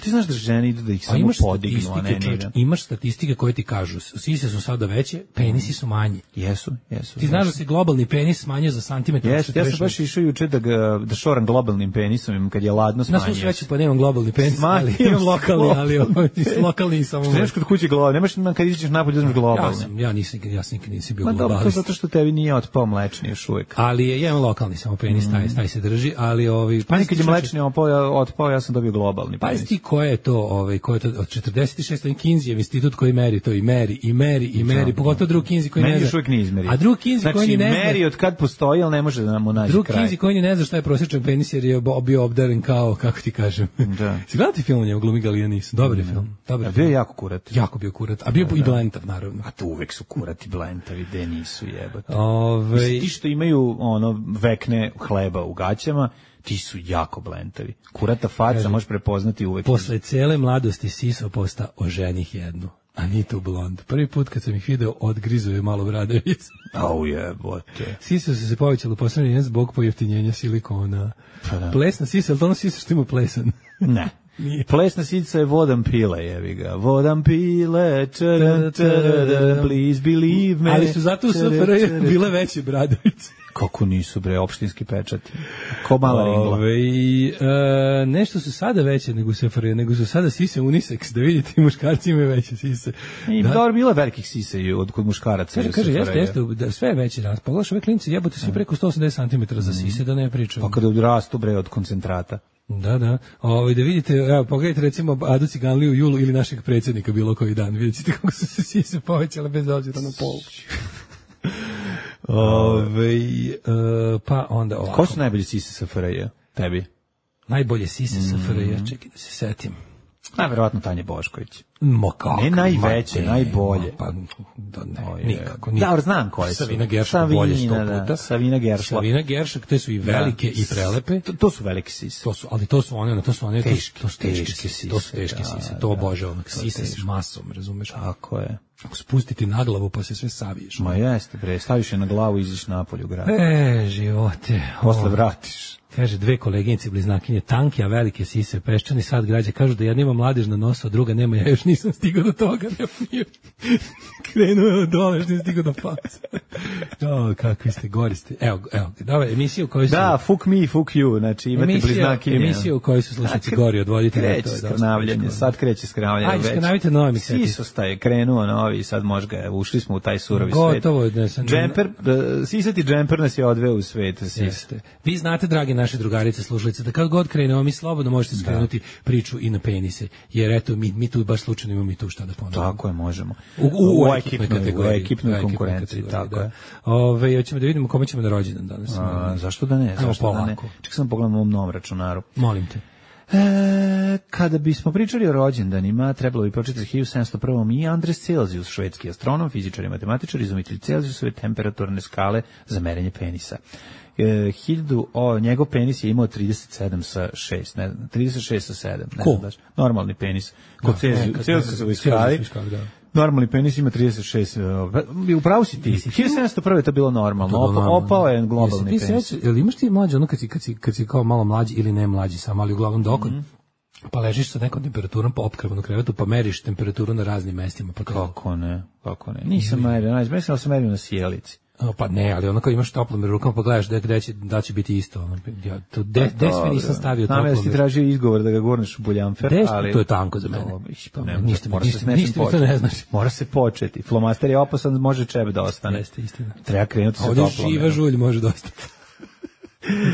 Ti znaš da žene idu da ih samo podignu, a ne niže. Imaš statistike koje ti kažu, sise su sada veće, penisi su manji. Jesu, jesu. Ti znaš da se globalni penis smanjio za santimetar? Jesu, ja sam baš išao juče da, ga, da šoram globalnim penisom, kad je ladno smanjio. Na svu sreću pa nemam globalni penis, ali imam lokalni, ali lokalni samo. Što nemaš kod kuće globalni, nemaš kad izađeš napolje uzmeš globalni. Ja sam, ja nisam, ja sam nikad nisam bio globalni. Ma dobro, to zato što tebi nije otpao mlečni još uvijek. Ali je, ja imam lokalni samo penis, mm. taj, taj se drži, ali ovi... Pa kad je mlečni otpao, ja sam dobio globalni penis. Pa ti ko je to, ovaj, ko je to od četrdeset šeste Kinseyjev institut koji meri to i meri i meri i meri, pogotovo drug Kinsey koji ne zna. A drug Kinsey znači, koji ne zna. Znači meri od kad postoji, al ne može da nam mu nađe drug kraj. Drug Kinsey koji ne zna šta je prosječan penis jer je bio obdaren kao, kako ti kažem. Da. Si gledati film njegov glumi Galija Nis? Dobar je film. Dobar je. Bio je jako kurat. Jako bio kurat. A bio da, i blentav naravno. A to uvek su kurati blentavi, de nisu jebote. Ove... Ti što imaju ono vekne hleba u gaćama, ti su jako blentavi. Kurata faca možeš prepoznati uvek. Posle cele mladosti siso posta oženih jednu. Anitu Blond. Prvi put kad sam ih video, odgrizo je malo bradavic. Au jebote. Sise su se povećali u poslednji jedan zbog pojeftinjenja silikona. Pa da. Plesna sisa, ali to ono sisa što ima plesan? Ne. Nije. Plesna sica je vodam pile, jevi ga. Vodam pile, čara, čara, please believe me. Ali su zato u S F R J bile veće bradavice. Kako nisu, bre, opštinski pečati. Ko mala ringla. Ove, e, nešto su sada veće nego u S F R J, nego su sada sise unisex, da vidite i muškarci imaju veće sise. I da. Dobro, bilo velikih sise i od kod muškaraca. Kaže, kaže jeste, jeste, da sve je veće danas. Pogledaš ove klinci, jebote svi preko sto osamdeset centimetara za sise, da ne pričam. Pa kada odrastu, bre, od koncentrata. Da, da. Ovaj da vidite, evo pogledajte recimo Adu Ciganliju Julu ili našeg predsjednika bilo koji dan. Vidite kako su se sise povećale bez obzira na pol. Ove, uh, pa onda ovako. Ko su najbolji sise S F R J? Tebi? Najbolje sise S F R J, čekaj da se setim. Najverovatno Tanja Bošković. Mo kako? Ne najveće, najbolje. Pa, da ne, nikako. Da, znam koje su. Savina Geršak bolje sto puta. Savina Geršak. Savina Geršak, te su i velike i prelepe. To, to su velike sise. To su, ali to su one, to su one, teške, to su teške sise. To su teške sise, to obožavam. Sise s masom, razumeš? Tako je. Ako spustiti na glavu pa se sve saviješ. Ma jeste, bre, staviš je na glavu i iziš napolje u grad. E, živote. Posle vratiš. Kaže, dve koleginice bliznakinje, tanke, a velike sise, peščani sad građe, kažu da jedna ima mladež na nosu, a druga nema, ja još nisam stigao do toga, nema krenuo je od dole, još nisam stigao do faca. O, kakvi ste, gori ste. Evo, evo, dobro, emisiju u kojoj su... Da, fuck me, fuck you, znači imate emisija, bliznakinje. Emisiju u kojoj su slušaci gori od voditelja. Kreće skrnavljanje, sad kreće skrnavljanje. Ajde, skrnavite novi miseti. Sisostaje, krenuo novi, sad možda, ušli smo u taj surovi Gotovo, svet. Gotovo, džemper, sisati džemper nas je odveo u svet. Jeste. Vi znate, dragi naše drugarice slušalice, da kad god krenemo, mi slobodno možete skrenuti da. priču i na penise, jer eto, mi, mi tu baš slučajno imamo mi tu šta da ponovimo. Tako je, možemo. U, u, u, u ekipnoj kategoriji. U ekipnoj konkurenciji, tako da. je. Ove, hoćemo da vidimo kome ćemo na rođendan danas. A, zašto da ne? Zašto da ne? Ček sam pogledam u ovom novom računaru. Molim te. E, kada bismo pričali o rođendanima, trebalo bi pročitati hiljadu sedamsto prvi i Andres Celzijus, švedski astronom, fizičar i matematičar, izumitelj Celzijusove temperaturne skale za merenje penisa. E, hiljadu, o, njegov penis je imao trideset sedam sa šest, ne znam, trideset šest sa sedam, ne cool. znam daš, normalni penis, kod Celzijusove skale, normalni penis ima trideset šest, upravo si ti, hiljadu sedamsto prvi je to bilo normalno, to Opa, opao je globalni Jesi, penis. Sreći, jel imaš ti mlađe, ono kad si, kad si, kad si kao malo mlađi ili ne mlađi sam, ali uglavnom dok mm-hmm. pa ležiš sa nekom temperaturom po opkrvanu krevetu, pa meriš temperaturu na raznim mestima. Pa kako ne, kako ne, nisam merio, mislim da sam merio na sjelici. Pa ne, ali ono kao imaš toplom rukom pa gledaš da, gde će, da će biti isto. Ono, ja, to de, des mi nisam stavio toplom. Znam da si tražio izgovor da ga gurneš u buljanfer, des, ali... To je tanko za mene. To, pa ne, ništa, mora ništa, se s nečim ništa početi. Ne znaš. Mora se početi. Flomaster je opasan, može čep da ostane. Jeste, istina. Treba krenuti sa toplom. Ovdje živa žulj može dosta.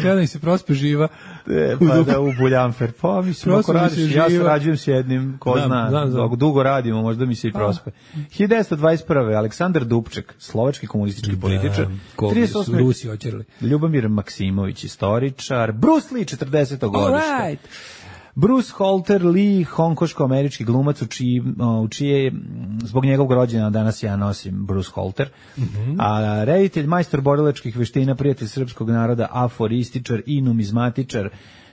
Kada mi se prospe živa. E, pa da u buljanfer. Pa mislim, ako radiš, ja sarađujem s jednim, ko znam, zna, znam, znam. dok dugo radimo, možda mi se i prospe. hiljadu devetsto dvadeset prvi Aleksandar Dubček, slovački komunistički političar. Ko su Rusi oćerali. Ljubomir Maksimović, istoričar. Bruce Lee, četrdeseto godište. Right. Bruce Holter Lee, hongkoško-američki glumac u čiji, u čije, zbog njegovog rođena danas ja nosim Bruce Holter, mm-hmm. a reditelj, majstor borilačkih veština, prijatelj srpskog naroda, aforističar i numizmatičar,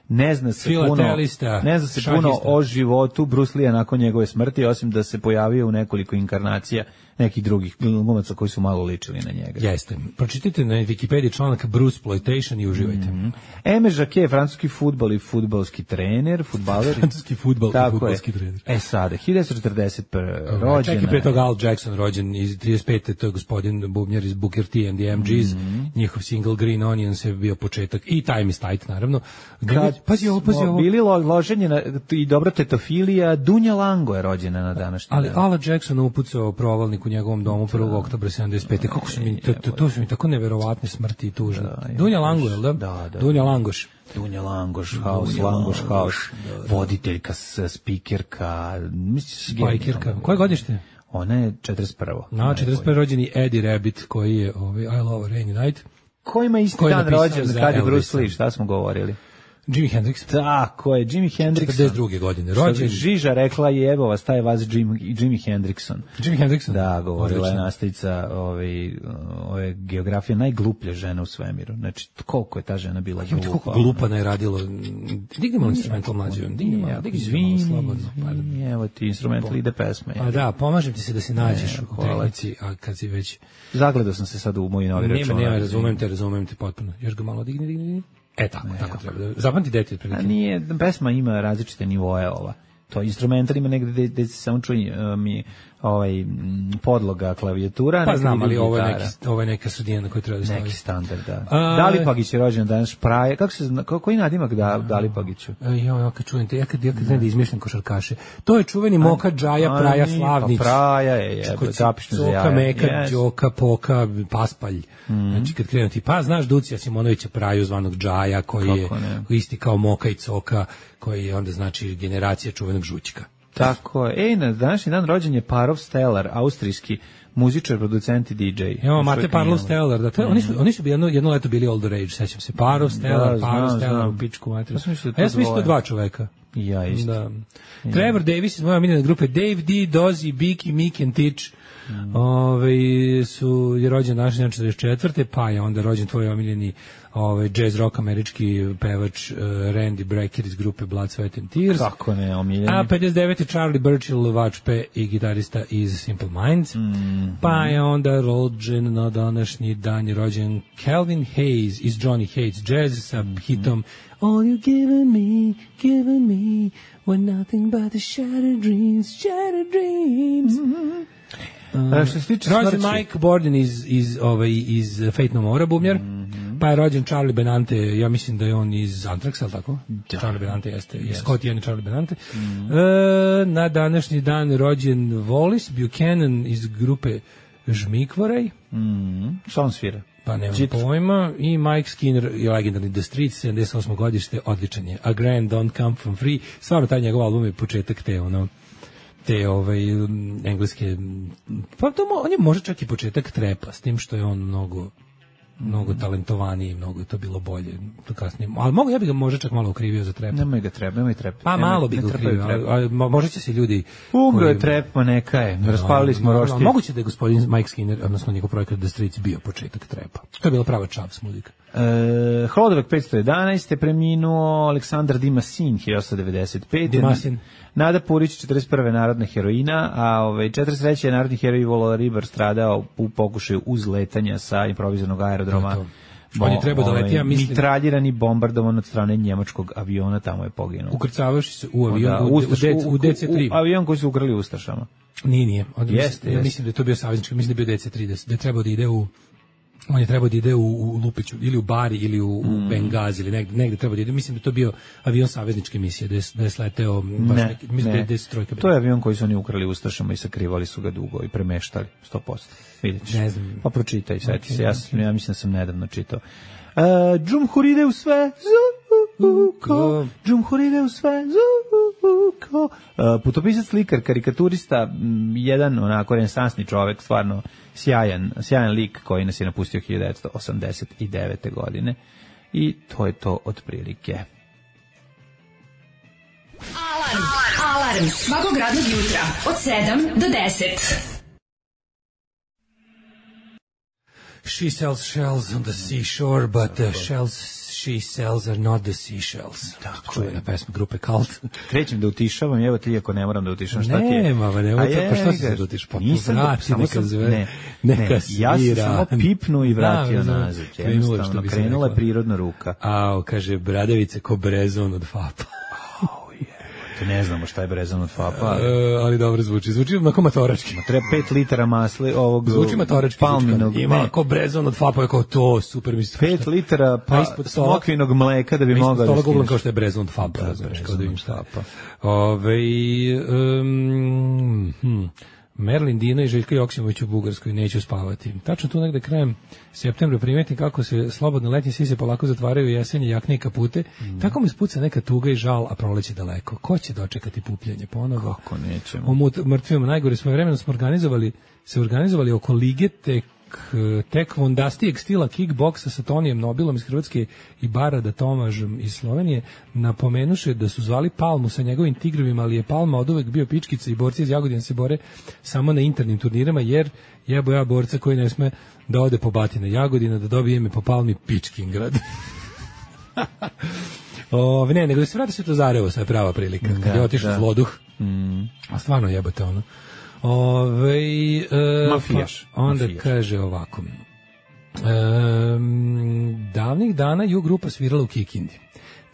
ne zna se puno, ne zna se puno o životu Bruce Lee nakon njegove smrti, osim da se pojavio u nekoliko inkarnacija nekih drugih glumaca koji su malo ličili na njega. Jeste. Pročitajte na Wikipediji članak Bruceploitation i uživajte. Mm-hmm. Eme Jacquet, francuski fudbal i fudbalski trener, fudbaler. Francuski fudbal i fudbalski trener. E sada, hiljadu četrdeset prve rođena. Čekaj, pre toga Al Jackson rođen iz trideset pete to je gospodin bubnjar iz Booker T and the M Gs. Mm-hmm. Njihov single Green Onions je bio početak i Time is Tight, naravno. Kad pazi ovo, pazi ovo. Bili loženje na, i dobro tetofilija, Dunja Lango je rođena na današnji ali dan. Ala Jackson upucao provalnik u njegovom domu prvog oktobra sedamdeset pete. Kako su mi, to, to, to su mi tako neverovatne smrti i tužne. Da, Dunja Lango, je li da? Da, da. Dunja Langoš. Dunja Langoš, House, Langoš, House, voditeljka, spikerka, spikerka. Koje godište? Ona je četrdeset prvo. Na, četrdeset prvi rođeni Eddie Rabbit, koji je ovaj, I Love Rainy Night. Ko ima isti dan rođen kad je Bruce Lee, šta smo govorili? Jimi Hendrix. Tako je, Jimi Hendrix. četrdeset druge godine rođen. Žiža rekla je, evo vas, taj vas Jimi, Jimi Hendrixon. Jimi Hendrixon? Da, govorila je nastavica ove, ove geografije, najgluplja žena u svemiru. Znači, koliko je ta žena bila glupa. Koliko glupana je radilo. Dignemo instrumental mlađe. Dignemo, dignemo slobodno. Evo ti instrumental ide pesme. A da, pomažem ti se da se nađeš u tehnici, a kad si već... Zagledao sam se sad u moji novi račun. Nema, nema, razumem te, razumem te potpuno. Još ga malo digni, digni, digni. E tako, ne, tako treba da zapamti detalj prilike. A nije, pesma ima različite nivoe ova. To instrumental ima negde gde se samo čuje uh, mi ovaj podloga klavijatura, pa znam, ali ovo je neki ovo je neka sredina na kojoj treba da stavi. Neki standard, da. A, Dalipagić je rođen danas, Praje. Kako se zna, koji nadimak da Dalipagiću? Jo, ja kad čujem te, ja kad ja kad da izmišljam košarkaše. To je čuveni Moka Džaja Praja Slavnić. Pa Praja je, je zapišno za jaja. Meka, yes. Đoka, Poka, Paspalj. Mm. Znači kad krenu ti, pa znaš Ducija Simonovića Praju zvanog Džaja, koji je koji isti kao Moka i Coka, koji je onda znači generacija čuvenog Žućka. Tako je. Ej, na današnji dan rođen je Parov Stellar, austrijski muzičar, producent i D J. Evo, Mate Parov Stellar, da, to, mm. oni su, oni su bi jedno, jedno leto bili all the rage, sećam se. Parov Stellar, da, Parov Stellar, u pičku materiju. A ja sam mislio dva čoveka. Ja isto. Da. Ja. Trevor Davis iz moje omiljene grupe, Dave D, Dozy, Biki, Mick and Titch, mm. Ove, su, je rođen naš dan četrdeset četvrte pa je onda rođen tvoj omiljeni ovaj jazz rock američki pevač uh, Randy Brecker iz grupe Blood, Sweat and Tears. Kako ne, omiljeni. A pedeset devete Charlie Burchill, vačpe i gitarista iz Simple Minds. Mm-hmm. Pa je onda rođen na današnji dan je rođen Calvin Hayes iz Johnny Hates Jazz sa mm-hmm. hitom All you given me, given me were nothing but the shattered dreams, shattered dreams. Mm-hmm. Uh, što se tiče rođen Mike Borden iz, iz, ovaj, iz Fate No More, bubnjar. Mm-hmm. Pa je rođen Charlie Benante, ja mislim da je on iz Anthraxa, ali tako? Da. Charlie Benante jeste, yes. Scott Ian i Charlie Benante. Mm-hmm. E, na današnji dan rođen Wallis Buchanan iz grupe Žmikvorej. Mm-hmm. Šta on svira? Pa nemam Čit. pojma. I Mike Skinner i legendarni The Streets, sedamdeset osmo godište, odličan je. A Grand Don't Come From Free. Stvarno, taj njegov album je početak te, ono, te ovaj, engleske, pa to mo, on je možda čak i početak trepa, s tim što je on mnogo mnogo talentovaniji, mnogo je to bilo bolje to kasnije. Ali mogu ja bih ga možda čak malo ukrivio za trep. Nemoj ga trep, nemoj trep. Pa nemoj, malo bih ga ukrivio, ali možda će se ljudi... Umro je trep, pa neka je. Raspalili smo roštilj. Moguće da je gospodin Mike Skinner, odnosno njegov projekat The Streets bio početak trepa. To je bila prava čavs muzika. E, Hlodovek petsto jedanaeste preminuo Aleksandar Dimasin hiljadu devedeset pete Dimasin. Nada Purić četrdeset prve narodna heroina, a ovaj četrdeset treće je narodni heroj Ivo Ribar stradao u pokušaju uzletanja sa improvizovanog aerodroma. On je trebao da leti, ja mislim... Mitraljirani, bombardovan od strane njemačkog aviona, tamo je poginuo. Ukrcavaš se u avion, da, u, Ustaš, u, u D C tri. U, u avion koji su ukrali Ustašama. Nije, nije. Onda jeste, mislim, jeste. mislim da je to bio saveznički, mislim da je bio D C tri, da je trebao da ide u... On je trebao da ide u, u Lupiću, ili u Bari, ili u, u mm. Bengazi, ili negde, negde trebao da ide. Mislim da je to bio avion savezničke misije, da je, da je sleteo baš ne, neki, mislim ne. da je trojka. To je avion koji su oni ukrali Ustašama i sakrivali su ga dugo i premeštali, sto posto. Vidiš. Ne znam. Pa pročitaj, seti okay, se, ja, okay. ja mislim da sam nedavno čitao. Uh, Džumhuride u sve, zuko, Džumhuride u sve, zuko. Uh, putopisac, slikar, karikaturista, m, jedan onako renesansni čovek, stvarno sjajan, sjajan lik koji nas je napustio hiljadu devetsto osamdeset devete godine. I to je to otprilike. Alarm, alarm, svakog radnog jutra, od sedam do deset. She sells shells on the seashore, but the shells She sells are not the seashells. Tako čuvena pesma grupe Cult. Krećem da utišavam, evo ti ako ne moram da utišam, šta ti je? Nema, ba, nema, je, pa što se da utiš? Pa nisam, vrati, samo neka zve, ne, neka svira. Ja sam samo pipnu i vratio da, nazad. Jednostavno, krenula je prirodna ruka. Ao, kaže, bradavice ko brezon od Fapa. Te ne znamo šta je brezon od Fapa. Ali, e, ali dobro zvuči. Zvuči onako matorački. Ma treba pet litara masli ovog zvuči matorački. Palminog. Ima ko brezon od Fapa, je kao to, super mi se. pet litara pa, smokvinog mleka da bi mogao da stiš. Kao što je brezon od Fapa. Da, da, kao da im šta. Ove, um, hm. Merlin Dina i Željka Joksimović u Bugarskoj, neću spavati. Tačno tu negde krajem septembra primetim kako se slobodne letnje sise polako zatvaraju, jesenje jakne i kapute. Mm. Tako mi spuca neka tuga i žal, a proleće daleko. Ko će dočekati pupljanje ponovo? Kako nećemo? O mrtvima najgore svojevremeno smo organizovali, se organizovali oko lige tek tek vondastijeg stila kickboksa sa Tonijem Nobilom iz Hrvatske i Barada Tomažom iz Slovenije, napomenuše da su zvali Palmu sa njegovim tigrovima, ali je Palma od uvek bio pičkica i borci iz Jagodina se bore samo na internim turnirama, jer jebo ja borca koji ne sme da ode po batina Jagodina, da dobije ime po Palmi Pičkingrad. O, ne, nego da se vrati se to Zarevo, sad je prava prilika, kad da, je otišao zloduh, mm. a stvarno jebote ono. Ove, e, Mafijaš. Pa onda Mafijaš. Kaže ovako. E, davnih dana ju grupa svirala u Kikindi.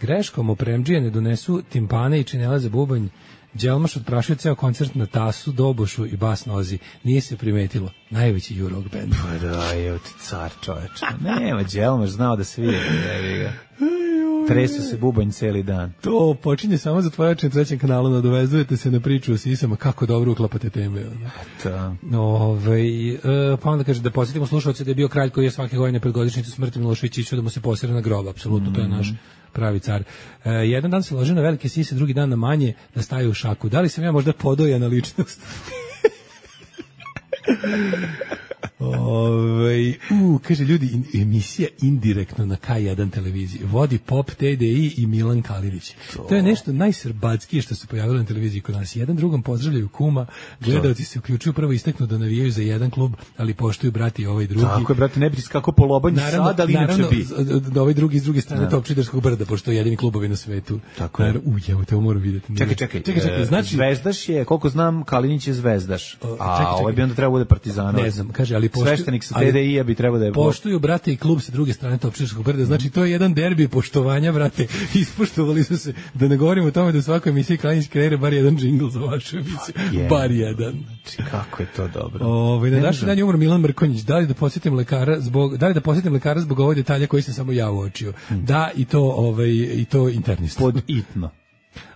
Greškom opremdžije ne donesu timpane i činele za bubanj. Đelmaš odprašio ceo koncert na tasu, dobošu i bas nozi. Nije se primetilo. Najveći ju rock band. Pa da, je ti car čoveče. Nema, Đelmaš znao da svira. Tresu se bubanj celi dan. To počinje samo za tvoje oči na trećem kanalu, nadovezujete se na priču o sisama, kako dobro uklapate teme. Da. Ove, e, pa onda kaže da posjetimo slušalce da je bio kralj koji je svake godine pred godišnjicu smrti Miloševića išao da mu se posere na grob, apsolutno, mm. to je naš pravi car. E, jedan dan se lože na velike sise, drugi dan na manje da staju u šaku. Da li sam ja možda podojana ličnost? Ove, u, kaže ljudi, in, emisija indirektno na K jedan televiziji. Vodi Pop, T D I i Milan Kalinić. To, to je nešto najsrbatskije što se pojavilo na televiziji kod nas. Jedan drugom pozdravljaju kuma, gledalci se uključuju, prvo isteknu da navijaju za jedan klub, ali poštuju brati ovaj drugi. Tako je, brate, ne bi skako po lobanju sad, ali inače bi. Da ovaj drugi iz druge strane da. Topčiderskog brda, pošto je jedini klubovi na svetu. Tako je. U, jevo, te ovo moram vidjeti. Čekaj, čekaj, čekaj, čekaj znači, Zvezdaš je, koliko znam, Kalinić je Zvezdaš, a ovaj bi onda trebao bude Partizanovac. Ne znam, kaže, ali sveštenik sa T D I-a bi trebao da je... Poštuju, brate, i klub sa druge strane Topčiderskog brda. Znači, to je jedan derbi poštovanja, brate. Ispoštovali su se. Da ne govorimo o tome da u svakoj emisiji Kalinić kreira bar jedan džingl za vašu emisiju. Yeah. Bar jedan. Znači, kako je to dobro. Ove, na današnji dan je umro Milan Mrkonjić. Da li da posjetim lekara zbog, da li da posjetim lekara zbog ovog detalja koji sam samo ja uočio? Hmm. Da, i to, ovaj, i to internista. Pod itno.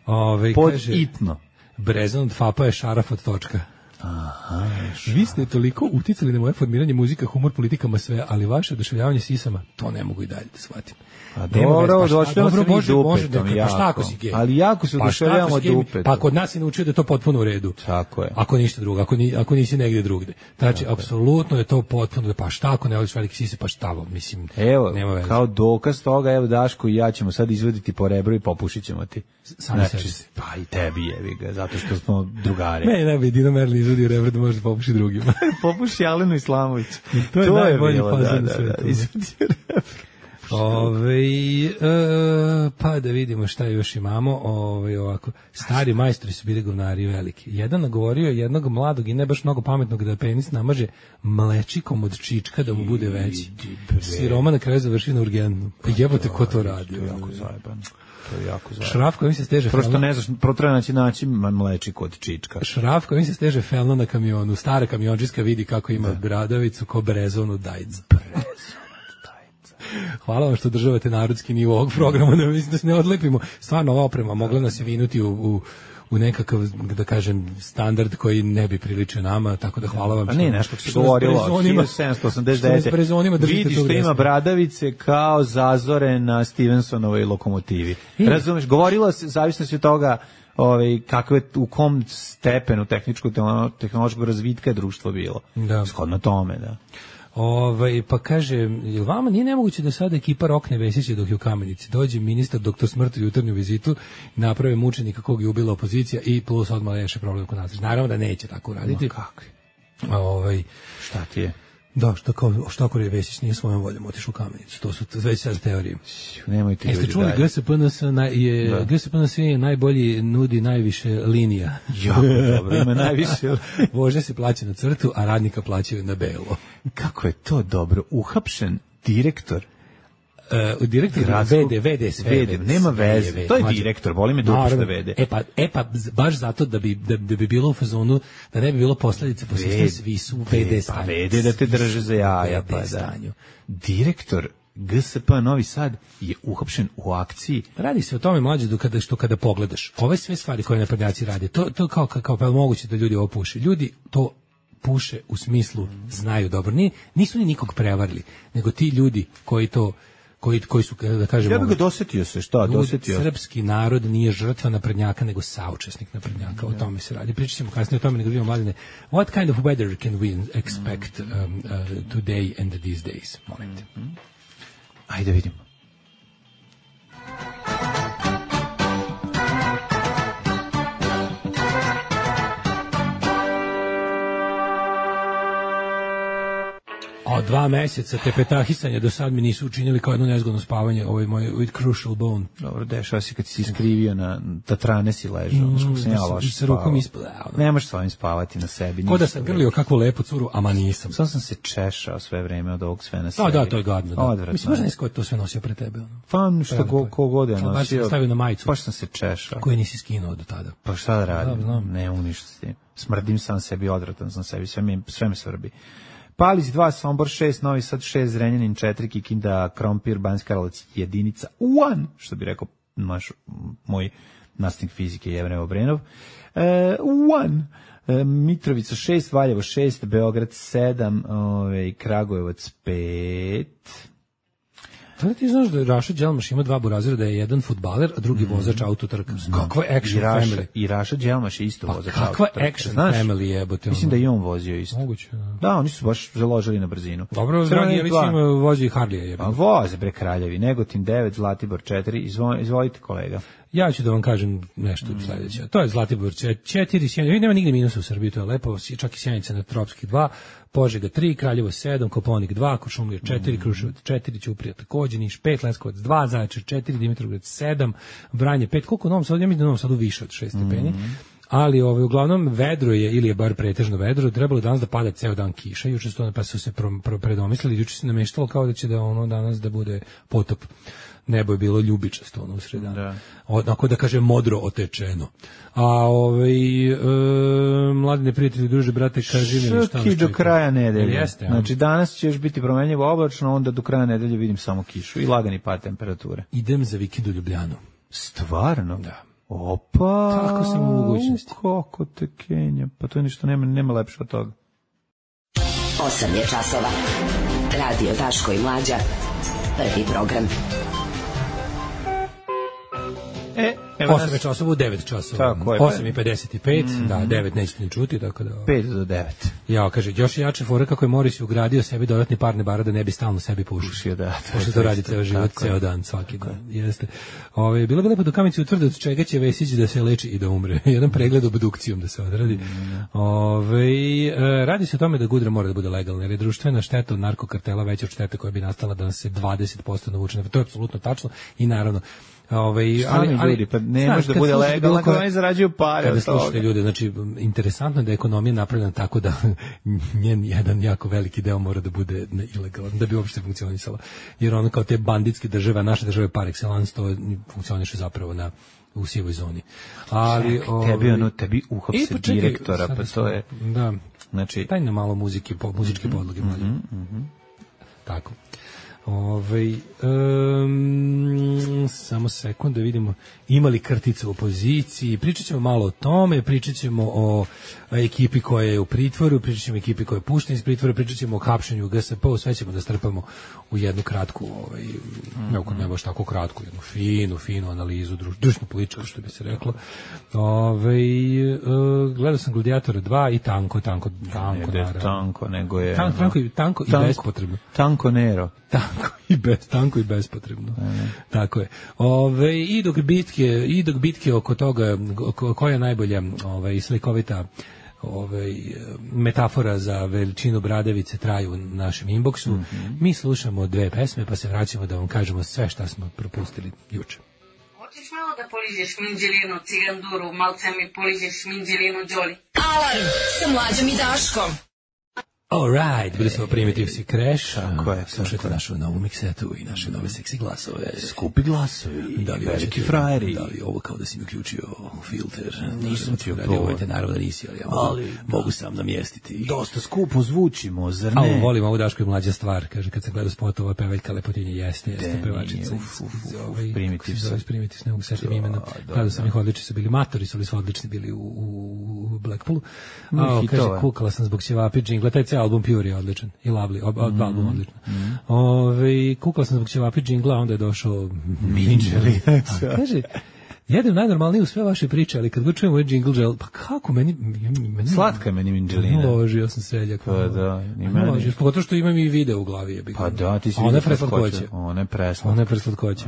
Ove, Pod kaže, itno. Brezan od Fapa je šaraf od točka. Aha, vi ste toliko uticali na moje formiranje muzika, humor, politikama, sve, ali vaše oduševljavanje sisama, to ne mogu i dalje da shvatim. A dobro, oduševljavamo se mi dupetom, pa šta ako si gej? Ali jako se oduševljavamo dupetom. Pa kod nas je naučio da je to potpuno u redu. Tako je. Ako ništa drugo, ako, ni, ako nisi negdje drugde. Znači, apsolutno je to potpuno, pa šta ako ne voliš velike sise, pa šta, mislim, evo, nema veze. Kao dokaz toga, evo Daško i ja ćemo sad izvoditi po rebru i popušit ćemo ti. Znači, pa i tebi jevi ga, zato što smo drugari. Ne, ne bi Dino Merlin izvodio rebru da može da popuši drugima. Popuši Alenu Islamović. To je, to je najbolji fazon na svetu. Da, izvodio rebru. Ove, e, pa da vidimo šta još imamo. Ove, ovako, stari majstori su bili govnari veliki. Jedan nagovorio jednog mladog i ne baš mnogo pametnog da penis namaže mlečikom od čička da mu bude veći. Siroma na kraju završi na urgentnu. Pa jebote ko to radi. To je jako zajebano. To je jako zajebano. Šraf kojim se steže Prosto ne znaš, protrajno će naći mlečik od čička. Šraf kojim se steže felno na kamionu. Stara kamiončiska vidi kako ima da. Bradavicu ko brezonu dajc. Hvala vam što državate narodski nivo ovog programa, da mislim da se ne odlepimo. Stvarno ova oprema mogla nas je vinuti u, u, u nekakav, da kažem, standard koji ne bi priličio nama, tako da hvala vam. A ne, nešto se govorilo, hiljadu sedamsto osamdeset devete. Vidiš što ima bradavice kao zazore na Stevensonovoj lokomotivi. I? Razumeš, govorilo se, zavisno se od toga ovaj, kako je, u kom stepenu tehničko-tehnološkog razvitka je društvo bilo. Da. Shodno tome, da. Ovaj, pa kaže, jel vama nije nemoguće da sada ekipa rokne Vesića dok je u Kamenici? Dođe ministar doktor smrti u jutarnju vizitu, naprave mučenika kog je ubila opozicija i plus odmah reše problem kod nas. Naravno da neće tako uraditi. Kako? Ovaj, šta ti je? Da, što kao Štokor je Vesić nije svojom voljom otišao u Kamenicu. To su već sad teorije. Nemojte ljudi. Jeste čuli G S P N S je G S P N S je najbolji, nudi najviše linija. Jako dobro, ima najviše. Vožnja se plaća na crtu, a radnika plaćaju na belo. Kako je to dobro. Uhapšen direktor Uh, direktor Gradskog, V D, V D sve, V D, nema veze, to je direktor, boli me dopušta V D. E pa, e pa, baš zato da bi, da, da bi bilo u fazonu, da ne bi bilo posledice, po sve svi su u V D stanju. Pa V D da te drže za jaja, pa da. Direktor G S P Novi Sad je uhapšen u akciji. Radi se o tome, mlađe, kada, što kada pogledaš, ove sve stvari koje naprednjaci rade, to, to kao, kao pa moguće da ljudi ovo puše. Ljudi to puše u smislu znaju dobro. Nije, nisu ni nikog prevarili, nego ti ljudi koji to koji koji su, da kažemo, ja bih ga dosetio se, šta, dosetio. Srpski narod nije žrtva naprednjaka, nego saučesnik naprednjaka, o tome se radi. Pričat ćemo kasnije o tome, nego vidimo, Mladine, what kind of weather can we expect um, uh, today and these days? Molim te. Ajde vidimo. Od dva meseca tepetahisanja do sad mi nisu učinili kao jedno nezgodno spavanje, ovaj moj with crucial bone. Dobro, dešava se kad si iskrivio na tatrane si ležao, mm, skog sam ja loš sa rukom ispod. Ne možeš svojim spavati na sebi. Ko da sam grlio kakvu lepu curu, ama nisam. Sam sam se češao sve vreme od ovog sve na sebi. Da, da, to je gadno. Da. Odvratno. Mislim, možda nisi ko je to sve nosio pre tebe. Ono. Pa što ko, ko god je nosio. Baš sam stavio na majicu. Baš sam se češao. Koji nisi skinuo do tada. Pa šta da radim? Da, ne mogu ništa s tim. Smrdim sam sebi, odvratan sam sebi, sve me, sve me svrbi. Palić dva, Sombor šest, Novi Sad šest, Zrenjanin četiri, Kikinda, Krompir, Banjska Karlovac jedinica, one, što bi rekao naš, moj nastavnik fizike Jevrej Obrenov, e, one, e, Mitrovica šest, Valjevo šest, Beograd sedam, ove, Kragujevac pet. Da li ti znaš da Raša Đelmaš ima dva burazira, da je jedan fudbaler, a drugi vozač autotrka? Kakva action I Raša, family? I Raša Đelmaš je isto pa vozač kakva autotrka. Kakva action znaš, family jebote? Mislim da i on vozio isto. Moguće, da. Da, oni su baš založili na brzinu. Dobro, dragi, ja mislim vozi Harlija jebote. Pa voze bre kraljevi, Negotin devet, Zlatibor četiri, Izvo, izvolite kolega. Ja ću da vam kažem nešto mm. sledeće. To je Zlatibor četiri, Sjenica, nema nigde minusa u Srbiji, to je lepo, čak i Sjenica na Tropski dva, Požega tri, Kraljevo sedam, Koponik dva, Kuršumlija četiri, mm. Kruševac četiri, Ćuprija takođe, Niš pet, Leskovac dva, Zaječar četiri, Dimitrovgrad sedam, Vranje pet, koliko u Novom Sadu, ja mislim da u Novom Sadu više od šest stepeni. Mm. Ali ovaj, uglavnom vedro je, ili je bar pretežno vedro, trebalo danas da pada ceo dan kiša, juče su to pa su se pro, pro, predomislili, juče se nameštalo kao da će da ono danas da bude potop. Nebo je bilo ljubičasto ono u sredan. Da. Onako da kaže modro otečeno. A ovaj e, mladi prijatelji, druže, brate, kaži mi šta kiš do kraja nedelje. Jeste, znači danas će još biti promenljivo oblačno, onda do kraja nedelje vidim samo kišu i lagani pad temperature. Idem za vikend u Ljubljanu. Stvarno? Da. Opa. Tako sam u mogućnosti. Kako te Kenja. Pa to je ništa, nema, nema lepše od toga. osam je časova. Radio Daško i Mlađa. Prvi program. E, osam časova u devet časova. osam i pedeset pet, mm-hmm. da, devet nećete ni čuti, tako da... pet do devet. Ja, kaže, još jače fora kako je Moris ugradio sebi dodatni parne bara da ne bi stalno sebi pušio. Pušio, da. Pošto to radi ceo život, ceo dan, svaki dan. Jeste. Ove, bilo bi lepo do Kamici utvrde od čega će Vesić da se leči i da umre. Jedan pregled obdukcijom da se odradi. Mm. Ove, radi se o tome da Gudra mora da bude legalna, jer je društvena šteta od narkokartela veća od štete koja bi nastala da se dvadeset posto navuče. To je apsolutno tačno i naravno Ove, ali, ali ljudi, pa ne može da bude legalno ako oni zarađuju pare. Kada slušate ljude, znači, interesantno je da je ekonomija napravljena tako da njen jedan jako veliki deo mora da bude ilegalan, da bi uopšte funkcionisala. Jer ono kao te banditske države, naše države par excellence, to funkcioniše zapravo na u sivoj zoni. Ali Ček, tebi ono, tebi uhapse e, direktora, pa to je... Da, znači... Daj na malo muzike, po, muzičke mm-hmm, podloge. Mm-hmm, mm-hmm. Tako. Ove, um, samo sekund da vidimo imali krtice u opoziciji, pričat ćemo malo o tome, pričat ćemo o ekipi koja je u pritvoru, pričat ćemo o ekipi koja je puštena iz pritvora, pričat ćemo o hapšenju G S P, sve ćemo da strpamo u jednu kratku, ovaj, mm-hmm. ne baš tako kratku, jednu finu, finu analizu, društveno političku, što bi se reklo. Ove, uh, gledao sam Gladiatora dva i tanko, tanko, tanko, ne, ne tanko, nego je... Tanko, tanko, tanko, tanko i bespotrebno. Tanko Nero. Tanko i bez, tanko i bespotrebno. Mm. Tako je. Ove, i dok bitke, i dok bitke oko toga ko, koja je najbolja, ovaj slikovita ovaj, metafora za veličinu bradavice traju u našem inboxu. Mm-hmm. Mi slušamo dve pesme pa se vraćamo da vam kažemo sve šta smo propustili juče. Hoćeš malo da poližeš minđelinu, ciganduru, malce mi poližeš minđelinu, Đoli. Alarm sa Mlađom i Daškom. Alright, bili smo Primitives i Crash. Tako je. Slušajte našu novu miksetu i naše nove seksi glasove. Skupi glasovi. Da li veliki frajeri. Da li ovo kao da si mi uključio filter. Nisam ti upravo. Naravno da nisi, ali ja mogu, ali, mogu sam namjestiti. Dosta skupo zvučimo, zar ne? A volim ovu Daško i mlađa stvar. Kaže, kad se gleda spotova, pevaljka lepotinje jeste, jeste pevačica. Primitives. Primitives, ne mogu setim imena. Gledao sam ih odlični su bili, matori su li su odlični bili u, u Blackpoolu. A, kaže, kukala sam zbog ćevapi džingla, taj ceo album Pure je odličan i Lovely, oba mm, album odličan. Mm. Ove, kukala sam zbog ćevapi džingla, onda je došao Minđeli. Kaže, jedem najnormalnije u sve vaše priče, ali kad čujem ovaj džingl gel, pa kako meni... meni slatka je meni Minđelina. Ložio sam seljak. Pa da, ni meni. Ložio, pogotovo što imam i video u glavi. Je pa da, ti si vidio preslatkoće. Ona je preslatkoće. Ona je preslatkoće.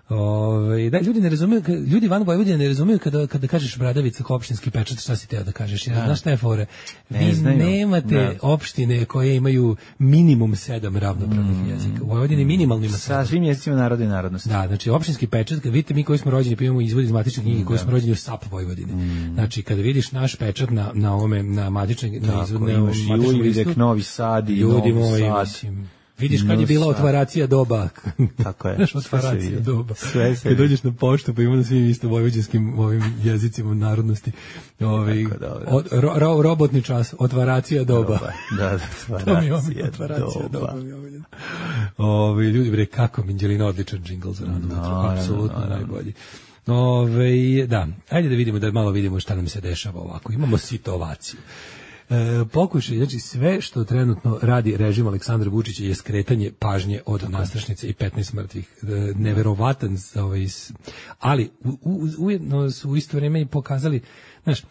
Ove, da, ljudi ne razumiju, ljudi van Vojvodine ne razumiju kada, kada kažeš bradavica kao opštinski pečat, šta si teo da kažeš. Ja, znaš šta je fore? Vi ne znaju, nemate ne. opštine koje imaju minimum sedam ravnopravnih mm, jezika. U Vojvodini minimalno ima sedam. Sa svim jezicima naroda i narodnosti. Da, znači opštinski pečat, vidite mi koji smo rođeni, pa imamo izvod iz matične knjige, koji smo rođeni u S A P Vojvodine. Mm. Znači, kada vidiš naš pečat na, na ovome, na matične, na izvodne, imaš i Uvidek, Novi Sad i ljudi Novi moji, Sad. Mislim, vidiš kad je bila otvaracija doba. Tako je. Znaš, otvaracija doba. Sve se kad dođeš na poštu, pa ima na svim isto vojvođanskim ovim jezicima narodnosti. Ovi, od, ro, ro, robotni čas, otvaracija doba. Da, da, otvaracija, otvaracija doba. doba. Ovi, ljudi, bre, kako Minđelina odličan džingl za rano. No, apsolutno no, no, no. najbolji. Ove, da, ajde da vidimo, da malo vidimo šta nam se dešava ovako. Imamo situaciju. E, pokušaj, znači sve što trenutno radi režim Aleksandra Vučića je skretanje pažnje od Tako. nastrašnice i petnaest mrtvih. E, neverovatan, ovaj, ali u, u, ujedno su u isto vrijeme i pokazali, znaš,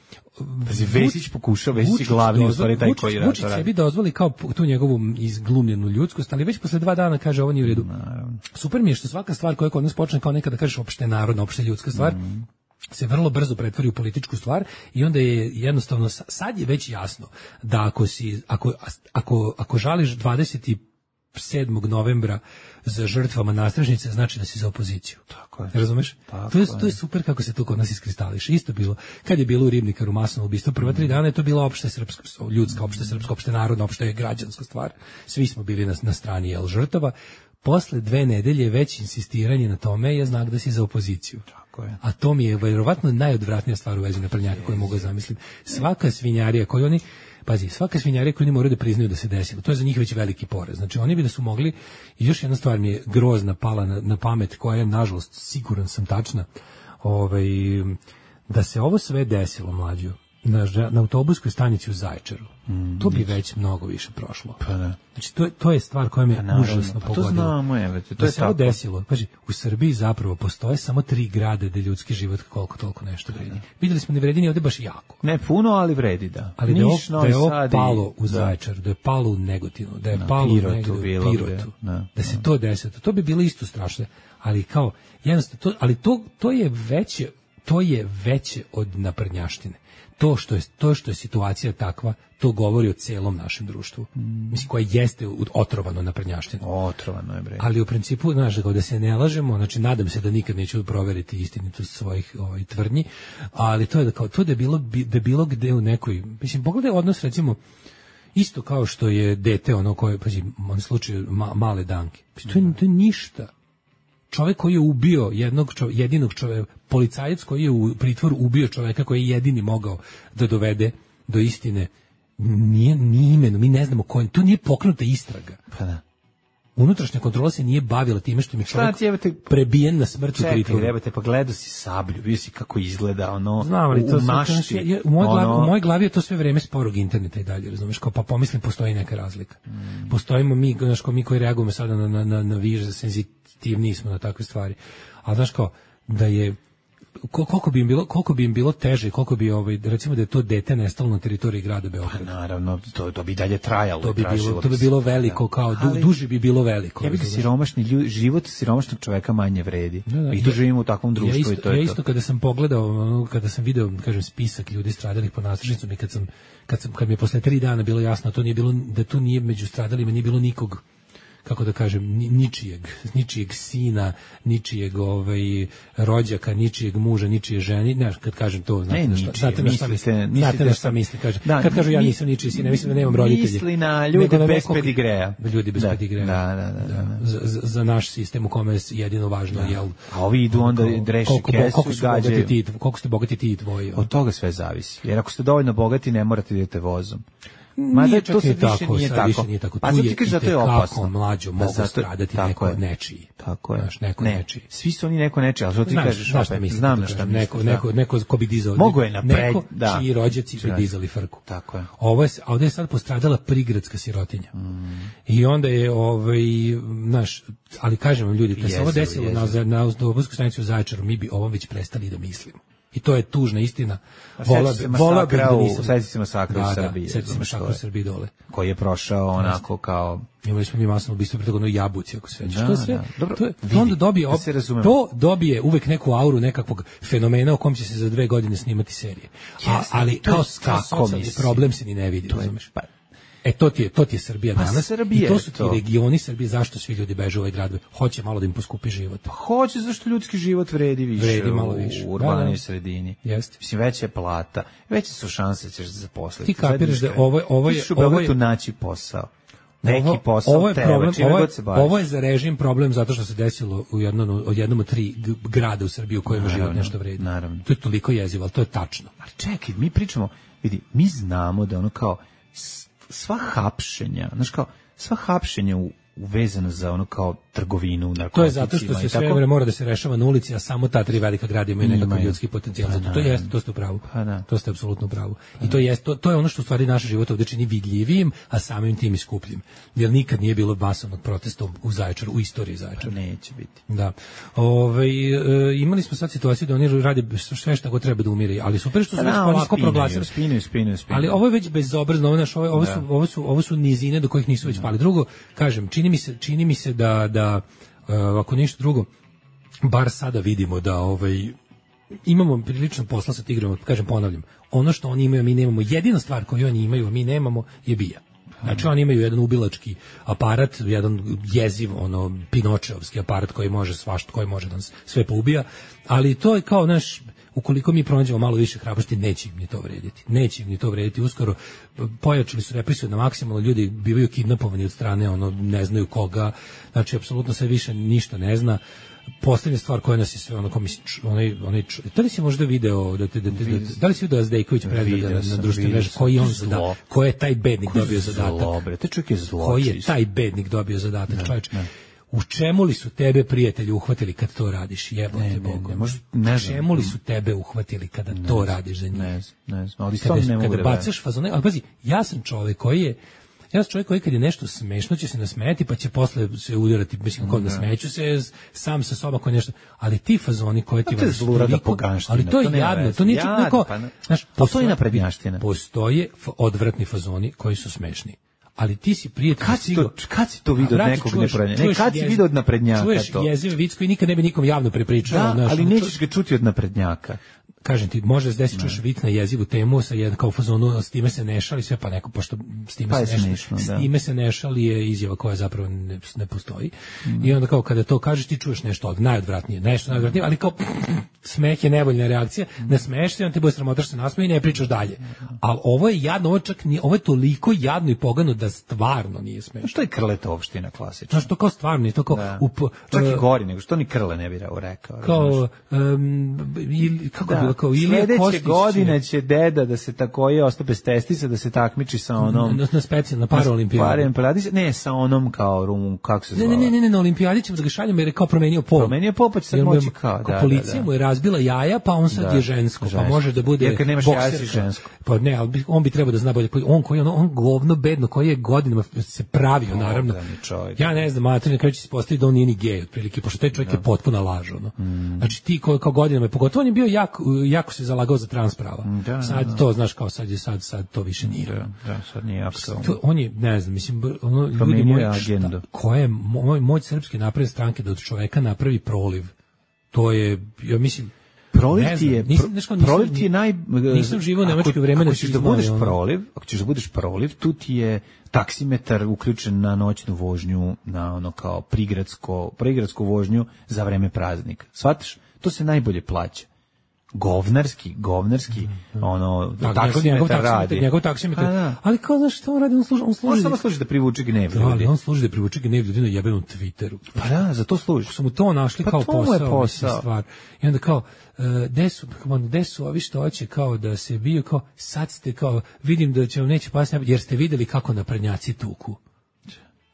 Vesić pokušao, Vesić glavni u stvari taj koji radi. Vučić sebi dozvoli kao tu njegovu izglumljenu ljudskost, ali već posle dva dana kaže ovo nije u redu. Naravno. Super mi je što svaka stvar koja kod nas počne kao nekada kažeš opšte narodna, opšte ljudska stvar, mm. se vrlo brzo pretvori u političku stvar i onda je jednostavno, sad je već jasno da ako si, ako, ako, ako žališ dvadeset sedmog novembra za žrtvama nastražnice, znači da si za opoziciju. Tako je. Razumeš? Tako to, je, to je super kako se to kod nas iskristališe. Isto bilo, kad je bilo u Ribnikaru masovno ubistvo, prva tri dana je to bila opšte srpska, ljudska, opšte srpska, opšte narodna, opšte građanska stvar. Svi smo bili na, na strani jel, žrtava. Posle dve nedelje već insistiranje na tome je znak da si za opoziciju. Tako je. A to mi je vjerovatno najodvratnija stvar u vezi naprednjaka koju mogu zamisliti. Svaka svinjarija koju oni Pazi, svaka svinjarija koju oni moraju da priznaju da se desilo, to je za njih već veliki porez. Znači, oni bi da su mogli, i još jedna stvar mi je grozna pala na, na pamet, koja je, nažalost, siguran sam tačna, ovaj, da se ovo sve desilo, mlađu, na, na autobuskoj stanici u Zaječaru, mm, to bi već mnogo više prošlo. Pa ne. Znači, to, to je stvar koja me pa užasno pa pogodila. To znamo, evo, to da je se ovo desilo. Paži, u Srbiji zapravo postoje samo tri grada gde ljudski život koliko toliko nešto vredi. Videli smo ne vredi ni ovde baš jako. Ne puno, ali vredi, da. Ali Niš, da je ovo palo u Zaječaru, da je palo u Negotinu, da je na, palo Pirotu, u bilo Pirotu, da, da se to desilo. To bi bilo isto strašno. Ali kao, jednostavno, to, ali to, to je veće, to je veće od naprednjaštine. To što je to što je situacija takva, to govori o celom našem društvu. Mm. Mislim, koje jeste otrovano naprednjaštinom. Otrovano je, bre. Ali u principu, znaš, da se ne lažemo, znači nadam se da nikad neću proveriti istinitost svojih ovaj tvrdnji, ali to je da kao to da je bilo da je bilo gde u nekoj, mislim, pogledaj odnos recimo isto kao što je dete ono koje, pazi, on slučaj ma, male Danke. To je, to je ništa. Čovjek koji je ubio jednog čov, jedinog čovjeka, policajac koji je u pritvoru ubio čovjeka koji je jedini mogao da dovede do istine, nije ni imeno, mi ne znamo ko je, to nije pokrenuta istraga. Pa da. Unutrašnja kontrola se nije bavila time što mi čovjek jebate, prebijen na smrt u pritvoru. Čekaj, te pa gledao si Sablju, vidio si kako izgleda ono. Znam, ali to u mašti. Je, u, moj ono... glavi, u mojoj glavi je to sve vreme sporog interneta i dalje, razumeš, kao pa pomislim postoji neka razlika. Mm. Postojimo mi, znaš, kao mi koji reagujemo sada na, na, na, na više senzitivniji smo na takve stvari. Ali znaš kao, da je koliko bi im bilo koliko bi im bilo teže, koliko bi ovaj recimo da je to dete nestalo na teritoriji grada Beograda. Pa naravno, to to bi dalje trajalo, to bi bilo to bi bilo veliko, da. Kao du, duže bi bilo veliko. Ja bih siromašni ljud, život siromašnog čoveka manje vredi. Da, da, I to ja, živimo u takvom društvu ja isto, i to je ja isto to. Kada sam pogledao, kada sam video, kažem, spisak ljudi stradalih po nadstrešnicom i kad sam kad sam kad mi je posle tri dana bilo jasno to nije bilo da tu nije među stradalima nije bilo nikog, kako da kažem, ničijeg, ničijeg sina, ničijeg ovaj, rođaka, ničijeg muža, ničije ženi. Ne, kad kažem to, znate na šta, znate na šta mislim, znate na šta mislim, kažem. Da, kad kažu ja nisam ničiji sin, ne mislim da nemam roditelje. Misli na ljude bez nekog, pedigreja. Ljudi bez da, pedigreja. Da, da, da. da, da. Za, za naš sistem u kome je jedino važno, da. Jel? A ovi idu onda dreši kesu, gađaju. Koliko ste bogati ti i tvoji. Od toga sve zavisi. Jer ako ste dovoljno bogati, ne morate da idete vozom. Mada to se više tako, nije tako. Više nije tako. Pa sad ti kažeš da to je opasno. Mlađo mogu da stradati neko je. Nečiji. Tako je. Znaš, neko ne. nečiji. Svi su oni neko nečiji, ali što ti znaš, kažeš znaš opet. Mislim, znam na šta misliš. Neko, neko, neko ko bi dizao. Mogu je napred, neko da. čiji rođaci bi dizali frku. Tako je. Ovo je, a ovdje je sad postradala prigradska sirotinja. Mm. I onda je, ovaj, naš, ali kažem vam ljudi, kad se ovo desilo na, na autobusku stanicu u Zaječaru, mi bi ovom već prestali da mislimo. I to je tužna istina. Vola bi, vola bi da nisam. Sjeti se masakra u Srbiji. Sjeti se masakra u Srbiji dole. Koji je prošao onako kao... Imali smo mi masno ubistvo preko onoj jabuci, ako se već. Da, to sve, da. Dobro, to, je, vidi, to onda dobije, da se to dobije uvek neku auru nekakvog fenomena o kom će se za dve godine snimati serije. A, ali kao, kao socijalni problem se ni ne vidi, razumeš? Pa, E to ti je to ti je Srbija pa danas. Srbije, I to su ti to. Regioni Srbije, zašto svi ljudi beže u ovaj grad? Hoće malo da im poskupi život. Pa hoće, zašto ljudski život vredi više. Vredi malo više. U urbanoj da, da. sredini. Jeste. Mislim, veća je plata, veće su šanse da ćeš se zaposliti. Ti kapiraš da ovo ovo je ovo je naći posao. Neki posao ovo je tebe, problem, ovo je, se baviš. Ovo je za režim problem zato što se desilo u jednom od jednom od tri grada u Srbiji u kojima naravno, život nešto vredi. Naravno. To je toliko jezivo, al to je tačno. Ali čekaj, mi pričamo, vidi, mi znamo da ono kao sva hapšenja, znaš kao, sva hapšenja u, uvezano za ono kao trgovinu, narkoticima. To je zato što se sve vreme mora da se rešava na ulici, a samo ta tri velika grada imaju nekakav ljudski potencijal. Zato to jeste, to ste u pravu. Pa to ste apsolutno u pravu. I to jeste, to, to je ono što u stvari naš život ovdje čini vidljivijim, a samim tim i skupljim. Jer nikad nije bilo masovnog protesta u Zaječaru, u istoriji Zaječara. Neće biti. Da. Ove, e, imali smo sad situaciju da oni rade sve što go treba da umire, ali super što su već polako proglasili. Spinu, spinu, spinu. Ali ovo je već bezobrazno, ovo, ovo, ovo, su, ovo, su, ovo su nizine do kojih nisu već pali. Drugo, kažem, čini mi se, čini mi se da, da uh, ako ništa drugo, bar sada vidimo da ovaj imamo prilično posla sa tigrom, kažem, ponavljam, ono što oni imaju, mi nemamo, jedina stvar koju oni imaju, a mi nemamo, je bija. Znači oni imaju jedan ubilački aparat, jedan jeziv, ono, pinočeovski aparat koji može svašta, koji može da nas sve poubija, ali to je kao naš, ukoliko mi pronađemo malo više hrabrosti, neće im ni to vrediti. Neće im ni to vrediti. Uskoro pojačali su represiju na maksimalno, ljudi bivaju kidnapovani od strane, ono, ne znaju koga, znači, apsolutno sve više ništa ne zna. Poslednja stvar koja nas je sve ono komis onaj onaj da li si možda video da te da, da, da, da li si video da Zdejković pregleda na, na društvenim mrežama koji on zada, ko je taj bednik ko dobio zadatak zlo, te čovjek je zlo, koji je taj bednik dobio zadatak, čovjek. U čemu li su tebe prijatelji uhvatili kad to radiš? Jebote Bogu. Ne, ne, u čemu li su tebe uhvatili kada ne, to radiš za njih? Ne, ne, ali kada, ne mogu kada bacaš fazone, ali pazi, ja sam čovjek koji je Ja sam čovjek koji kad je nešto smešno će se nasmejati pa će posle se udarati, mislim kod nasmeću se sam sa sobom koji nešto, ali ti fazoni koji ti vas zlurada poganština, ali to je jadno, to nije čak neko, znaš, postoji naprednjaština. Postoje odvratni fazoni koji su smešni. Ali ti si prijatelj kad si to kad si to video od nekog neprednjaka? Ne, kad si video od naprednjaka to? Čuješ jeziv vic koji nikad ne bi nikom javno prepričao, da, znaš, ali nećeš ga čuti od naprednjaka. Kažem ti, može se desiti čuješ vic na jezivu temu sa jedan kao fazonu, s time se ne šali sve, pa neko, pošto s time pa se ne šali, s time se ne šali je izjava koja zapravo ne, ne postoji. Mm. I onda kao kada to kažeš ti čuješ nešto od najodvratnije, nešto najodvratnije, ali kao smeh je nevoljna reakcija, ne smeješ se, on te bude sramotaš se nasmeje i ne pričaš dalje. Ali ovo je jadno, ovo čak nije, ovo je toliko jadno i pogano da stvarno nije smešno. Što je krletovština klasična? Znaš, to kao stvarno, to kao... Da. Up, čak i gori nego, što ni krle ne bi rekao. Kao, um, ili, kako da, bilo kao Ilija Kostić. Sledeće godine će deda da se takoje ostao bez testisa, da se takmiči sa onom... Na, na specijalno, na paraolimpijadi. Paraolimpijadi, ne, sa onom kao Rumun, kako se zvala? Ne, ne, ne, ne, na olimpijadi ćemo da ga šaljemo jer je kao promenio pol. Promenio pol, pa će sad moći kao, da, policija da, da. mu je razbila jaja, pa on sad da, je žensko, žensko, pa može da bude jer kad nemaš jaja si žensko. Pa ne, ali on bi trebao da zna bolje. On koji on, on govno bedno, koji je godinama se pravio, naravno. Ja ne znam, mater, na kraju će se postaviti da on nije ni gej, otprilike, pošto taj čovjek je potpuno lažo. No. Mm. Znači ti ko, kao godinama, pogotovo on je bio jako, jako se zalagao za trans prava. Da, sad da. To, znaš, kao sad je sad, sad to više nije. Da, da sad nije apsolutno. To, on je, ne znam, mislim, ono, ljudi moji, šta, ko je moj, moj srpske napredne stranke da od čoveka napravi proliv, to je, ja mislim, proliv ti je, nisam, nisam, proliv ti je naj... Nisam živo u nemačko vreme. Ako ćeš da budeš proliv, ako ćeš da budeš proliv, tu ti je taksimetar uključen na noćnu vožnju, na ono kao prigradsko, prigradsku vožnju za vreme praznika. Shvataš? To se najbolje plaća. Govnarski, govnarski, mm, ono, da, taksimetar radi. Njegov taksimetar, da. Ali kao, znaš, što on radi, on služi... On, služi on samo služi da privuče gnev ljudi. Ali on služi da privuče gnev ljudi na jebenom Twitteru. Pa da, za to služi. Su mu to našli pa kao to posao, posao. Stvar. I onda kao, uh, gde su, gde su ovi što hoće kao da se bio, kao, sad ste kao, vidim da će vam neće pasiti, jer ste videli kako naprednjaci tuku.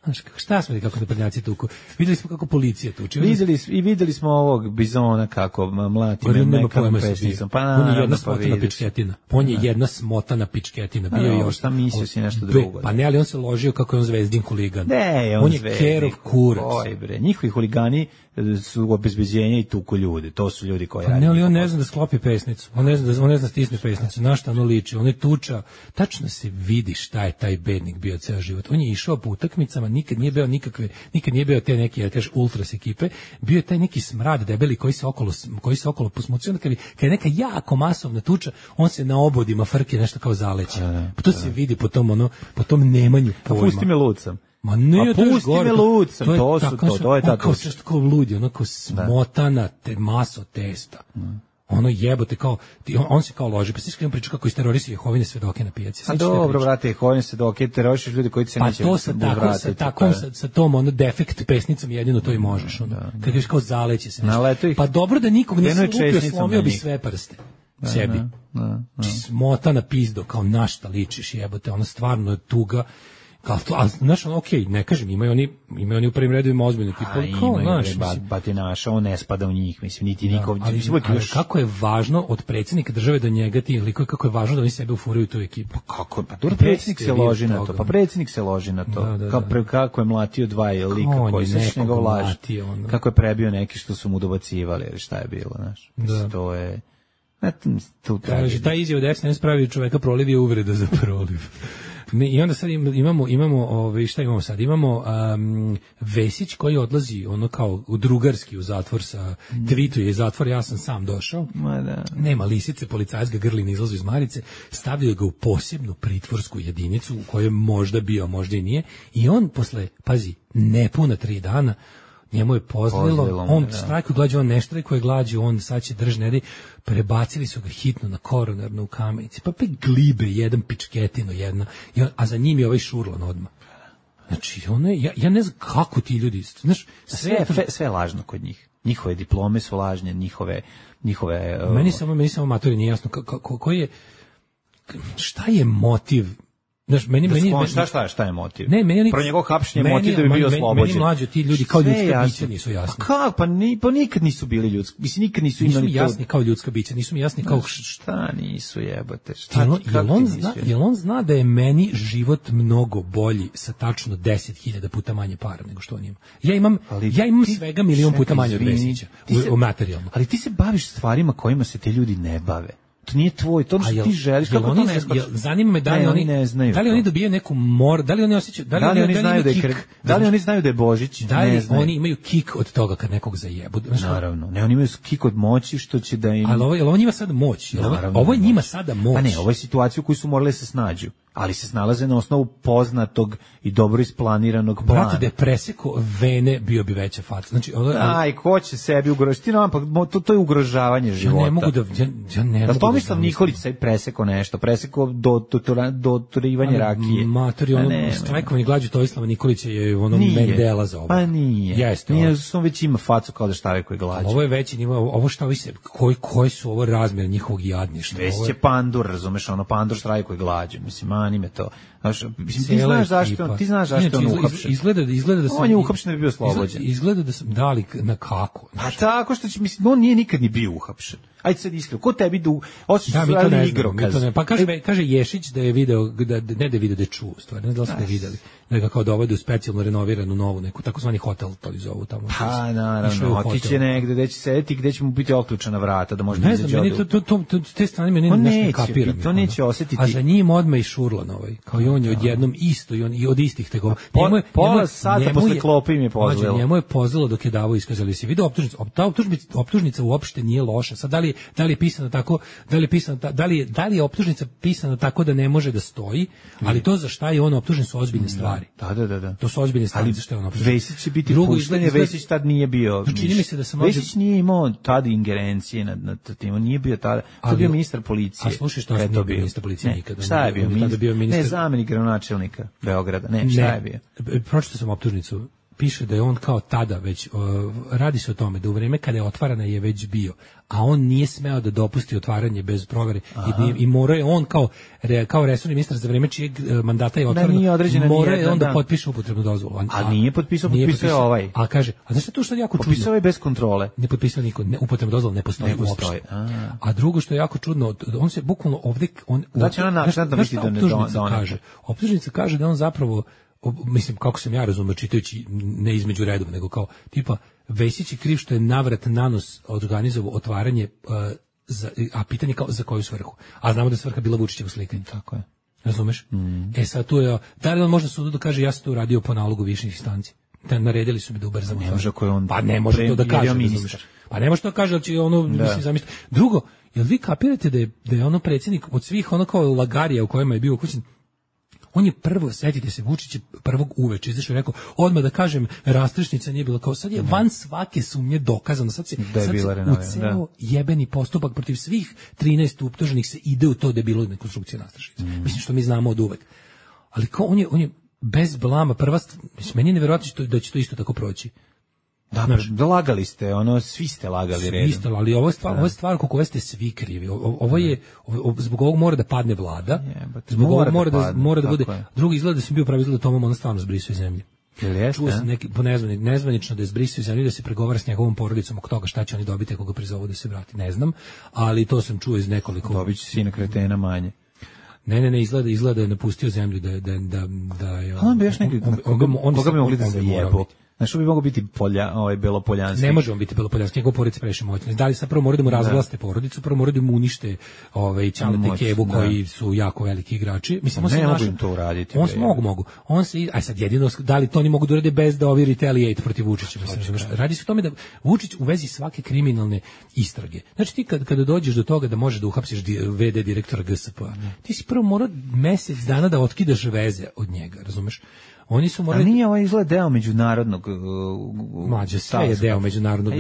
Znaš, šta smo kako da prednjaci tuku? Videli smo kako policija tuče. Videli i videli smo ovog bizona kako mlati me mekam pesnicom. Pa on je jedna smotana pičketina. On je jedna smotana pičketina. Bio je još šta mislio si nešto drugo. Pa ne, ali on se ložio kako je on zvezdin huligan. Ne, on, on je kerov kurac. Oj bre, njihovi huligani su obezbeđenja i tuku ljude. To su ljudi koji pa rade. Ne, ali on ne zna da sklopi pesnicu. On ne zna da on ne zna stisne pesnicu. Na šta ono liči? On je tuča. Tačno se vidi šta je taj bednik bio ceo život. On je išao po utakmicama, nikad nije bio nikakve, nikad nije bio te neke, ja kažeš, ultras ekipe. Bio je taj neki smrad debeli koji se okolo koji se okolo posmucio. Onda kad je, kad je neka jako masovna tuča, on se na obodima frke nešto kao zaleće. Pa to se vidi po tom ono, po tom nemanju pojma. A pusti me lucam. Ma ne, a pusti me lucam, to, to su to, to je ta tuča. Kao ludi, ono kao smotana te maso testa. Mm. Ono jebote kao on, on se kao loži, pa stiš kad priča kako isterorisuje Jehovine svedoke na pijaci. A dobro, brate, Jehovine svedoke terorišeš ljudi koji se pa neće to sa tako sa takom sa, sa tom ono defekt pesnicom jedino to i možeš ono. Da, kad ješ kao zaleće se. Pa dobro da nikog nisi lupio, slomio bi sve prste. Da, sebi. Da, da, da. Smotana pizdo kao na šta ličiš jebote, ono stvarno je tuga. Kao to, a znaš, ono, okej, okay, ne kažem, imaju oni, imaju oni u prvim redovima ozbiljne tipa, kao, znaš, ba, ba ti naša, on ne spada u njih, mislim, niti da, nikov, ali, mislim, ali još... kako je važno od predsjednika države do njega ti liko, kako je važno da oni sebe ufuraju tu ekipu. Pa kako, pa dobro, predsjednik se loži na to, pa predsjednik se loži na to, da, da, kao pre, kako je mlatio dva lika koji se njegov laž, kako je prebio neki što su mu dobacivali, ili šta je bilo, znaš, mislim, to je... Kaže, ta izjava desna ne spravi čoveka proliv je uvreda za proliv. Ne, i onda sad imamo imamo ovaj šta imamo sad imamo um, Vesić koji odlazi ono kao u drugarski u zatvor sa mm. tweetuje zatvor ja sam sam došao. Ma da. Nema lisice, policajac ga grli izlazi iz marice, stavljaju ga u posebnu pritvorsku jedinicu u kojoj možda bio, možda i nije i on posle pazi nepuna tri dana njemu je pozlilo, Pozlilo on štrajkuje glađu, on ne štrajkuje glađu, on sad će drž nedi, prebacili su ga hitno na koronarnu u Kamenici, pa pe glibe, jedan pičketino, jedna, a za njim je ovaj šurlan odmah. Znači, ono je, ja, ja ne znam kako ti ljudi, znaš, sve, sve, sve je lažno kod njih. Njihove diplome su lažne, njihove... njihove meni samo, meni samo matori nije jasno, ko, ko, ko je, šta je motiv. Znaš, meni, meni, meni, šta, šta, šta je motiv? Ne, meni, pro njegov hapšenje motiv da bi bio oslobođen. Meni mlađi ti ljudi kao ljudska bića nisu jasni. A kako? Pa, ni, pa nikad nisu bili ljudski. Mislim, nikad nisu imali... Nisu mi jasni kao ljudska bića, nisu mi jasni kao... Šta nisu jebote? Šta, jel, jel, on zna, jel on zna da je meni život mnogo bolji sa tačno deset hiljada puta manje para nego što on ima? Ja imam, ali ja imam ti, svega milion puta manje od Vesića u, u materijalno. Ali ti se baviš stvarima kojima se te ljudi ne bave. To nije tvoj, to što ti želiš, kako oni, to ne skače? Zanima me da li ne, oni, oni ne znaju. Da li oni dobijaju neku mor, da li oni osjećaju, da li, da li oni, oni znaju da je kik, da li oni znaju da je Božić, da li oni imaju kik od toga kad nekog zajebu. Naravno, ne, oni imaju kik od moći što će da im... Ali ovo, ovo njima sada moć, ovo, ovo je njima sada moć. Pa ne, ovo je situacija u kojoj su morali se snađu. ali se snalaze na osnovu poznatog i dobro isplaniranog plana. Brate, da je preseko vene, bio bi veća faca. Znači, ono, aj, ko će sebi ugrožiti? No, pa, to, to je ugrožavanje života. Ja ne mogu da... Ja, ja ne da mogu Tomislav da Nikolić sad preseko nešto, preseko do, do, do, do turivanja rakije. Matori, ono, strajkovanje glađu Tomislava Nikolića je ono Mendela za ovo. Pa nije. Jeste. Nije, on već ima facu kao da štrajkuje glađu. Ovo je veći nivo, ovo šta vi se, koji, koji su ovo razmjer njihovog jadništva? Već je pandur, razumeš, ono, pandur štrajkuje glađu, mislim, mani me to. Znaš, ti znaš zašto, ti znaš zašto on uhapšen. Izgleda, izgleda da sam... On je uhapšen da bi bio slobođen. Izgleda da sam dali na kako. A tako što će, mislim, on nije nikad ni bio uhapšen. Ajde sad iskreno, ko tebi da osjećaš da, mi to ne igrokaz? Znamo, pa kaže, kaže Ješić da je video, da, ne da je video, da je čuo, stvari, ne da li ste videli, da ga kao dovede u specijalno renoviranu novu, neku takozvani hotel, to li zovu tamo. Pa, naravno, otiće negde, gde će sedeti, gde će mu biti otključana vrata, da može ne znam, meni to, to, to, to, te strane meni nešto ne kapiram. To neće osjetiti. A za njim odmah i Šurlan ovaj, kao i on je odjednom isto, i on i od istih tegova. Njemu je, pola sata posle klopi im je pozvalo. Njemu je pozvalo dok je davao iskazali se. Video optužnica, ta optužnica, optužnica uopšte nije loša. Sad da li da li je pisana tako, da li je pisana da li je da li je optužnica pisana tako da ne može da stoji, ali to za šta je on optužen su ozbiljne stvari. Da, da, da, da. To su ozbiljne stvari za što je on optužen. Vesić će biti pušten, Vesić tad nije bio. Čini mi se da sam Vesić nije imao tad ingerencije nad nad tim, on nije bio tada. To je bio ministar policije. A slušaj, što je to bio ministar policije nikada. Šta je bio? Ne, zamenik gradonačelnika Beograda. Ne, šta je bio? Pročitao sam optužnicu. Piše da je on kao tada već, uh, radi se o tome da u vreme kada je otvarana je već bio, a on nije smeo da dopusti otvaranje bez provere i, i morao je on kao, re, kao resorni ministar za vreme čijeg mandata je otvarano, da morao je on da potpiše upotrebnu dozvolu. A, a nije potpisao, potpisao, potpisao ovaj. A kaže, a znaš što to što je jako čudno? Potpisao je bez kontrole. Ne potpisao niko, ne, upotrebna dozvola ne postoji, ne postoji uopšte. A. a drugo što je jako čudno, on se bukvalno ovdje, on, znači ona nakon da vidi da ne kaže. Optužnica kaže da on zapravo, mislim, kako sam ja razumio čitajući ne između redova, nego kao tipa Vesić je kriv što je navrat nanos organizovao otvaranje, uh, za, a pitanje kao za koju svrhu. A znamo da je svrha bila Vučićevo slikanje. Tako je. Razumeš? Mm. E sad tu je, da li on možda sudu da kaže ja sam to uradio po nalogu viših instanci? Da naredili su mi da ubrzamo. Ne može ako je on. Pa ne može to da kaže. Ministar. Pa ne može to da kaže, ali će ono, da. Mislim, zamisliti. Drugo, jel vi kapirate da je, da je ono predsjednik od svih ono kao lagarija u kojima je bio ukućen, on je prvo, setite se, Vučić je prvog uveče izašao i rekao, odmah da kažem, rastrešnica nije bila kao, sad je van svake sumnje dokazano, sad se, da sad se u ceo jebeni postupak protiv svih trinaest optuženih se ide u to da je bilo rekonstrukcija rastrešnice. Mm. Mislim što mi znamo od uvek. Ali kao on je, on je bez blama, prva, meni je nevjerojatno da će to isto tako proći. Da, da lagali ste, ono, svi ste lagali redom. Svi ste, ali ovo je stvar, ovo je stvar oko koje ste svi krivi. O, ovo je, ovo, zbog ovog mora da padne vlada, je, zbog ovog mora da, padne, mora da bude, je. Drugi izgleda da sam bio pravi izgleda da Tomom ona stvarno zbrisao iz zemlje. Čuo sam neki, po nezvanič, nezvanično da je zbrisao iz zemlje, da se pregovara s njegovom porodicom oko toga šta će oni dobiti ako ga prizovu da se vrati. Ne znam, ali to sam čuo iz nekoliko... Dobit će sina kretena manje. Ne, ne, ne, izgleda, izgleda da je napustio zemlju, da, da, da, da je... On bi još neki, koga bi mogli da se jebo? Znaš, što bi mogao biti polja, ovaj, belopoljanski? Ne može on biti belopoljanski, njegov porodica previše moćna. Da li sad prvo moraju da mu razvlaste porodicu, prvo moraju da mu unište ovaj, Ćaleta i Kevu, koji su jako veliki igrači. Mislim, on ne se mogu im to uraditi. On se mogu, mogu. On se, aj sad jedino, da li to oni mogu da urade bez da ovi retaliate protiv Vučića? Mislim, radi se o tome da Vučić u vezi svake kriminalne istrage. Znači ti kad, kada dođeš do toga da možeš da uhapsiš ve de direktora G S P-a, ti si prvo morao mesec dana da otkidaš veze od njega, razumeš? Oni su morali... A nije ovaj izgled deo međunarodnog... Uh, Mlađe, sve je deo međunarodnog...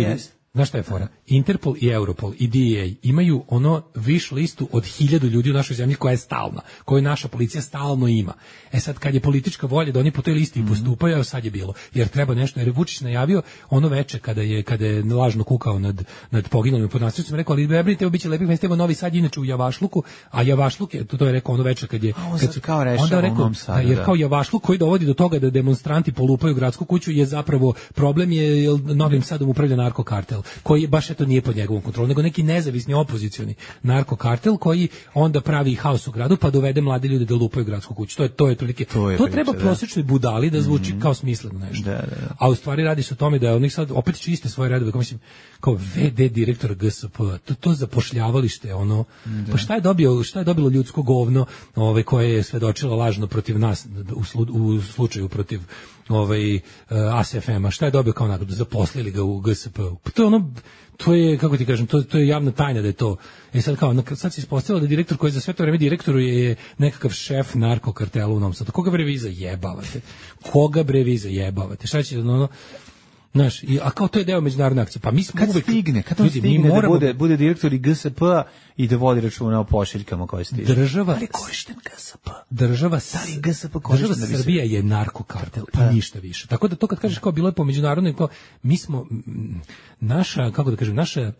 Znaš šta je fora? Interpol i Europol i D E A imaju ono viš listu od hiljadu ljudi u našoj zemlji koja je stalna, koju naša policija stalno ima. E sad kad je politička volja da oni po toj listi mm-hmm. postupaju, sad je bilo. Jer treba nešto, jer je Vučić najavio ono veče kada je kada je lažno kukao nad nad poginulim pod nastrelcima, rekao ali bebnite, biće lepih mesta, evo Novi Sad inače u Javašluku, a Javašluk je to, to je rekao ono veče kad je kad su kao rešao onda rekao Sadu, jer kao Javašluk koji dovodi do toga da demonstranti polupaju gradsku kuću je zapravo problem je jer Novim Sadom upravlja narkokartel koji baš eto nije pod njegovom kontrolom, nego neki nezavisni opozicioni narkokartel koji onda pravi haos u gradu pa dovede mlade ljude da lupaju gradsku kuću. To je to je otprilike. To, to treba da. Prosječnoj budali da zvuči mm-hmm. kao smisleno nešto. Da, da, da. A u stvari radi se o tome da oni sad opet čiste svoje redove, kao mislim kao ve de direktor G S P, to to zapošljavalište ono. Da. Pa šta je dobio, šta je dobilo ljudsko govno, ovaj koje je svedočilo lažno protiv nas u, slu, u slučaju protiv ovaj uh, A S F M-a, šta je dobio kao nagradu? Zaposlili ga u G S P-u. Pa to je ono ono, to je, kako ti kažem, to, to je javna tajna da je to. E sad kao, sad se ispostavilo da direktor koji za sve to vreme direktoru je nekakav šef narkokartela u Novom Sadu. Koga bre vi zajebavate? Koga bre vi zajebavate? Šta će, ono, znaš, a kao to je deo međunarodne akcije. Pa mi smo kad uvek, stigne, kad on stigne moramo, da bude, bude direktor i G S P-a i da vodi računa o pošiljkama koje stiže. Država, ali korišten G S P. Država, ali G S P država Srbija je narkokartel i pa ništa više. Tako da to kad kažeš kao bilo je po međunarodnoj, kao mi smo naša, kako da kažem, naša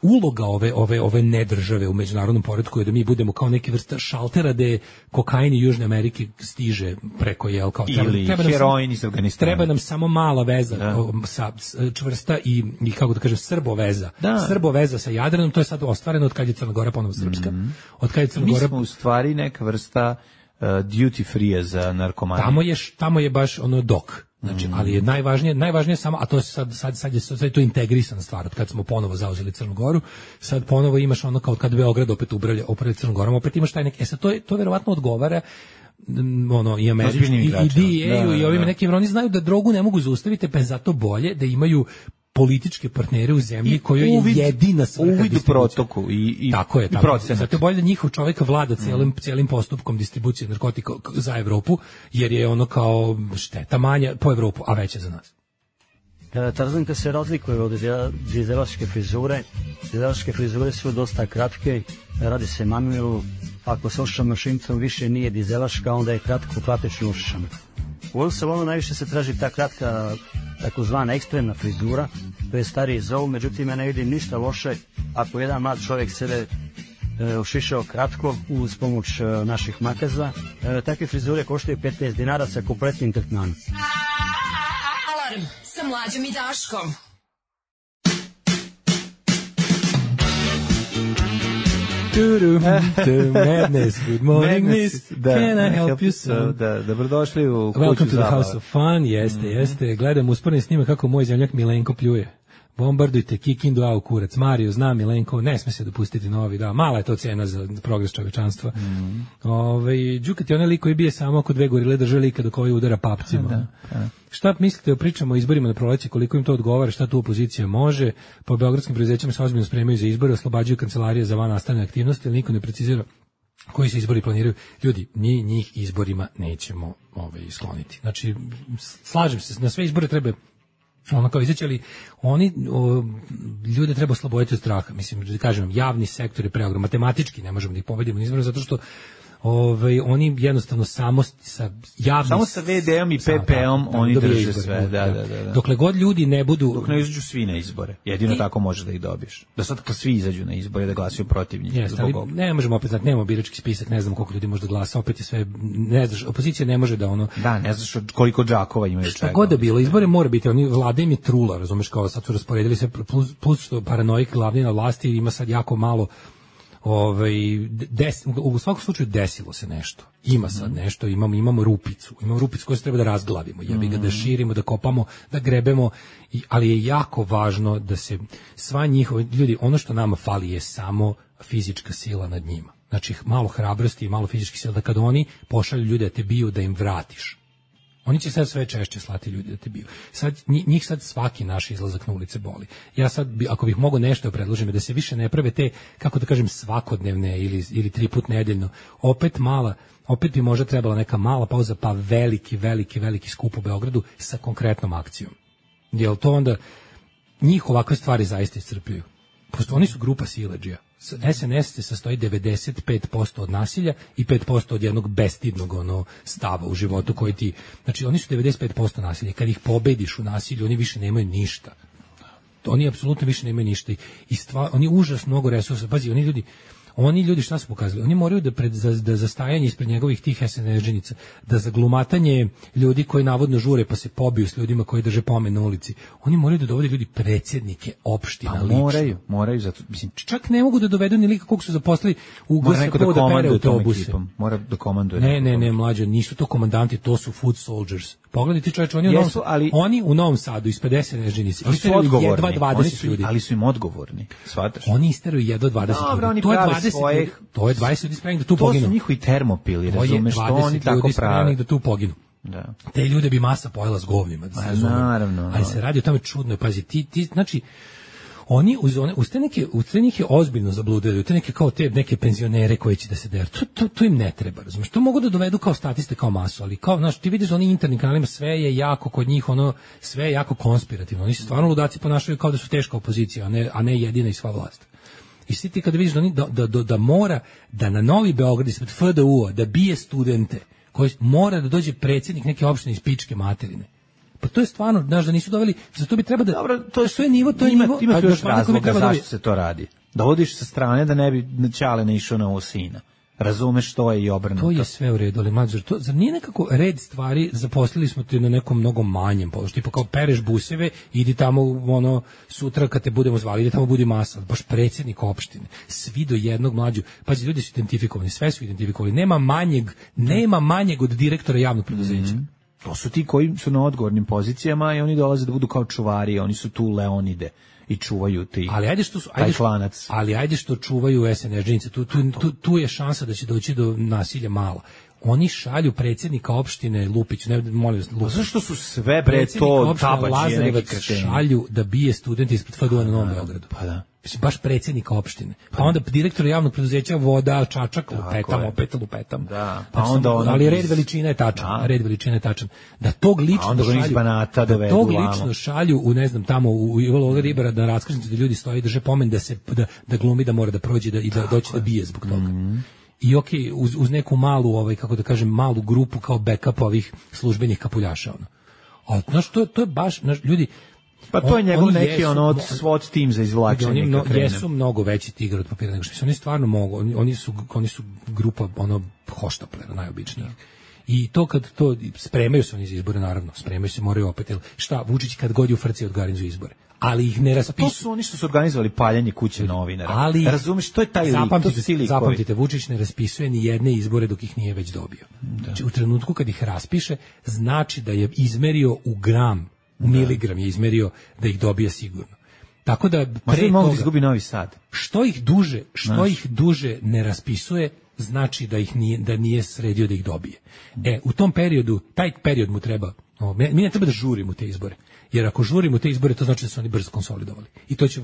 uloga ove ove ove nedržave u međunarodnom poretku je da mi budemo kao neki vrsta šaltera da kokain iz Južne Amerike stiže preko jel kao treba, ili treba heroin iz Afganistana. Treba nam samo mala veza da. sa čvrsta i, i kako da kažem srbo veza. Da. Srbo veza sa Jadranom, to je sad ostvareno od kad je Crna Gora ponovo srpska. Mm-hmm. Od kad je Crna Gora mi smo u stvari neka vrsta uh, duty free za narkomane. Tamo je tamo je baš ono dok. Znači, mm. ali je najvažnije, najvažnije samo, a to je sad, sad, sad je, sad je to integrisana stvar, od kad smo ponovo zauzeli Crnu Goru, sad ponovo imaš ono kao kad Beograd opet ubralja, upravlja Crnom Gorom, opet imaš taj neki, e sad to, je, to verovatno odgovara ono, i američki, i, i D E-u i ovim nekim, oni znaju da drogu ne mogu zaustaviti, pa je zato bolje da imaju političke partnere u zemlji kojoj je jedina svrha uvid u protoku i, i, tako je, i tako. Zato je bolje da njihov čovjek vlada cijelim, mm. cijelim postupkom distribucije narkotika za Evropu, jer je ono kao šteta manja po Evropu, a veća za nas. Tarzanka se razlikuje od dizelaške frizure. Dizelaške frizure su dosta kratke, radi se mamilu. Ako se ošišam mašinicom više nije dizelaška, onda je kratko klapečno ošišana. U ovom salonu najviše se traži ta kratka, takozvana ekstremna frizura, to je stariji zovu, međutim ja ne vidim ništa loše ako jedan mlad čovjek sebe e, ošišao kratko uz pomoć e, naših makaza. E, takve frizure koštaju petnaest dinara sa kompletnim tretmanom. Alarm sa Mlađom i Daškom. Madness, good morning, miss. Da, can I help you so? Da, dobrodošli u kuću Welcome to the zabava. House of Fun, jeste, mm-hmm. jeste. Gledam usporedni snime kako moj zemljak Milenko pljuje. Bombardujte Kikindu, a u kurac. Mario zna Milenko, ne sme se dopustiti novi, da, mala je to cena za progres čovečanstva. Mm. Ove, Đukat je onaj lik koji bije samo oko dve gorile, drže lika dok ovaj udara papcima. Da, da. Šta mislite o pričama o izborima na proleće, koliko im to odgovara, šta tu opozicija može? Po beogradskim preduzećima se ozbiljno spremaju za izbore, oslobađaju kancelarije za van nastavne aktivnosti, ali niko ne precizira koji se izbori planiraju. Ljudi, mi njih izborima nećemo ovaj, skloniti. Znači, slažem se, na sve izbore treba ono kao izaći, ali oni o, ljude treba osloboditi od straha. Mislim, da kažem, javni sektor je preogrom, matematički ne možemo da ih pobedimo na izboru, zato što Ove, oni jednostavno samo sa javnim samo sa ve de om i pe pe om da, oni drže izbore, sve, da, da, da, da. Dokle god ljudi ne budu dok ne izađu svi na izbore. Jedino I, tako možeš da ih dobiješ. Da sad kad svi izađu na izbore da glasaju protiv njih. Jeste, ali ne možemo opet znati, nemamo birački spisak, ne znamo koliko ljudi može da glasa, opet je sve ne znaš, opozicija ne može da ono da, ne znaš koliko džakova imaju čega. Šta god da bilo, izbore mora biti, oni vlada im je trula, razumeš, kao sad su rasporedili sve plus, plus što paranoik glavni na vlasti ima sad jako malo. Ovaj des, u svakom slučaju desilo se nešto. Ima sad nešto, imamo imamo rupicu. Imamo rupicu koju se treba da razglavimo, jebi ga da širimo, da kopamo, da grebemo, i, ali je jako važno da se sva njihova ljudi, ono što nama fali je samo fizička sila nad njima. Znači malo hrabrosti i malo fizičke sile da kad oni pošalju ljude da te biju da im vratiš. Oni će sad sve češće slati ljudi da te biju. Sad, njih sad svaki naš izlazak na ulice boli. Ja sad, ako bih mogao nešto da predložim, da se više ne prave te, kako da kažem, svakodnevne ili, ili tri put nedeljno, opet mala, opet bi možda trebala neka mala pauza, pa veliki, veliki, veliki skup u Beogradu sa konkretnom akcijom. Jel to onda, njih ovakve stvari zaista iscrpljuju. Posto oni su grupa siledžija. es en es se sastoji devedeset pet posto od nasilja i pet posto od jednog bestidnog ono stava u životu koji ti, znači oni su devedeset pet posto nasilja. Kad ih pobediš u nasilju, oni više nemaju ništa. Oni apsolutno više nemaju ništa i stvar, oni užasno mnogo resursa. Pazi, oni ljudi Oni ljudi šta su pokazali? Oni moraju da pred za, da za stajanje ispred njegovih tih es en es-džinica, da za glumatanje ljudi koji navodno žure pa se pobiju s ljudima koji drže pomen na ulici, oni moraju da dovode ljudi predsjednike opština pa lično. Moraju, moraju zato, mislim, čak ne mogu da dovedu ni lika kog su zaposlili u G S P-u da pere autobuse. Mora da komanduje. Ne, ne, ne, mlađe, nisu to komandanti, to su food soldiers. Pogledajte čoveče, oni, Jesu, u ali, oni u Novom Sadu ispred es en es-džinice isteraju jedva dvadeset ljudi. Ali su im odgovorni, shvataš? Oni isteraju jedva dvadeset Dobro, ljudi. To je dvadeset svojih, to je dvadeset ljudi spremnih da tu poginu. To su njihovi termopili, razumeš, što oni tako prave. Da tu poginu. Da. Te ljude bi masa pojela s govnima. Da se naravno. Ali se radi o tome čudno, pazi, ti, ti, znači, oni uz one uz te neke uz te neke ozbiljno zabludili, te neke kao te neke penzionere koji će da se der. To, to, to im ne treba, razumiješ? To mogu da dovedu kao statiste, kao masu, ali kao, znaš, ti vidiš da oni internim kanalima sve je jako kod njih, ono, sve je jako konspirativno. Oni se stvarno ludaci ponašaju kao da su teška opozicija, a ne, a ne jedina i sva vlast. I svi ti kad vidiš da, oni, da, da, da, da mora da na Novi Beograd ispred F D U-a da bije studente, koji mora da dođe predsjednik neke opštine iz pičke materine. Pa to je stvarno, znaš, da nisu doveli, za to bi treba da... Dobro, to je sve nivo, to je ima, nivo... Ima tu još razloga zašto se to radi. Da odiš sa strane da ne bi Ćale ne išao na ovo sina. Razumeš što je i obrnuto. To je sve u redu, ali mađor, to, zar nije nekako red stvari, zaposlili smo te na nekom mnogo manjem položaju, tipo kao pereš buseve, idi tamo, ono, sutra kad te budemo zvali, ide tamo budi masa, baš predsjednik opštine, svi do jednog mlađu, pazi, ljudi su identifikovani, sve su identifikovani, nema manjeg, nema manjeg od direktora javnog preduzeća. Mm. To su ti koji su na odgovornim pozicijama i oni dolaze da budu kao čuvari, oni su tu Leonide i čuvaju ti. Ali ajde što su, ajde što, ali ajde što čuvaju es en es džinice, tu, tu, tu, tu je šansa da će doći do nasilja malo. Oni šalju predsjednika opštine Lupić, ne molim vas, Lupić. Zašto su sve bre to tabačije neki kreteni? Šalju da bije studenti ispred F D U-a na Novom Beogradu. Pa da. Mislim, baš predsjednika opštine. Pa onda direktor javnog preduzeća voda, čačak, lupetam, opet lupetam. Da. Pa onda ono, ali red veličina je tačan, da. red veličina je tačan. Da tog lično šalju, banata da tog lično šalju u, ne znam, tamo u Ivalo Ribara da raskrsnicu da ljudi stoji, drže pomen da se, da, da glumi da mora da prođe da, i da doći da bije zbog toga. Mm. I ok, uz, uz neku malu, ovaj, kako da kažem, malu grupu kao backup ovih službenih kapuljaša. Ono. A, znaš, to, to je baš, znaš, ljudi, pa to je njegov neki jesu, ono od SWAT tim za izvlačenje. Oni mno, jesu mnogo veći tigar od papira nego što su. Oni stvarno mogu. Oni, oni, su, oni su grupa ono hoštaplera najobičnijih. I to kad to spremaju se oni za izbore, naravno, spremaju se, moraju opet. Šta, Vučić kad god je u frci organizuje izbore. Ali ih ne raspisuju. To su oni što su organizovali paljanje kuće novinara. Ali razumeš, to je taj lik, zapamtite, to su zapamtite, Vučić ne raspisuje ni jedne izbore dok ih nije već dobio. Da. Znači, u trenutku kad ih raspiše, znači da je izmerio u gram, u miligram je izmerio da ih dobije sigurno. Tako da pre mogu da izgubi Novi Sad. Što ih duže, što Znaš. ih duže ne raspisuje, znači da ih nije da nije sredio da ih dobije. E, u tom periodu, taj period mu treba, no, mi ne treba da žurimo te izbore. Jer ako žurimo te izbore, to znači da su oni brzo konsolidovali. I to će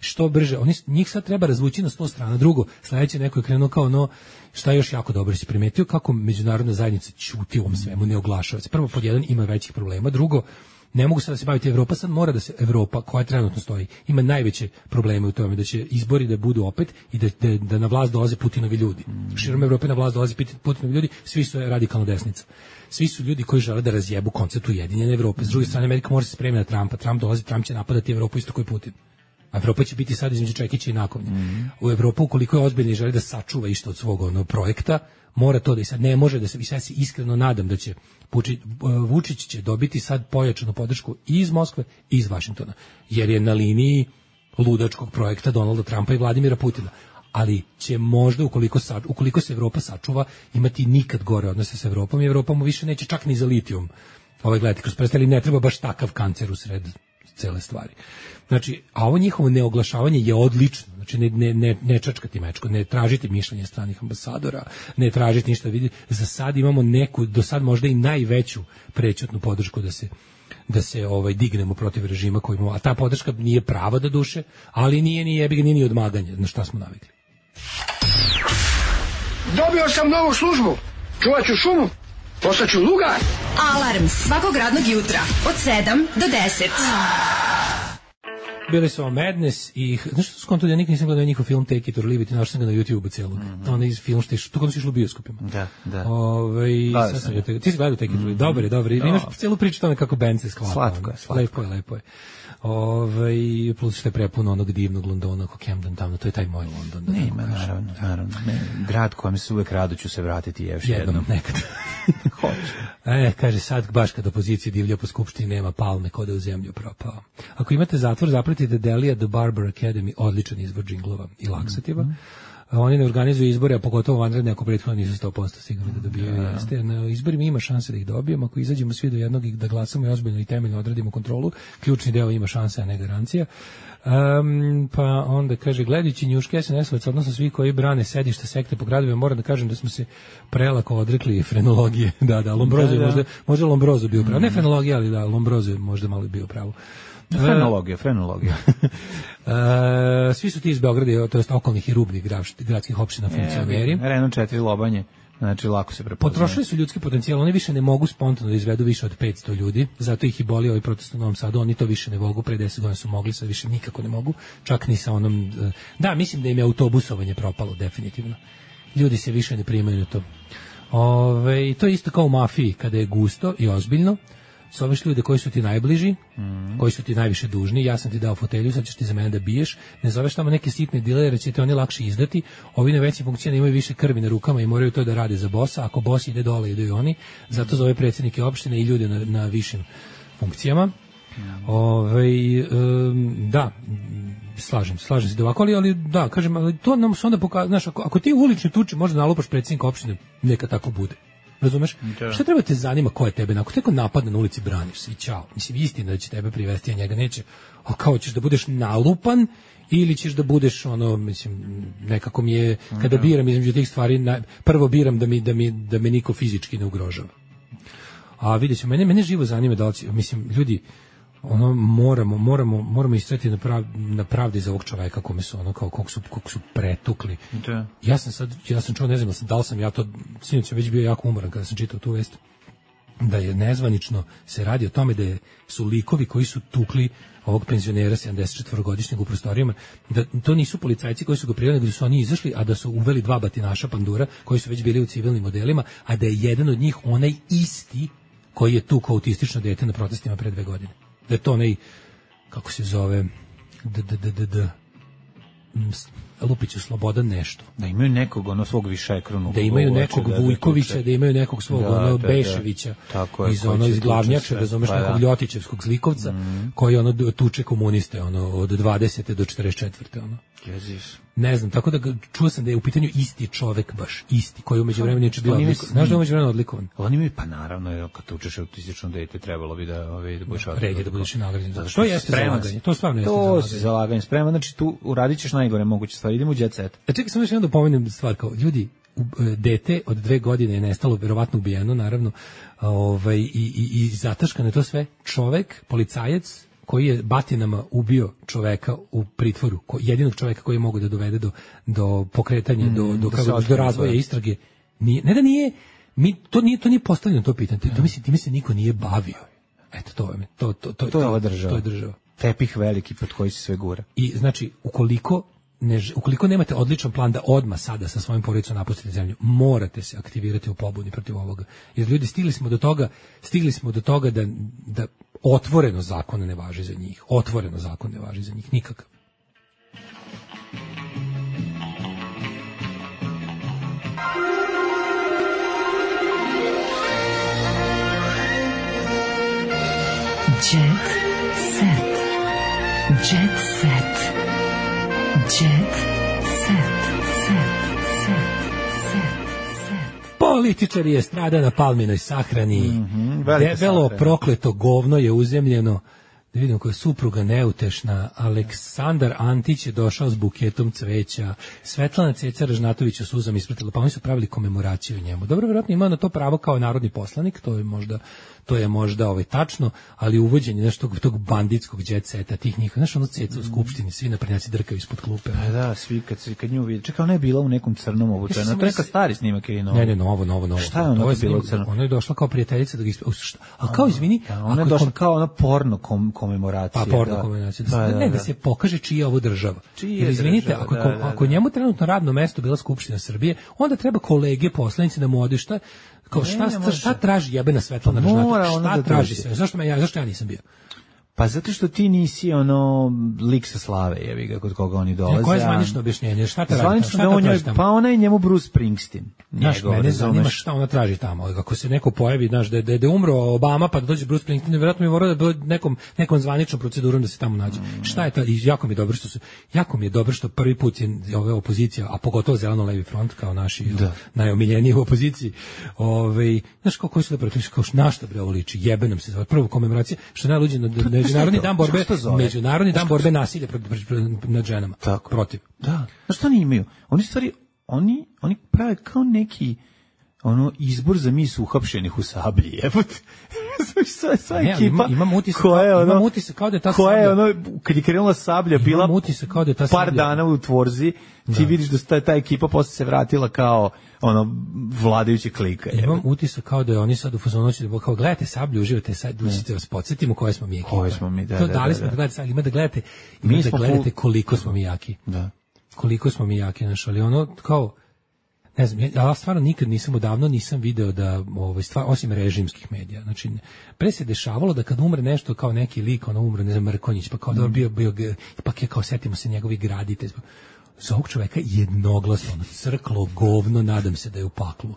što brže, oni njih sad treba razvući na sto strana. Drugo, sledeće neko je krenuo kao ono, šta je još jako dobro si primetio, kako međunarodna zajednica ćuti u ovom svemu, ne oglašava se. Prvo, pod jedan, ima većih problema. Drugo, ne mogu sad da se baviti Evropa, sad mora da se Evropa, koja trenutno stoji, ima najveće probleme u tome da će izbori da budu opet i da, da, da na vlast dolaze Putinovi ljudi. Širom Evrope na vlast dolaze Putinovi ljudi, svi su radikalna desnica. Svi su ljudi koji žele da razjebu koncept ujedinjene Evrope. S druge strane, Amerika mora se spremiti na Trumpa. Trump dolazi, Trump će napadati Evropu isto koji Putin. A Evropa će biti sad između Čekića i Nakovnja. Mm. U Evropu, ukoliko je ozbiljno i želi da sačuva išto od svog ono, projekta, mora to da i sad ne može da se, i sad se iskreno nadam da će Vučić, Vučić će dobiti sad pojačanu podršku i iz Moskve i iz Vašingtona, jer je na liniji ludačkog projekta Donalda Trumpa i Vladimira Putina. Ali će možda, ukoliko, sa, ukoliko se Evropa sačuva, imati nikad gore odnose sa Evropom i Evropa mu više neće čak ni za litijum ovaj gledati kroz prste, ali ne treba baš takav kancer u sred cele stvari. Znači, a ovo njihovo neoglašavanje je odlično. Znači, ne, ne, ne, ne čačkati mečko, ne tražiti mišljenje stranih ambasadora, ne tražiti ništa vidi. Za sad imamo neku, do sad možda i najveću prećutnu podršku da se da se ovaj dignemo protiv režima koji imamo, a ta podrška nije prava do duše, ali nije ni jebi ga, nije ni odmaganje, na šta smo navikli. Dobio sam novu službu, čuvat ću šumu, postaću lugar. Alarm svakog radnog jutra od sedam do deset. Bili su Madness i, znaš što su skonto, ja nikad nisam gledao njihov film Take It or Leave It, našao sam ga na YouTube-u cijelog. Mm -hmm. Onaj film što je, to kada si išlo u bioskopima. Da, da. Ove, da sad sam ja. Te, ti si gledao Take It or Leave It, dobar je, dobar je. Imaš cijelu priču tome kako band se sklapa. Slatko je, slatko. Lepo je, lepo je. Ove, plus što je prepuno onog divnog Londona, kako Camden tamo, to je taj moj London. Da nema, naravno, naravno. Ne, grad kojem se uvek rado ću se vratiti je još jednom. Jednom, nekad. Hoću. E, kaže, sad baš kad opozicija divlja po skupštini nema palme, kod je u zemlju propao. Ako imate zatvor, zapratite Delija The Barber Academy, odličan izvor džinglova i laksativa. Mm -hmm. Oni ne organizuju izbore, a pogotovo vanredne, ako prethodno nisu sto posto sigurni da dobijaju. Da. Jeste. Na izborima ima šanse da ih dobijemo, ako izađemo svi do jednog i da glasamo i ozbiljno i temeljno odradimo kontrolu, ključni deo ima šanse, a ne garancija. Um, pa onda kaže, gledajući njuške es en es-ovac, odnosno svi koji brane sedište sekte po gradovima, moram da kažem da smo se prelako odrekli frenologije. Da, da, Lombrozo je da, da. možda, možda Lombrozo bio pravo. Ne frenologija, ali da, Lombrozo je možda malo bio pravo. Frenologija, frenologija. E, svi su ti iz Beograda, to jest okolnih i rubnih gradskih opština funkcioneri. E, Renault četiri Lobanje. Znači, lako se prepoznaje. Potrošili su ljudski potencijal, oni više ne mogu spontano da izvedu više od petsto ljudi, zato ih i boli ovaj protest u Novom Sadu, oni to više ne mogu, pre deset godina su mogli, sad više nikako ne mogu, čak ni sa onom... Da, mislim da im je autobusovanje propalo, definitivno. Ljudi se više ne primaju na to. Ove, to je isto kao u mafiji, kada je gusto i ozbiljno, zoveš ljude koji su ti najbliži, mm. koji su ti najviše dužni, ja sam ti dao fotelju, sad ćeš ti za mene da biješ, ne zoveš tamo neke sitne dilere, će te oni lakše izdati, ovi na većim funkcijama imaju više krvi na rukama i moraju to da rade za bosa, ako bos ide dole, idu i oni, zato zove predsjednike opštine i ljude na, na višim funkcijama. Mm. Ove, um, da, slažem, slažem se da ovako, ali, ali da, kažem, ali to nam se onda pokazuje, znaš, ako, ako ti u uličnoj tuči možda nalupaš predsjednika opštine, neka tako bude. Razumeš? Da. Šta treba te zanima ko je tebe? Ako teko napadne na ulici, braniš se i ćao. Mislim, istina da će tebe privesti, a njega neće. A kao ćeš da budeš nalupan ili ćeš da budeš ono, mislim, nekako mi je, kada da. biram između tih stvari, na, prvo biram da mi, da, mi, da me niko fizički ne ugrožava. A vidjet ću, mene, mene živo zanima da li, mislim, ljudi, ono moramo moramo moramo istrajati na prav, na pravdi za ovog čoveka kome su ono kao kog su kog su pretukli. Da. Ja sam sad ja sam čuo, ne znam da li sam ja to sinoć sam već bio jako umoran kada sam čitao tu vest da je nezvanično se radi o tome da je, su likovi koji su tukli ovog penzionera sedamdesetčetvorogodišnjeg u prostorijama, da to nisu policajci koji su ga prijavili, nego da su oni izašli, a da su uveli dva batinaša pandura koji su već bili u civilnim modelima, a da je jedan od njih onaj isti koji je tukao autistično dete na protestima pre dve godine. Da je to onaj, kako se zove, d, d, d, d, d, Lupiću Slobodan nešto. Da imaju nekog ono svog višekronu. Da imaju nekog da, Vujkovića, da, da imaju nekog svog da, ono da, Beševića, da, da. iz ono iz Glavnjača, da zoveš pa, nekog Ljotićevskog zlikovca, mm. koji ono tuče komuniste ono od dvadesete do četrdeset četvrte ono. Jeziš. Ne znam, tako da čuo sam da je u pitanju isti čovek baš, isti, koji umeđu vremenu je bio odlikovan. Znaš da je umeđu vremenu odlikovan? Oni mi, pa naravno, kad tučeš autistično dete, trebalo bi da, ovaj, da budeš odlikovan. Red je da budeš i nagrađen. To jeste zalaganje, to stvarno jeste zalaganje. To si zalaganje, spreman, znači tu uradit ćeš najgore moguće stvari, idemo u jet set. A čekaj, samo još jedno da pomenem stvar, kao ljudi, dete od dve godine je nestalo, verovatno ubijeno, naravno, ovaj, i, i, i zataškano je to sve. Čovek, policajac, koji je batinama ubio čoveka u pritvoru, ko, jedinog čoveka koji je mogao da dovede do, do pokretanja, mm, do, do, kako, do razvoja istrage. Nije, ne da nije, mi, to nije, to nije postavljeno to pitanje, to, to mislim, time se niko nije bavio. Eto, to je, to, to, to, to je ova država. To je država. Tepih veliki pod koji se sve gura. I znači, ukoliko Ne, ukoliko nemate odličan plan da odmah sada sa svojim porodicom napustite zemlju, morate se aktivirati u pobuni protiv ovoga. Jer ljudi, stigli smo do toga, stigli smo do toga da, da otvoreno zakon ne važi za njih. Otvoreno zakon ne važi za njih, nikakav. Jet set. Jet set. Jet set, set, set, set, set. Političar je strada na palminoj sahrani, mm-hmm, debelo sahrana. Prokleto govno je uzemljeno, da vidimo koja je supruga neutešna, Aleksandar Antić je došao s buketom cveća, Svetlana Ceca Ražnatović u suzam ispratila, pa oni su pravili komemoraciju njemu. Dobro, vjerojatno ima na to pravo kao narodni poslanik, to je možda to je možda ovaj tačno, ali uvođenje nešto tog, tog banditskog jet seta, tih njih, znaš ono Ceca u skupštini, svi naprednjaci drkaju ispod klupe. Pa da, svi kad se kad nju vidi. Čekaj, ona je bila u nekom crnom obučaju. To je neka stari snimak ili novo. Ne, ne, novo, novo, novo. Šta je ona to je bila u crnom? Ona je došla kao prijateljica da ga isp... A kao izvini, da, ona je došla kao ona porno kom, komemoracija. Pa porno da. komemoracija. Da, da, da, ne da se pokaže čija je ovo država. Jer izvinite, ako da, da, da. ako njemu trenutno radno mesto bila Skupština Srbije, onda treba kolege poslanici da mu ode šta kao šta, šta, šta traži jebena Svetlana Ražnatović? Šta da traži se? Zašto, ja, zašto ja nisam bio? Pa zato što ti nisi ono lik sa slave, jebi ga, kod koga oni dolaze. Koje je zvanično objašnjenje? Šta ta radi? Šta da on je, pa ona je njemu Bruce Springsteen. Znaš, mene zanima šta ona traži tamo. Ako se neko pojavi, znaš, da, da, da je umro Obama, pa da dođe Bruce Springsteen, vjerojatno mi mora da dođe nekom, nekom zvaničnom procedurom da se tamo nađe. Mm. Šta je to? I jako mi je dobro što su, jako mi je dobro što prvi put je ova opozicija, a pogotovo Zeleno-levi front, kao naši da. najomiljeniji u opoziciji, ovaj, znaš, kao koji su da protiv, kao našta bre ovo liči, jebe nam se zove, prvo komemoracija, što najluđe na međunarodni dan borbe, međunarodni dan borbe nasilja nad ženama. Tako. Protiv. Da. Znaš što oni imaju? Oni stvari, oni, oni prave kao neki ono izbor za mis uhapšenih u Sablji, jebote. Sva, sva ne, ekipa ima, imam utisak, koja je ono, imam utisak kao da je ta koja je Sablja, ono, kad je krenula Sablja, bila utisak kao da je ta par Sablja, dana u Tvorzi, ti da. vidiš da ta, ta ekipa posle se vratila kao ono vladajući klika. Imam jebote. utisak kao da je oni sad u fazonu da kao gledate Sablju, uživate sad, da vas podsjetimo koje smo mi ekipa. Koje smo mi, da, to da, dali da, smo da. da gledate sad, ima da gledate, ima Mi da smo gledate pol- koliko smo mi jaki. Da. Koliko smo mi jaki, znaš, ali ono kao ne znam, ja, ja stvarno nikad nisam odavno nisam video da ovaj stvar osim režimskih medija. Znači pre se dešavalo da kad umre nešto kao neki lik, ono umre ne znam Mrkonjić, pa kao da mm. bio bio ipak je kao setimo se njegovi graditelj. Za ovog čoveka jednoglasno ono, crklo govno, nadam se da je u paklu.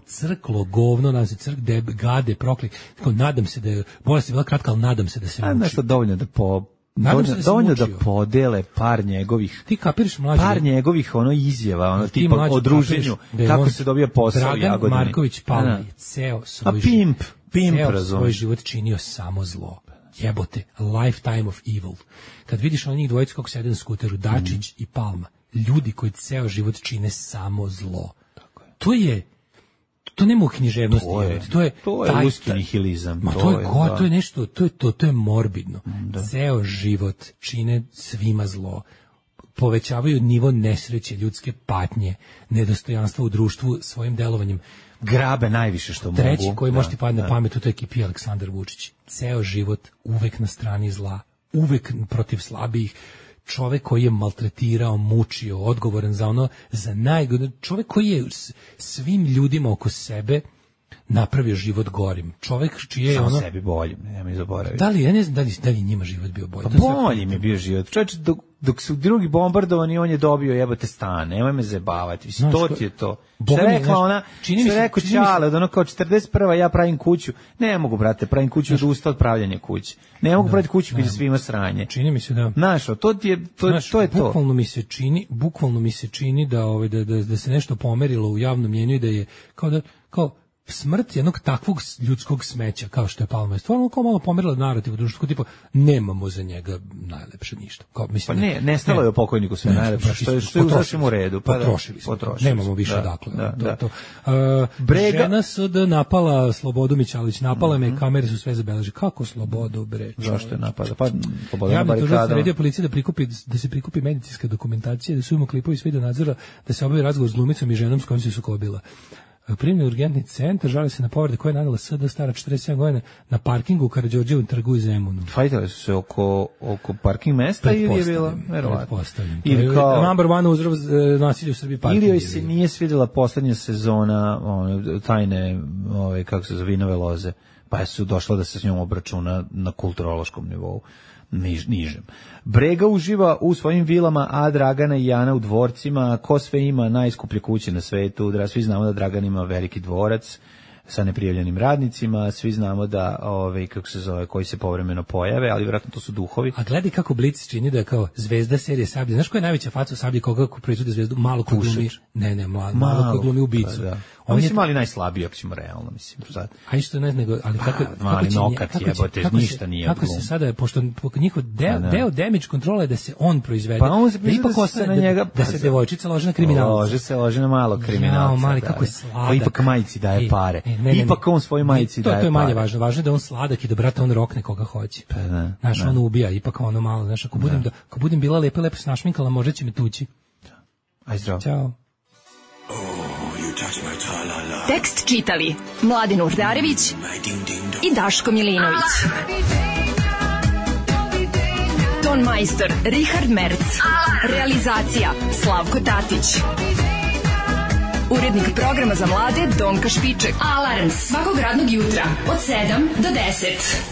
Crklo govno, nadam se crk deb gade proklik. Tako nadam se da je bolest je bila kratka, ali nadam se da se muči. A nešto dovoljno da po dovoljno da, dovoljno da podele par njegovih ti kapiraš mlađe par njegovih ono izjava ono tipa mlađe, o druženju kako se dobija posao Dragan Jagodini. Marković Palma je ceo svoj a pimp pimp ceo razum. svoj život činio samo zlo. Jebote, lifetime of evil. Kad vidiš ono njih dvojicu kako sede na skuteru, Dačić mm. i Palma, ljudi koji ceo život čine samo zlo. Tako je. To je to nema u književnosti, to je, to je to je ruski nihilizam. Ma to, to je go, to je nešto, to je to, to je morbidno. Da. Ceo život čine svima zlo. Povećavaju nivo nesreće, ljudske patnje, nedostojanstva u društvu svojim delovanjem. Grabe najviše što mogu. Treći koji da, može ti padne da. na pamet u toj ekipi Aleksandar Vučić. Ceo život uvek na strani zla, uvek protiv slabijih. Čovek koji je maltretirao, mučio, odgovoran za ono, za najgore, čovek koji je svim ljudima oko sebe napravio život gorim. Čovek čiji je samo ono sebi boljim, ne mi zaboraviti. Da li ja ne znam da li, da li njima život bio bolji? Pa bolji mi je bio život. Čovječ, dok, dok su drugi bombardovani, on je dobio jebote stan. Nemoj me zajebavati. Mislim, to ti je to. Što je rekla ona, čini što je rekao Čale, od ono kao četrdeset prva ja pravim kuću. Ne mogu, brate, pravim kuću od usta od pravljanja kuće. Ne mogu praviti kuću kad je svima sranje. Čini mi se da. Znaš, to ti je, to, Znaš, to je to. Bukvalno mi se čini, bukvalno mi se čini da, ovaj, da, da, da se nešto pomerilo u javnom mjenju i da je, kao da, kao, smrt jednog takvog ljudskog smeća kao što je Palma je stvarno kao malo pomerila narativ u društvu, tipa nemamo za njega najlepše ništa. Kao, mislim, pa ne, nestalo je o pokojniku sve ne, najlepše, što je, što je u sasvim u redu. Pa potrošili smo, potrošili nemamo više da, dakle. Da, to, da. to. Uh, Brega... Žena S D napala Slobodu Mićalović, napala mm-hmm. me, kamere su sve zabeleži. Kako Slobodu, bre? Zašto je napada? Pa Sloboda na barikadama. Javni tužilac naredio policiji da prikupi, da se prikupi medicinska dokumentacija, da su imamo klipovi s video nadzora, da se obavi razgovor s glumicom i ženom s kojom se sukobila. Primljen urgentni centar, žali se na povrede koje je nanela S D stara četrdeset sedam godina na parkingu u Karađorđevom trgu u Zemunu. Fajtali su se oko, oko parking mesta ili je bila? Pretpostavljam. Ili kao number one uzrok nasilja u Srbiji parking. Ili joj se nije svidjela poslednja sezona one, tajne, ove, kako se zove, Vinove loze, pa su došla da se s njom obračuna na kulturološkom nivou. Niž, nižem. Brega uživa u svojim vilama, a Dragana i Jana u dvorcima. Ko sve ima najskuplje kuće na svetu? Svi znamo da Dragan ima veliki dvorac sa neprijavljenim radnicima, svi znamo da ove, kako se zove, koji se povremeno pojave, ali vjerojatno to su duhovi. A gledaj kako Blic čini da je kao zvezda serije Sablje. Znaš koja je najveća faca u Sablji, koga proizvode zvezdu? Malo ko glumi. Ne, ne, malo, malo, malo ko glumi ubicu. Pa, da. On mislim, mali najslabiji, ako ćemo realno, mislim. Sad. A isto ne, nego, ali kako... Pa, mali kako nokat kako jebote, kako ništa se, nije kako glum. se sada, pošto njihov deo, da. deo damage kontrola je da se on proizvede. Pa on se da ipak da se na njega... Da, da se devojčica loži na kriminalca. Lože se, lože na malo kriminalca. Jao, mali, da, kako je sladak. Pa ipak majici daje pare. E, ne, ne, ne, ipak on svoj majici to, daje pare. To je manje važno. Važno je da on sladak i da, brate, on rokne koga hoće. Pa da. Znaš, on ubija, ipak ono malo. Znaš, ako budem, da. Da, ako budem bila lepa, lepo snašminkala, možda će me tući. Aj zdravo. Ćao. Tekst čitali Mladen Urdarević i Daško Milinović. Ton majstor Richard Merc. Realizacija Slavko Tatić. Urednik programa za mlade Donka Špiček. Alarms svakog radnog jutra od sedam do deset.